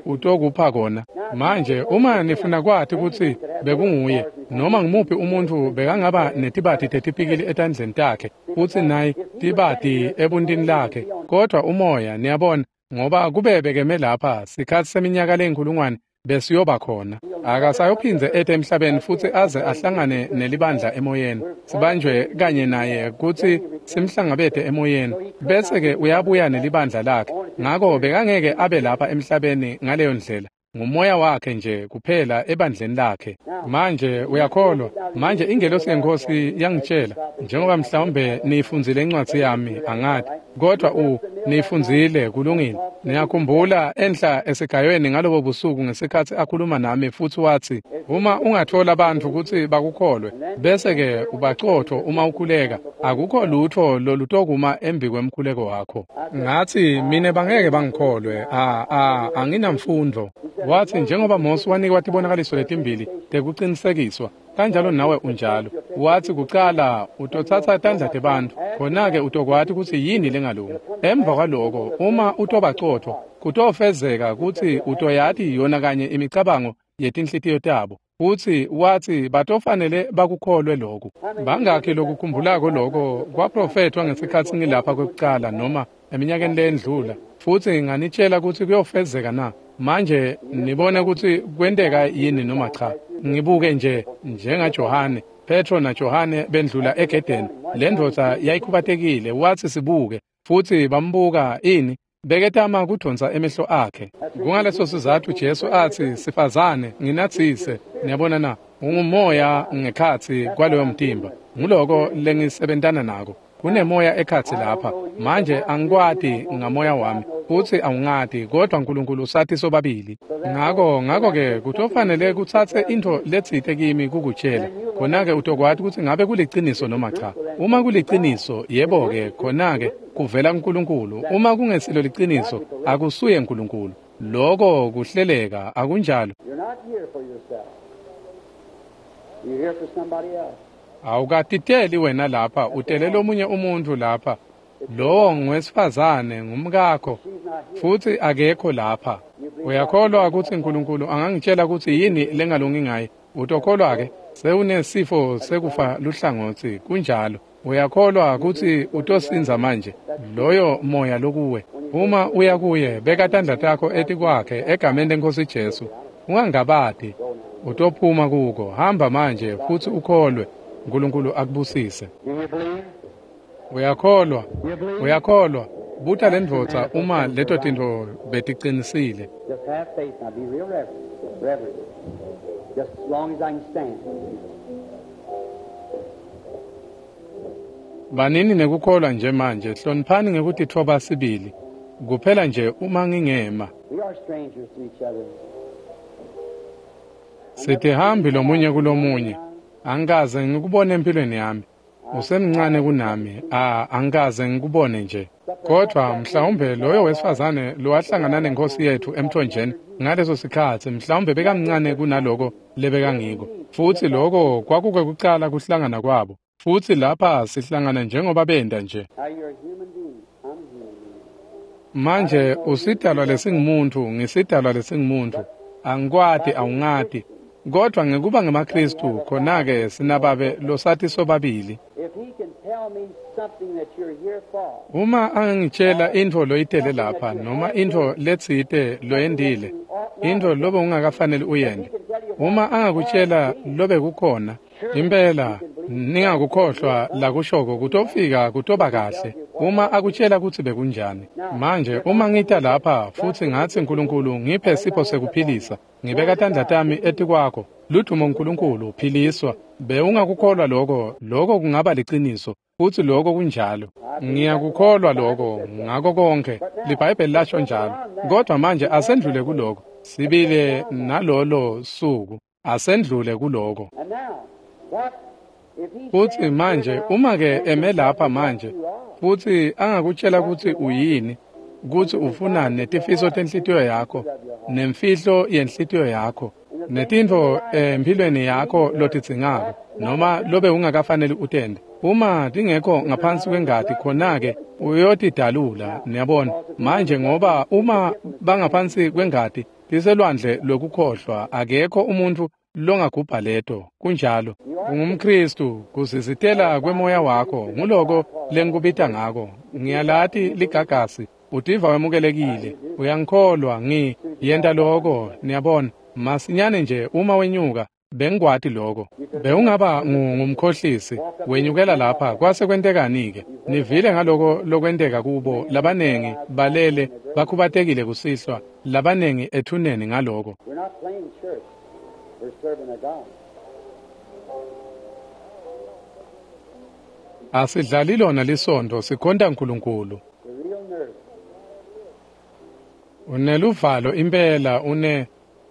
utokupha kona. Manje uma nifuna kwati kutsi bekunguye, noma ngumuphi umuntu bekangaba netibati tetipikili etandleni takhe, futsi naye tibati ebuntini lakhe. Kodwa umoya, niyabona, ngoba kube bekeme lapha sikhatsi seminyaka leyinkulungwane, besiyoba khona. Akasayophindze ete emhlabeni futsi aze ahlangane nelibandla emoyeni. Sibanjwe kanye naye kutsi simhlangabete emoyeni, bese-ke uyabuya nelibandla lakhe. Ngako bekangeke abe lapha emhlabeni ngaleyo ndlela. Ngumoya wakhe nje kuphela ebandleni lakhe. Manje uyakholwa. Manje ingelosi yeNkhosi yangitshela, njengoba mhlawumbe niyifundzile incwadzi yami, angati, kodwa niyifundzile, kulungile. Niyakhumbula enhla esigayweni ngalobo busuku ngesikhatsi akhuluma nami futsi watsi, uma ungathola bantfu kutsi bakukholwe, bese-ke ubacotfo uma ukhuleka, akukho lutfo lolutokuma embi kwemkhuleko wakho. Ngatsi, mine bangeke bangikholwe, anginamfundvo. Watsi, njengoba Mose wanikwa tibonakaliso letimbili tekucinisekiswa, kanjalo nawe unjalo. Watsi, kucala utotsatsa tandla tebantfu, khona-ke utokwati kutsi yini lengalungi. Emva kwaloko, uma utobacotfo, kutofezeka kutsi utoyati yona kanye imicabango yetinhlitiyo tabo. Futsi watsi batofanele bakukholwe lokhu. Bangakhi lokukhumbulako lokho kwaprofethwa ngesikhatsi ngilapha kwekucala noma eminyakeni leyendlula, futsi nganitshela kutsi kuyofezeka na? Manje nibone kutsi kwenteka yini noma cha. Ngibuke nje njengaJohane, Petro naJohane bendlula egedeni. Le ndvodza yayikhubatekile, watsi sibuke, futsi bambuka ini? Beketama kudonsa emehlo akhe. Kungaleso sizatfu Jesu atsi, sifazane, nginatsise. Niyabona na? Ungumoya ngekhatsi kwaloyo mtimba. Nguloko lengisebentana nako. Kunemoya ekhatsi lapha. Manje angikwati ngamoya wami, futsi awungati, kodwa uNkulunkulu usati sobabili. Ngako-ke kutofanele kutsatse intfo letsite kimi kukutshela. Khona-ke utokwati kutsi ngabe kuliciniso noma cha. Uma kuliciniso, yebo-ke, khona-ke kuvela kuNkulunkulu. Uma kungesilo liciniso, akusuye uNkulunkulu. Loko kuhleleka, akunjalo. Awukatiteli wena lapha, utele lomunye umuntu lapha. Lowo ngowesifazane, ngumkakho, futsi akekho lapha. Uyakholwa kutsi uNkulunkulu angangitshela kutsi yini lengalungi ngaye? Utokholwa-ke? Sewunesifo sekufa luhlangotsi, kunjalo. Uyakholwa kutsi utosindza manje? Loyo moya lokuwe. Uma uya kuye, beka tandla takho etikwakhe egameni leNkhosi Jesu. Ungangabati, utophuma kuko. Hamba manje futsi ukholwe. uNkulunkulu akubusise. Uyakholwa, uyakholwa. Buta lendvodza uma leto tintfo beticinisile. Just have faith now. Be real reverent. Reverent. Just as long as I can stand. Banini nekukholwa nje manje, hloniphani ngekutitfoba sibili. Kuphela nje uma ngingema. We are strangers to each other. Sitihambi lomunye kulomunye. Angikaze ngikubone empilweni yami. Usemncane kunami, angikaze ngikubone nje. Kodwa mhlawumbe loyo wesifazane lowahlangana nenkosi yethu emthonjeni ngaleso sikhatsi, mhlawumbe bekamncane kunaloko lebekangiko. Futsi loko kwakukwekucala kuhlangana kwabo. Futsi lapha sihlangana njengoba benta nje. Now you're a human being. I'm a human being. Manje usidalwa lesingumuntu, ngisidalwa lesingumuntu. Angikwati, awungati. Kodwa ngekuba ngemaKristu, khona-ke sinababe losati sobabili. If he can tell me something that you're here for, Uma angangitshela intfo loyitele lapha noma intfo letsite loyendile, intfo lobe ungakafaneli uyende. Uma angakutshela lobe kukhona, impela ningakukhohlwa lakushoko kutofika kutoba kahle. Uma akutshela kutsi bekunjani. Manje uma ngita lapha futsi ngatsi uNkulunkulu ngiphe sipho sekuphilisa, ngibeka tandla tami etikwakho, ludumo uNkulunkulu, philiswa. Bewungakukholwa lokho, lokho kungaba liciniso. Futsi lokho kunjalo. Ngiyakukholwa lokho ngako konke. LiBhayibheli lasho njalo. Kodwa manje asendlule kuloko. Sibile nalolo suku. Asendlule kuloko. and now, what if he Futsi stands manje here now uma ke and eme can tell lapha me what manje you are, futsi angakutshela kutsi uyini, kutsi ufunani netifiso tenhlitiyo yakho, nemfihlo yenhlitiyo yakho, netintfo empilweni yakho lotidzingako, noma lobe ungakafaneli utende. Uma tingekho ngaphansi kwengati khona-ke uyotidalula, niyabona. Manje ngoba uma bangaphansi kwengati, tiselwandle lwekukhohlwa, akekho umuntfu longagubha leto. Kunjalo. UngumKristu, kuzizitela kwemoya wakho, nguloko lengikubita ngako. Ngiyalati ligagasi, utiva wemukelekile, uyangikholwa, yenta loko, niyabona. Masinyane nje uma wenyuka, bengikwati lokho. Bewungaba ngumkhohlisi, wenyukela lapha, kwase kwentekani-ke? Nivile ngaloko lokwenteka kubo, labanengi balele bakhubatekile kusihlwa, labanengi ethuneni ngaloko. We're not playing church. We're serving a God. Asidlali lona lisontfo, sikhonta Nkulunkulu. The real nerve. Uneluvalo impela,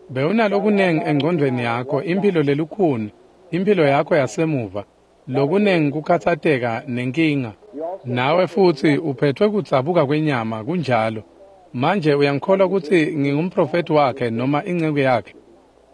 bewunalokunengi engcondvweni yakho, imphilo lelukhuni, imphilo yakho yasemuva, lokunengi kukhatsateka nenkinga. Nawe futsi uphetfwe kudzabuka kwenyama, kunjalo. Manje uyangikholwa kutsi ngingumprofethi wakhe noma inceku yakhe?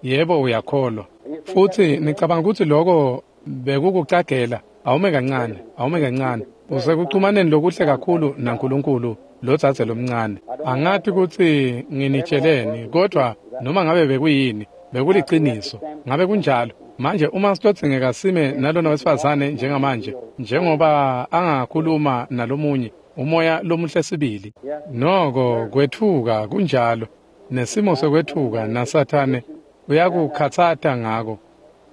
Yebo, uyakholwa. Futsi nicabanga kutsi loko bekukucagela? Awume kancane, awume kancane. Usekuchumaneni lokuhle kakhulu naNkulunkulu, lodzadze lomncane. Angati kutsi nginitsheleni, kodvwa noma ngabe bekuyini, bekuliciniso. Ngabe kunjalo? Manje uma sitodzingeka sime nalona wesifazane njengamanje, njengoba angakhuluma nalomunye, umoya lomuhle sibili. Noko kwetfuka kunjalo, nesimo sekwetfuka naSathane uyakukhatsata ngako.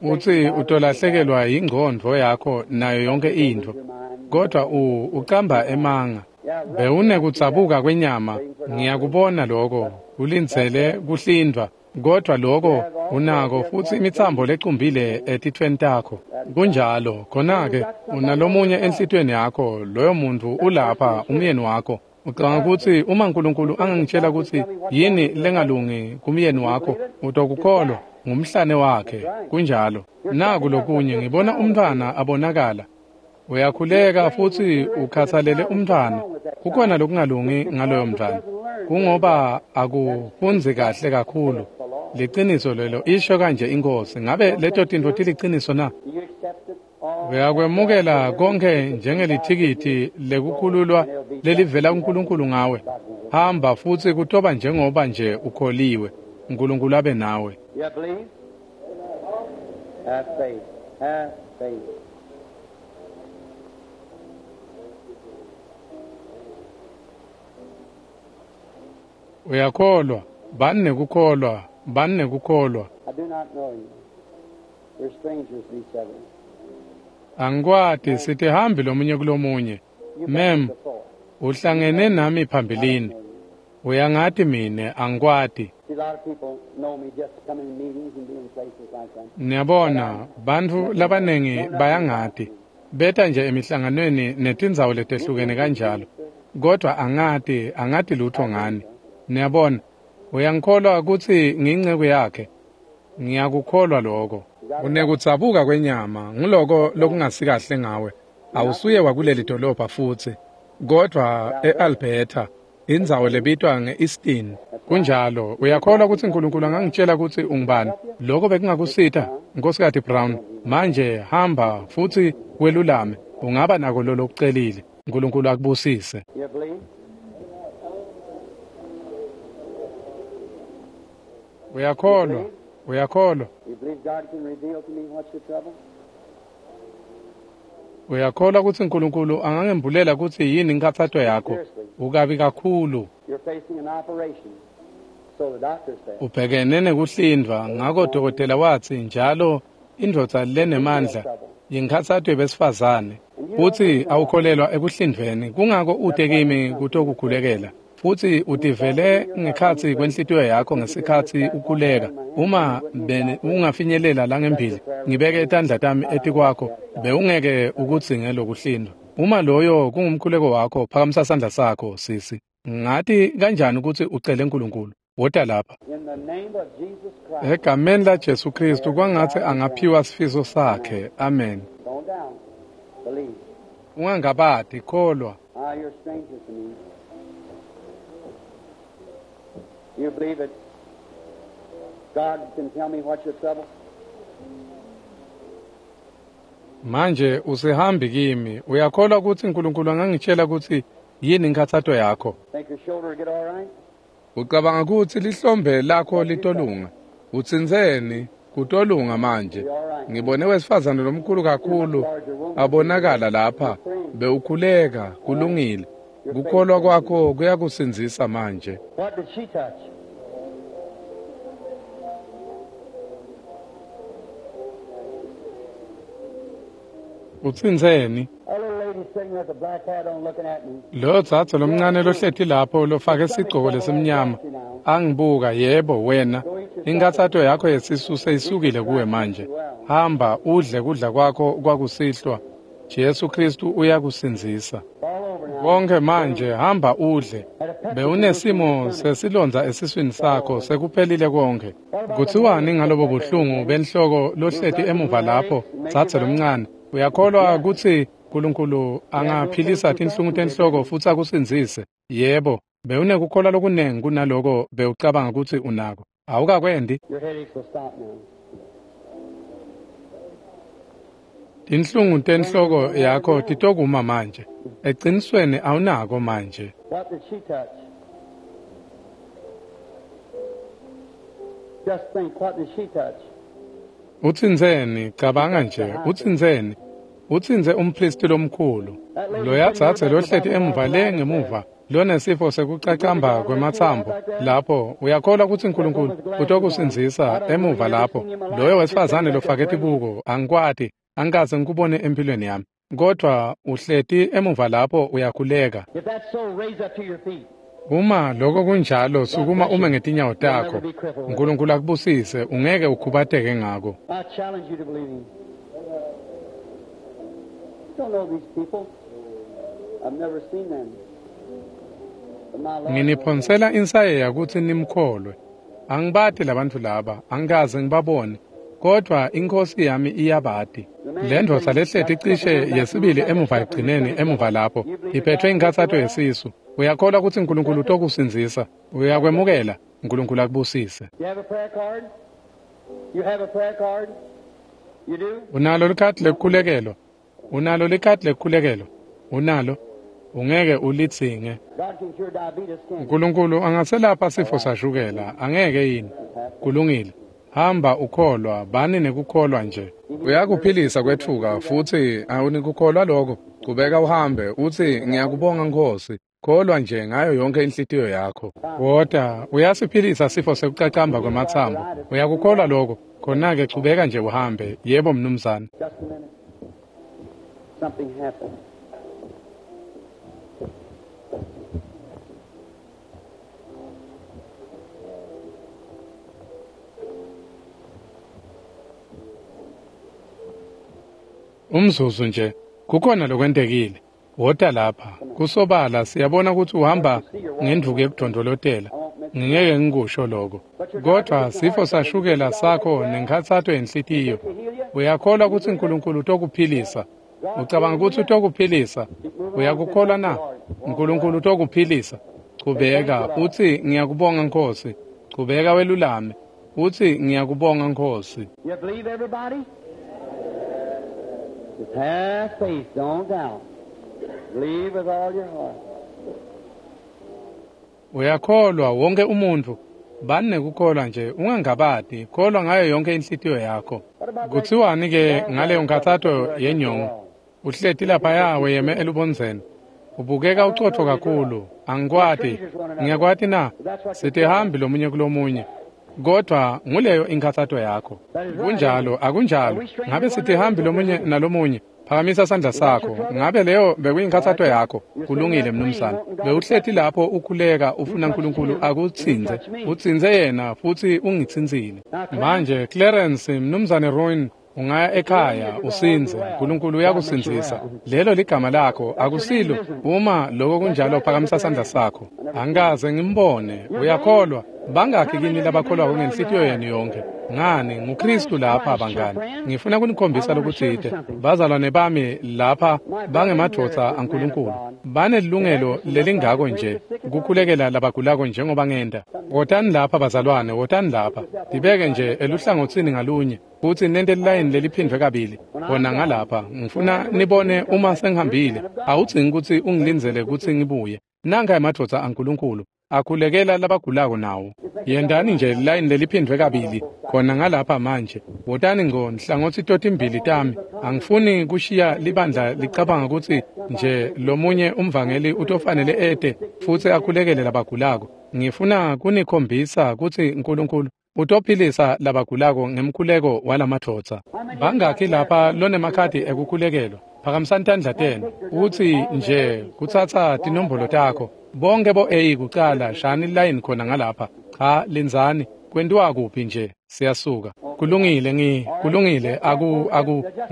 Utsi utolahlekelwa yingcondvo yakho nayo yonke intfo, kodvwa ucamba emanga. Bewunekudzabuka kwenyama, ngiyakubona lokho, ulindzele kuhlindvwa, kodvwa lokho unako futsi imitsambo lecumbile etitfweni takho. Kunjalo, khona-ke unalomunye enhlitiyweni yakho, loyo muntfu ulapha, umyeni wakho. Ucabanga kutsi uma Nkulunkulu angangitshela kutsi yini lengalungi kumyeni wakho, utokukholwa? Ngumhlane wakhe, kunjalo. Naku lokunye, ngibona umntfwana abonakala. Uyakhuleka futsi ukhatsalele umntfwana. Kukhona lokungalungi ngaloyo mntfwana. Kungoba akufundzi kahle kakhulu. Liciniso lelo, isho kanje iNkhosi. Ngabe leto tintfo tiliciniso na? Do you accept it all? Uyakwemukela konke njengelithikithi lekukhululwa lelivela kuNkulunkulu ngawe. Hamba futsi kutoba njengoba nje ukholiwe. Nkulunkulu abe nawe. You believe? Have faith. Have faith. Uyakholwa, bani nekukholwa, bani nekukholwa. I do not know you. We're strangers to each other. Angikwati, sitihambi lomunye kulomunye. You've Mem, met before. uhlangene nami phambilini. Uyangati mine, angikwati. See, a lot of people know me just coming in meetings and being places like that. Niyabona, bantfu labanengi bayangati. Beta nje emihlanganweni netindzawo letehlukene kanjalo. Kodwa angati, angati lutho ngani. Niyabona, uyangikholwa kutsi ngiyinceku yakhe. Ngiyakukholwa lokho. Unekudzabuka kwenyama, nguloko lokungasikahle ngawe. Awusuye wakuleli dolobha futsi, kodvwa e-Alberta, indzawo lebitwa nge-Easton. Kunjalo, uyakholwa kutsi Nkulunkulu angangitshela kutsi ungubani? Lokho bekungakusita, Nkhosikati Brown. Manje hamba futsi welulame, ungaba nako lolokucelile. Nkulunkulu akubusise. You believe? Uyakholwa, uyakholwa. You believe God can reveal to me what's your trouble? Uyakholwa kutsi Nkulunkulu angangembulela kutsi yini inkhatsato yakho? Ukabi kakhulu. You're facing an operation. So the doctor said. Ubhekene nekuhlindvwa, ngako dokotela watsi njalo indvodza lenemandla yinkhatsato yebesifazane. Futsi awukholelwa ekuhlindvweni, kungako ute kimi kutokukhulekela. Futsi utivele ngekhatsi kwenhlitiyo yakho ngesikhatsi ukhuleka. Uma ungafinyelela langembili, ngibeke tandla tami etikwakho, bewungeke ukudzinge lokuhlindvwa. Uma loyo kungumkhuleko wakho, phakamisa sandla sakho, sisi. Ngati kanjani kutsi ucele Nkulunkulu? Wota lapha. In the name of Jesus Christ, Egameni laJesu Kristu kwangatsi angaphiwa sifiso sakhe. Amen. don't down. Believe. Ungangabati, kholwa. Ah, you're a stranger to me. You believe it? God can tell me what's your trouble? Manje usihambi kimi. Uyakholwa kutsi Nkulunkulu angangitshela kutsi yini inkhatsato yakho? Think your shoulder will get all right? Ucabanga kutsi lihlombe lakho litolunga? Utsintseni? Kutolunga manje. Ngibone wesifazane lomkhulu kakhulu abonakala lapha. Bewukhuleka, kulungile. Kukholwa kwakho kuyakusindzisa manje. What did she touch? Utsintseni? Lo dzadze lomncane lohleti lapho lofake sigcoko lesimnyama angibuka, yebo wena, inkhatsato yakho yesisu seyisukile kuwe manje. Hamba udle kudla kwakho kwakusihlwa. Jesu Kristu uyakusindzisa. Konke manje, hamba udle. Bewunesimo sesilondza esiswini sakho, sekuphelile konke. Kuthiwani ngalobo buhlungu benhloko lohleti emuva lapho, dzadze lomncane? Uyakholwa kutsi Nkulunkulu angaphilisa tinhlungu tenhloko futsi akusindzise? Yebo, bewunekukholwa lokunengi kunaloko bewucabanga kutsi unako. Awukakwendi? Tinhlungu tenhloko yakho titokuma manje. Ecinisweni awunako manje. Utsintseni? Cabanga nje, utsintseni? Utsintse umphristi lomkhulu. Loya dzadze lohleti emuva le ngemuva lonesifo sekucacamba kwematsambo lapho, uyakholwa kutsi Nkulunkulu utokusindzisa emuva lapho? Loyo wesifazane lofake tibuko, angikwati, angikaze ngikubone empilweni yami, kodwa uhleti emuva lapho uyakhuleka. Uma lokho kunjalo, sukuma ume ngetinyawo takho. Nkulunkulu akubusise, ungeke ukhubateke ngako. Nginiphonsela insayeya kutsi nimkholwe. Angibati labantfu laba, angikaze ngibabone, kodvwa iNkhosi yami iyabati. Le ndvodza lehleti cishe yesibili emuva ekugcineni emuva lapho, iphethwe inkhatsato yesisu. Uyakholwa kutsi Nkulunkulu utokusindzisa? Uyakwemukela? Nkulunkulu akubusise. Unalo likhadi lekukhulekelwa? Unalo likhadi lekukhulekelwa? Unalo? Ungeke ulidzinge. Nkulunkulu angaselapha sifo sashukela, angeke yini? Kulungile. Hamba ukholwa, bani nekukholwa nje. Uyakuphilisa kwetfuka futsi awunikukholwa lokho. Chubeka uhambe utsi ngiyakubonga Nkhosi. Kholwa nje ngayo yonke inhlitiyo yakho. Wota, uyasiphilisa sifo sekucacamba kwematsambo. Uyakukholwa lokho? Khona-ke chubeka nje uhambe. Yebo mnumzane. Umzuzu nje, kukhona lokwentekile. Wota lapha. Kusobala siyabona ukuthi uhamba ngenduku yekudondolotela. Ngingeke ngikusho lokho. Kodwa sifo sashukela sakho nenkhatsato yenhlitiyo. Uyakholwa ukuthi Nkulunkulu utokuphilisa? Ucabanga ukuthi utokuphilisa? Uyakukholwa na? Nkulunkulu utokuphilisa. Chubeka utsi ngiyakubonga Nkhosi. Chubeka welulame. Utsi ngiyakubonga Nkhosi. Just have faith, don't doubt. Believe with all your heart. Uyakholwa wonke umuntu. Bani nekukholwa nje, ungangabati, kholwa ngayo yonke inhlitiyo yakho. Kuthiwani ke ngaleyo nkhatsato yenyongo? Uhleti laphaya weyeme elubondzeni. Ubukeka ucotfo kakhulu. Angikwati. Ngiyakwati na? Sitihambi lomunye kulomunye. Kodwa nguleyo inkhatsato yakho. Kunjalo, akunjalo? Ngabe sitihambi lomunye nalomunye? Phakamisa sandla sakho. Ngabe leyo bekuyinkhatsato yakho? Kulungile mnumzane. Bewuhleti lapho ukhuleka ufuna Nkulunkulu akutsintse. Utsintse yena futsi ungitsintsile. Manje Clarence, mnumzane Roin, ungaya ekhaya usindze. Nkulunkulu uyakusindzisa. Lelo ligama lakho, akusilo? Uma lokho kunjalo, phakamisa sandla sakho. Angikaze ngimbone. Uyakholwa? Bangakhi kini labakholwako ngenhlitiyo yenu yonke? Ngani, nguKristu lapha bangani. Ngifuna kunikhombisa lokutsite. Bazalwane bami lapha bangemadvodza aNkulunkulu. Banelilungelo lelingako nje kukhulekela labagulako njengoba ngenta. Wotani lapha bazalwane, wotani lapha. Tibeke nje eluhlangotsini ngalunye futsi nente lilayini leliphindvwe kabili. Khona ngalapha, ngifuna nibone uma sengihambile. Awudzingi kutsi ungilindzele kutsi ngibuye. Nanka emadvodza aNkulunkulu akhulekela labagulako nawo. Yentani nje lilayini leliphindvwe kabili khona ngalapha manje. Wotani ngco nhlangothi totimbili tami. Angifuni kushiya libandla licabanga kutsi nje lomunye umvangeli utofanele ete futsi akhulekele labagulako. Ngifuna kunikhombisa kutsi Nkulunkulu utophilisa labagulako ngemkhuleko walamadvodza. Bangakhi lapha lonemakhadi ekukhulekelwa? Phakamisani tandla tenu. Utsi nje kutsatsa tinombolo takho. Bonke bo-A kucala, shani line khona ngalapha. Cha, lindzani. Kwentiwa kuphi nje? Siyasuka. Kulungile kulungile aku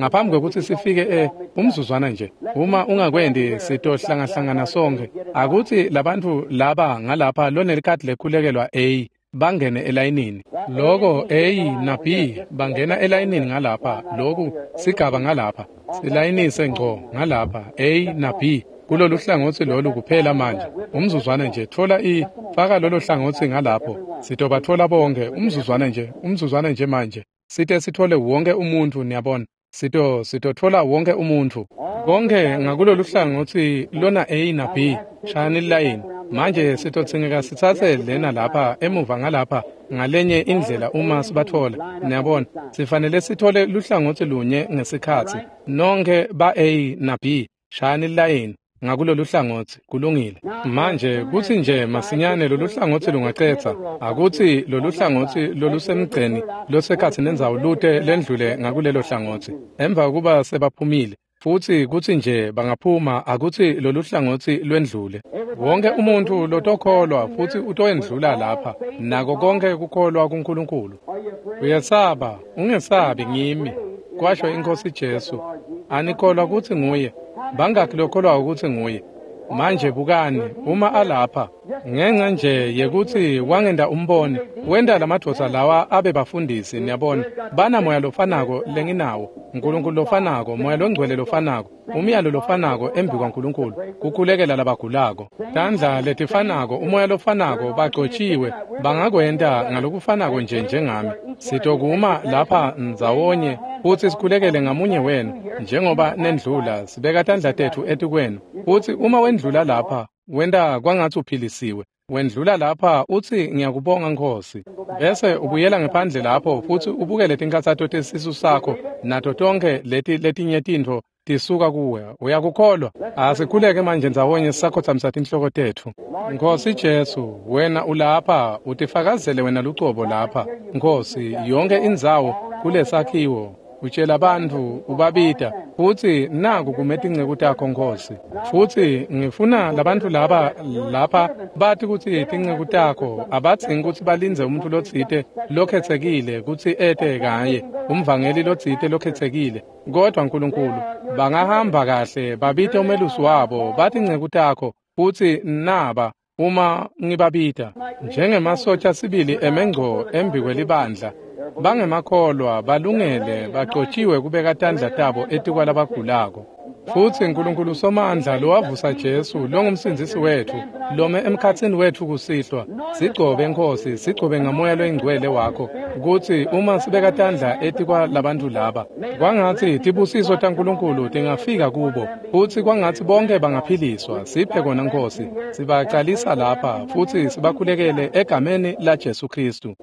ngaphambi kwekutsi sifike umzuzwana nje. Uma ungakwendi sitohlangahlangana sonke. Akuthi labantfu laba ngalapha lonelikhadi lekhulekelwa A bangene elayinini. Loko A na B bangena elayinini ngalapha, loku sigaba ngalapha. Silayinise ngco ngalapha A na B. Kulolu hlangotsi lolu kuphela manje. Umzuzwana nje, thola faka lolo hlangotsi ngalapho. Sitobathola bonke. Umzuzwana nje manje. Site sithole wonke umuntu, niyabona. Sitothola wonke umuntu. Konke ngakulolu hlangotsi lona A na B. Shayani line. Manje sitotsingeka sitsatse lena lapha emuva ngalapha ngalenye indlela uma sibathola. Niyabona, sifanele sithole luhlangotsi lunye ngesikhatsi. Nonke ba A na B. Shayani line. Ngakulolu hlangotsi kulungile. Manje kutsi nje masinyane lolu hlangotsi lungacetsa, akutsi lolu hlangotsi lolusemgceni losekhatsi nendzawo lute lendlule ngakulelo hlangotsi. Emva kokuba sebaphumile, futsi kutsi nje bangaphuma, akutsi lolu hlangotsi lwendlule. Wonke umuntu lotokholwa futsi utoyendlula lapha, nako konke kukholwa kuNkulunkulu. Uyesaba, ungesabi ngimi, kwasho iNkhosi Jesu. Anikholwa kutsi nguye? Bangakhi lokholwa ukuthi nguye? Manje bukani, uma alapha, ngenxa nje yekutsi wangenda umbone, wenta lamadvodza lawa abe bafundisi, niyabona, bana moya lofanako lenginawo, uNkulunkulu lofanako, moya longcwele lofanako, umyalo lofanako embi kwaNkulunkulu, kukhulekela labagulako. Tandla letifanako, umoya lofanako, bagcotshiwe, bangakwenta ngalokufanako nje njengami. Sitokuma lapha ndzawonye futsi sikhulekele ngamunye wenu, njengoba nendlula, sibeka tandla tetfu etikwenu. Futsi uma wendlula lapha, wenta kwangatsi uphilisiwe. Wendlula lapha utsi ngiyakubonga Nkhosi. Bese ubuyela ngephandle lapho futsi ubukele tinkhatsato tesisu sakho nato tonkhe leti letinye tintfo tisuka kuwe. Uyakukholwa? Asikhuleke manje ndzawonye sisakhotsamisa tinhloko tetfu. Nkhosi Jesu, wena ulapha, utifakazele wena lucobo lapha. Nkhosi, yonke indzawo kulesakhiwo utshela bantfu ubabita futsi naku kume tinceku takho Nkhosi. Futsi ngifuna labantfu laba lapha bati kutsi tinceku takho abadzingi kutsi balindze umuntu lotsite lokhetsekile kutsi ete kaye, umvangeli lotsite lokhetsekile. Kodwa Nkulunkulu, bangahamba kahle babite umelusi wabo bathi tinceku takho futsi naba uma ngibabita njengemasotja sibili emengco embi kwelibandla. Bangemakholwa, balungele, bagcotshiwe kubeka tandla tabo etikwalabagulako. Futsi Nkulunkulu Somandla lowavusa Jesu longumsindzisi wetfu, lome emkhatsini wetfu kusihlwa, sigcobe Nkhosi, sigcobe ngamoya loyingcwele wakho, kutsi uma sibeka tandla etikwalabantfu laba, kwangatsi tibusiso taNkulunkulu tingafika kubo, futsi kwangatsi bonke bangaphiliswa. Siphe kona Nkhosi, sibacalisa lapha futsi sibakhulekele egameni la Jesu Khristu.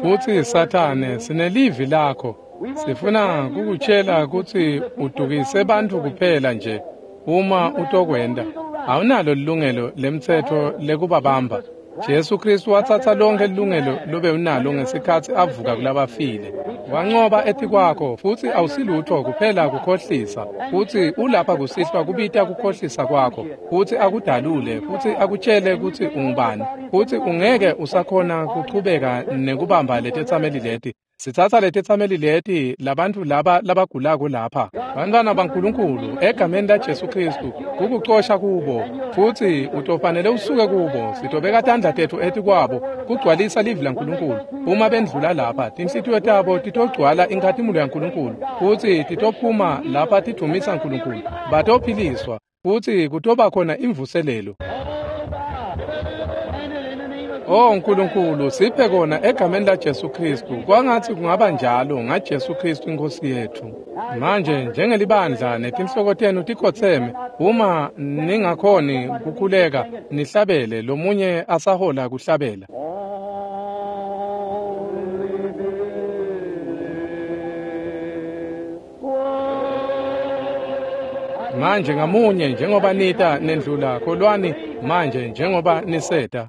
Futsi Sathane, sinelivi lakho. Sifuna kukutshela kutsi udukise bantfu kuphela nje uma utokwenta. Awunalo lilungelo lemtsetfo lekubabamba. Jesu Khristu watsatsa lonke lilungelo lobe unalo ngesikhatsi avuka kulabafile. Wancoba etikwakho futsi awusilutfo kuphela kukhohlisa. Futsi ulapha kusihlwa kubita kukhohlisa kwakho, futsi akudalule, futsi akutshele kutsi ungubani. Futsi ungeke usakhona kuchubeka nekubamba letetsameli leti. Sitsatsa letetsameli leti labantfu laba labagulako lapha, bantfwana baNkulunkulu, egameni la Jesu Khristu, kukucosha kubo, futsi utofanele usuke kubo. Sitobeka tandla tetfu etikwabo kugcwalisa livi laNkulunkulu. Uma bendlula lapha, tinhlitiyo tabo titogcwala inkhatimulo yaNkulunkulu, futsi titophuma lapha tidvumisa Nkulunkulu. Batophiliswa, futsi kutoba khona imvuselelo. Oh Nkulunkulu, siphe kona egameni la Jesu Khristu. Kwangatsi kungaba njalo ngaJesu Khristu iNkhosi yetfu. Manje njengelibandla netinhloko tenu tikhotseme, uma ningakhoni kukhuleka nihlabele, lomunye asahola kuhlabela. Manje ngamunye njengoba nita nendlula, kholwani manje njengoba niseta.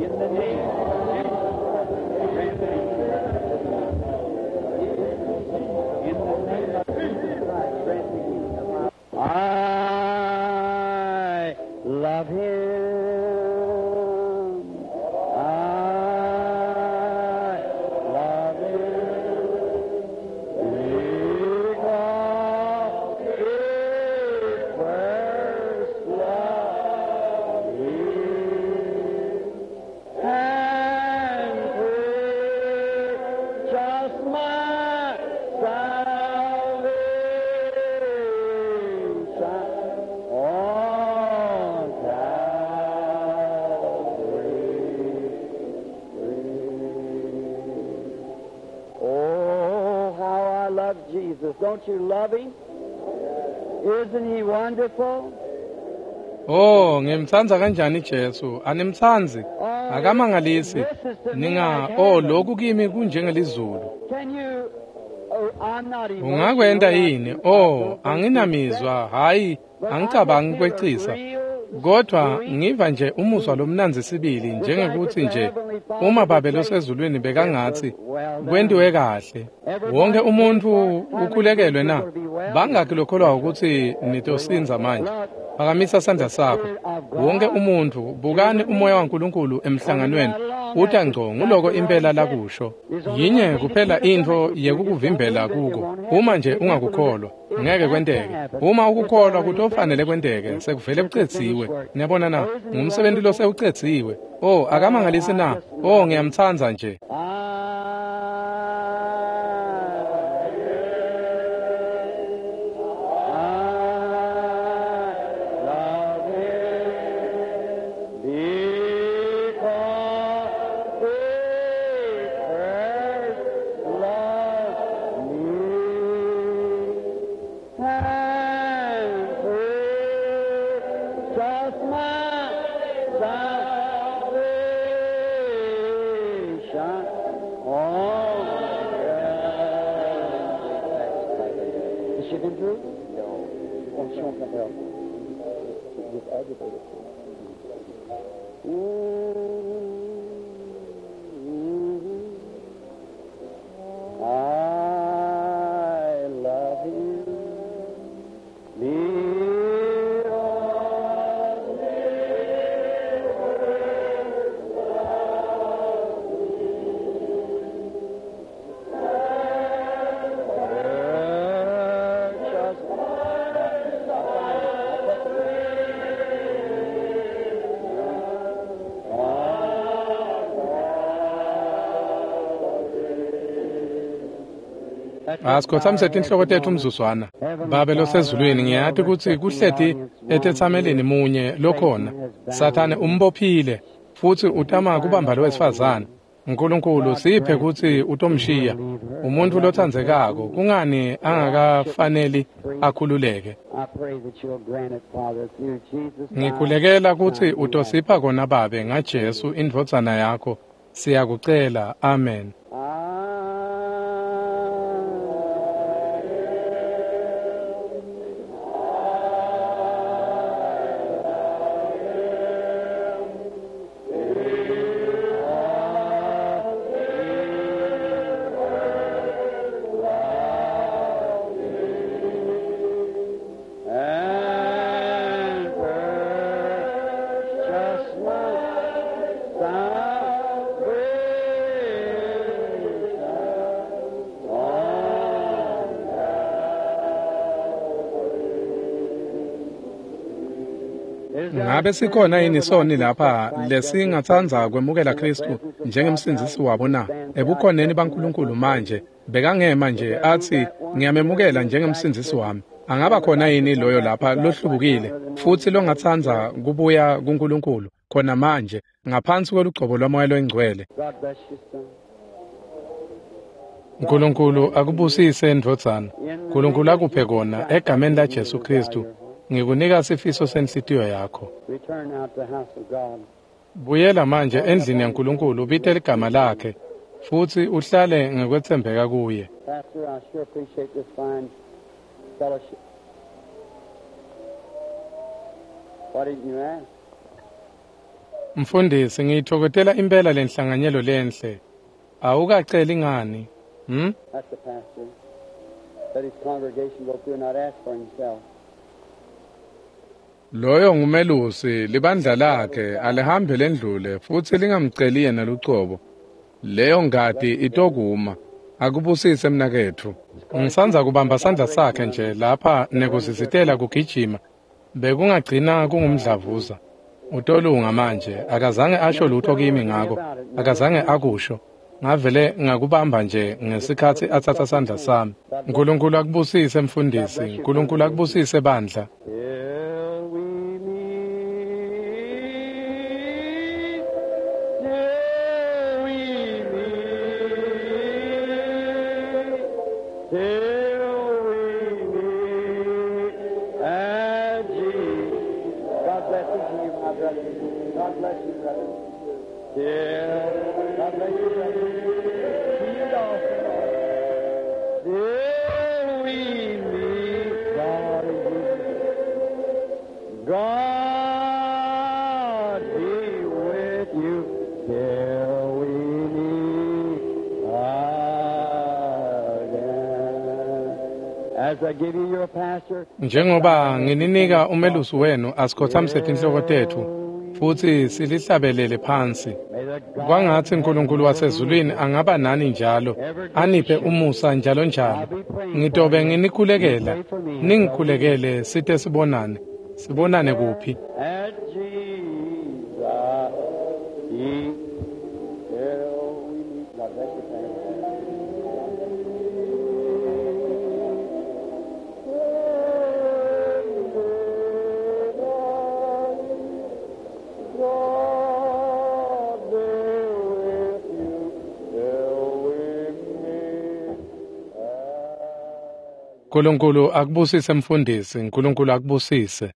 In the name of Jesus Christ, grant me. In the name of Jesus Christ, grant me. I love him. I love him. Because he first loved me and purchased my salvation on Calvary's tree. Oh, how I love Jesus. Don't you love him? Isn't he wonderful? Oh, ngimtsandza kanjani Jesu? Animtsandzi? Akamangalisi. Ninga, oh, lokhu kimi kunjengelizulu. Can you oh, I'm not emotional. Ungakwenta yini? Oh, anginamizwa, hayi, angicabangi kwecisa. Kodwa ngiva nje umuzwa lomnandzi sibili njengekuthi nje uma Babe losezulwini bekangatsi kwentiwe kahle. Wonke umuntu ukhulekelwe na? Bangaki lokholwa ukuthi nitosindza manje? Phakamisa sandla sakho. Wonke umuntu bukani umoya waNkulunkulu emhlanganweni uta ngco nguloko impela lakusho. Yinye kuphela intfo yekukuvimbela kuko. Uma nje ungakukholwa, ngeke kwenteke. Uma ukukholwa kutofanele kwenteke, sekuvele kucedziwe. Niyabona na? Ngumsebenzi lo sewucedziwe. Oh, akamangalisi na? Oh, ngiyamtsandza nje. I love him because he first loved me and purchased my salvation on Calvary. Has she been through? No. Oh, she won't come help. Just agitated. I love him. Asikhothamise tinhloko tetfu umzuzwana. Babe losezulwini, ngiyati kutsi kuhleti etetsamelini munye lokhona. Sathane umbophile futsi utama kubamba lowesifazane. Nkulunkulu siphe kutsi utomshiya. Umuntfu lotsandzekako kungani angakafaneli akhululeke. I pray that you'll grant it, Father, through Jesus. Ngikhulekela kutsi utosipha kona Babe ngaJesu indvodzana yakho. Siyakucela. Amen. And purchase my salvation on Ngabe sikhona yini soni lapha lesingatsandza kwemukela Kristu njengemsindzisi wabo na? Ebukhoneni baNkulunkulu manje bekangema nje atsi ngiyamemukela njengemsindzisi wami. Angaba khona yini loyo lapha lohlubukile futsi longatsandza kubuya kuNkulunkulu khona manje ngaphansi kwelugcobo lwaMoya loyiNgcwele? God bless you, son. Nkulunkulu akubusise ndvodzana. Nkulunkulu akuphe kona egameni laJesu Kristu. Ngikunika sifiso senhlitiyo yakho. Return now to the house of God. Buyela manje endlini yaNkulunkulu ubite ligama lakhe futsi uhlale ngekwetsembeka kuye. Pastor, I sure appreciate this fine fellowship. Why didn't you ask? Mfundisi, ngiyithokozela impela lenhlanganyelo lenhle. Awukaceli ngani? That's the pastor. Let his congregation go through and not ask for himself. Loyo ngumelusi, libandla lakhe alihambe lendlule futsi lingamceli yena lucobo. Leyo ngati itokuma. Akubusise mnaketfu. Ngisandza kubamba sandla sakhe nje lapha nekusisitela kugijima. Bekungagcina kungumdlavuza. Utolunga manje, akazange asho lutho kimi ngako, akazange akusho. Ngavele ngakubamba nje ngesikhatsi atsatsa sandla sami. Nkulunkulu akubusise mfundisi, Nkulunkulu akubusise bandla. Till we meet, till we meet, till we meet at Jesus. God bless each of you, my brother. God bless you, brother. Till, God bless you, brother. See you all. Till we meet, God is with you. God be with you till we meet again. As I give you your pastor, Njengoba ngininika umelusi wenu, asikhothamise tinhloko tetfu futsi silihlabelele phansi. may the God Kwangatsi uNkulunkulu wasezulwini angaba nani njalo, aniphe umusa njalo njalo. Ngitobe nginikhulekela, ningikhulekele site sibonane. Sibonane kuphi? at Jesus be till we meet. God bless you, Pastor. God be with you till we meet again. Nkulunkulu akubusise mfundisi, Nkulunkulu akubusise.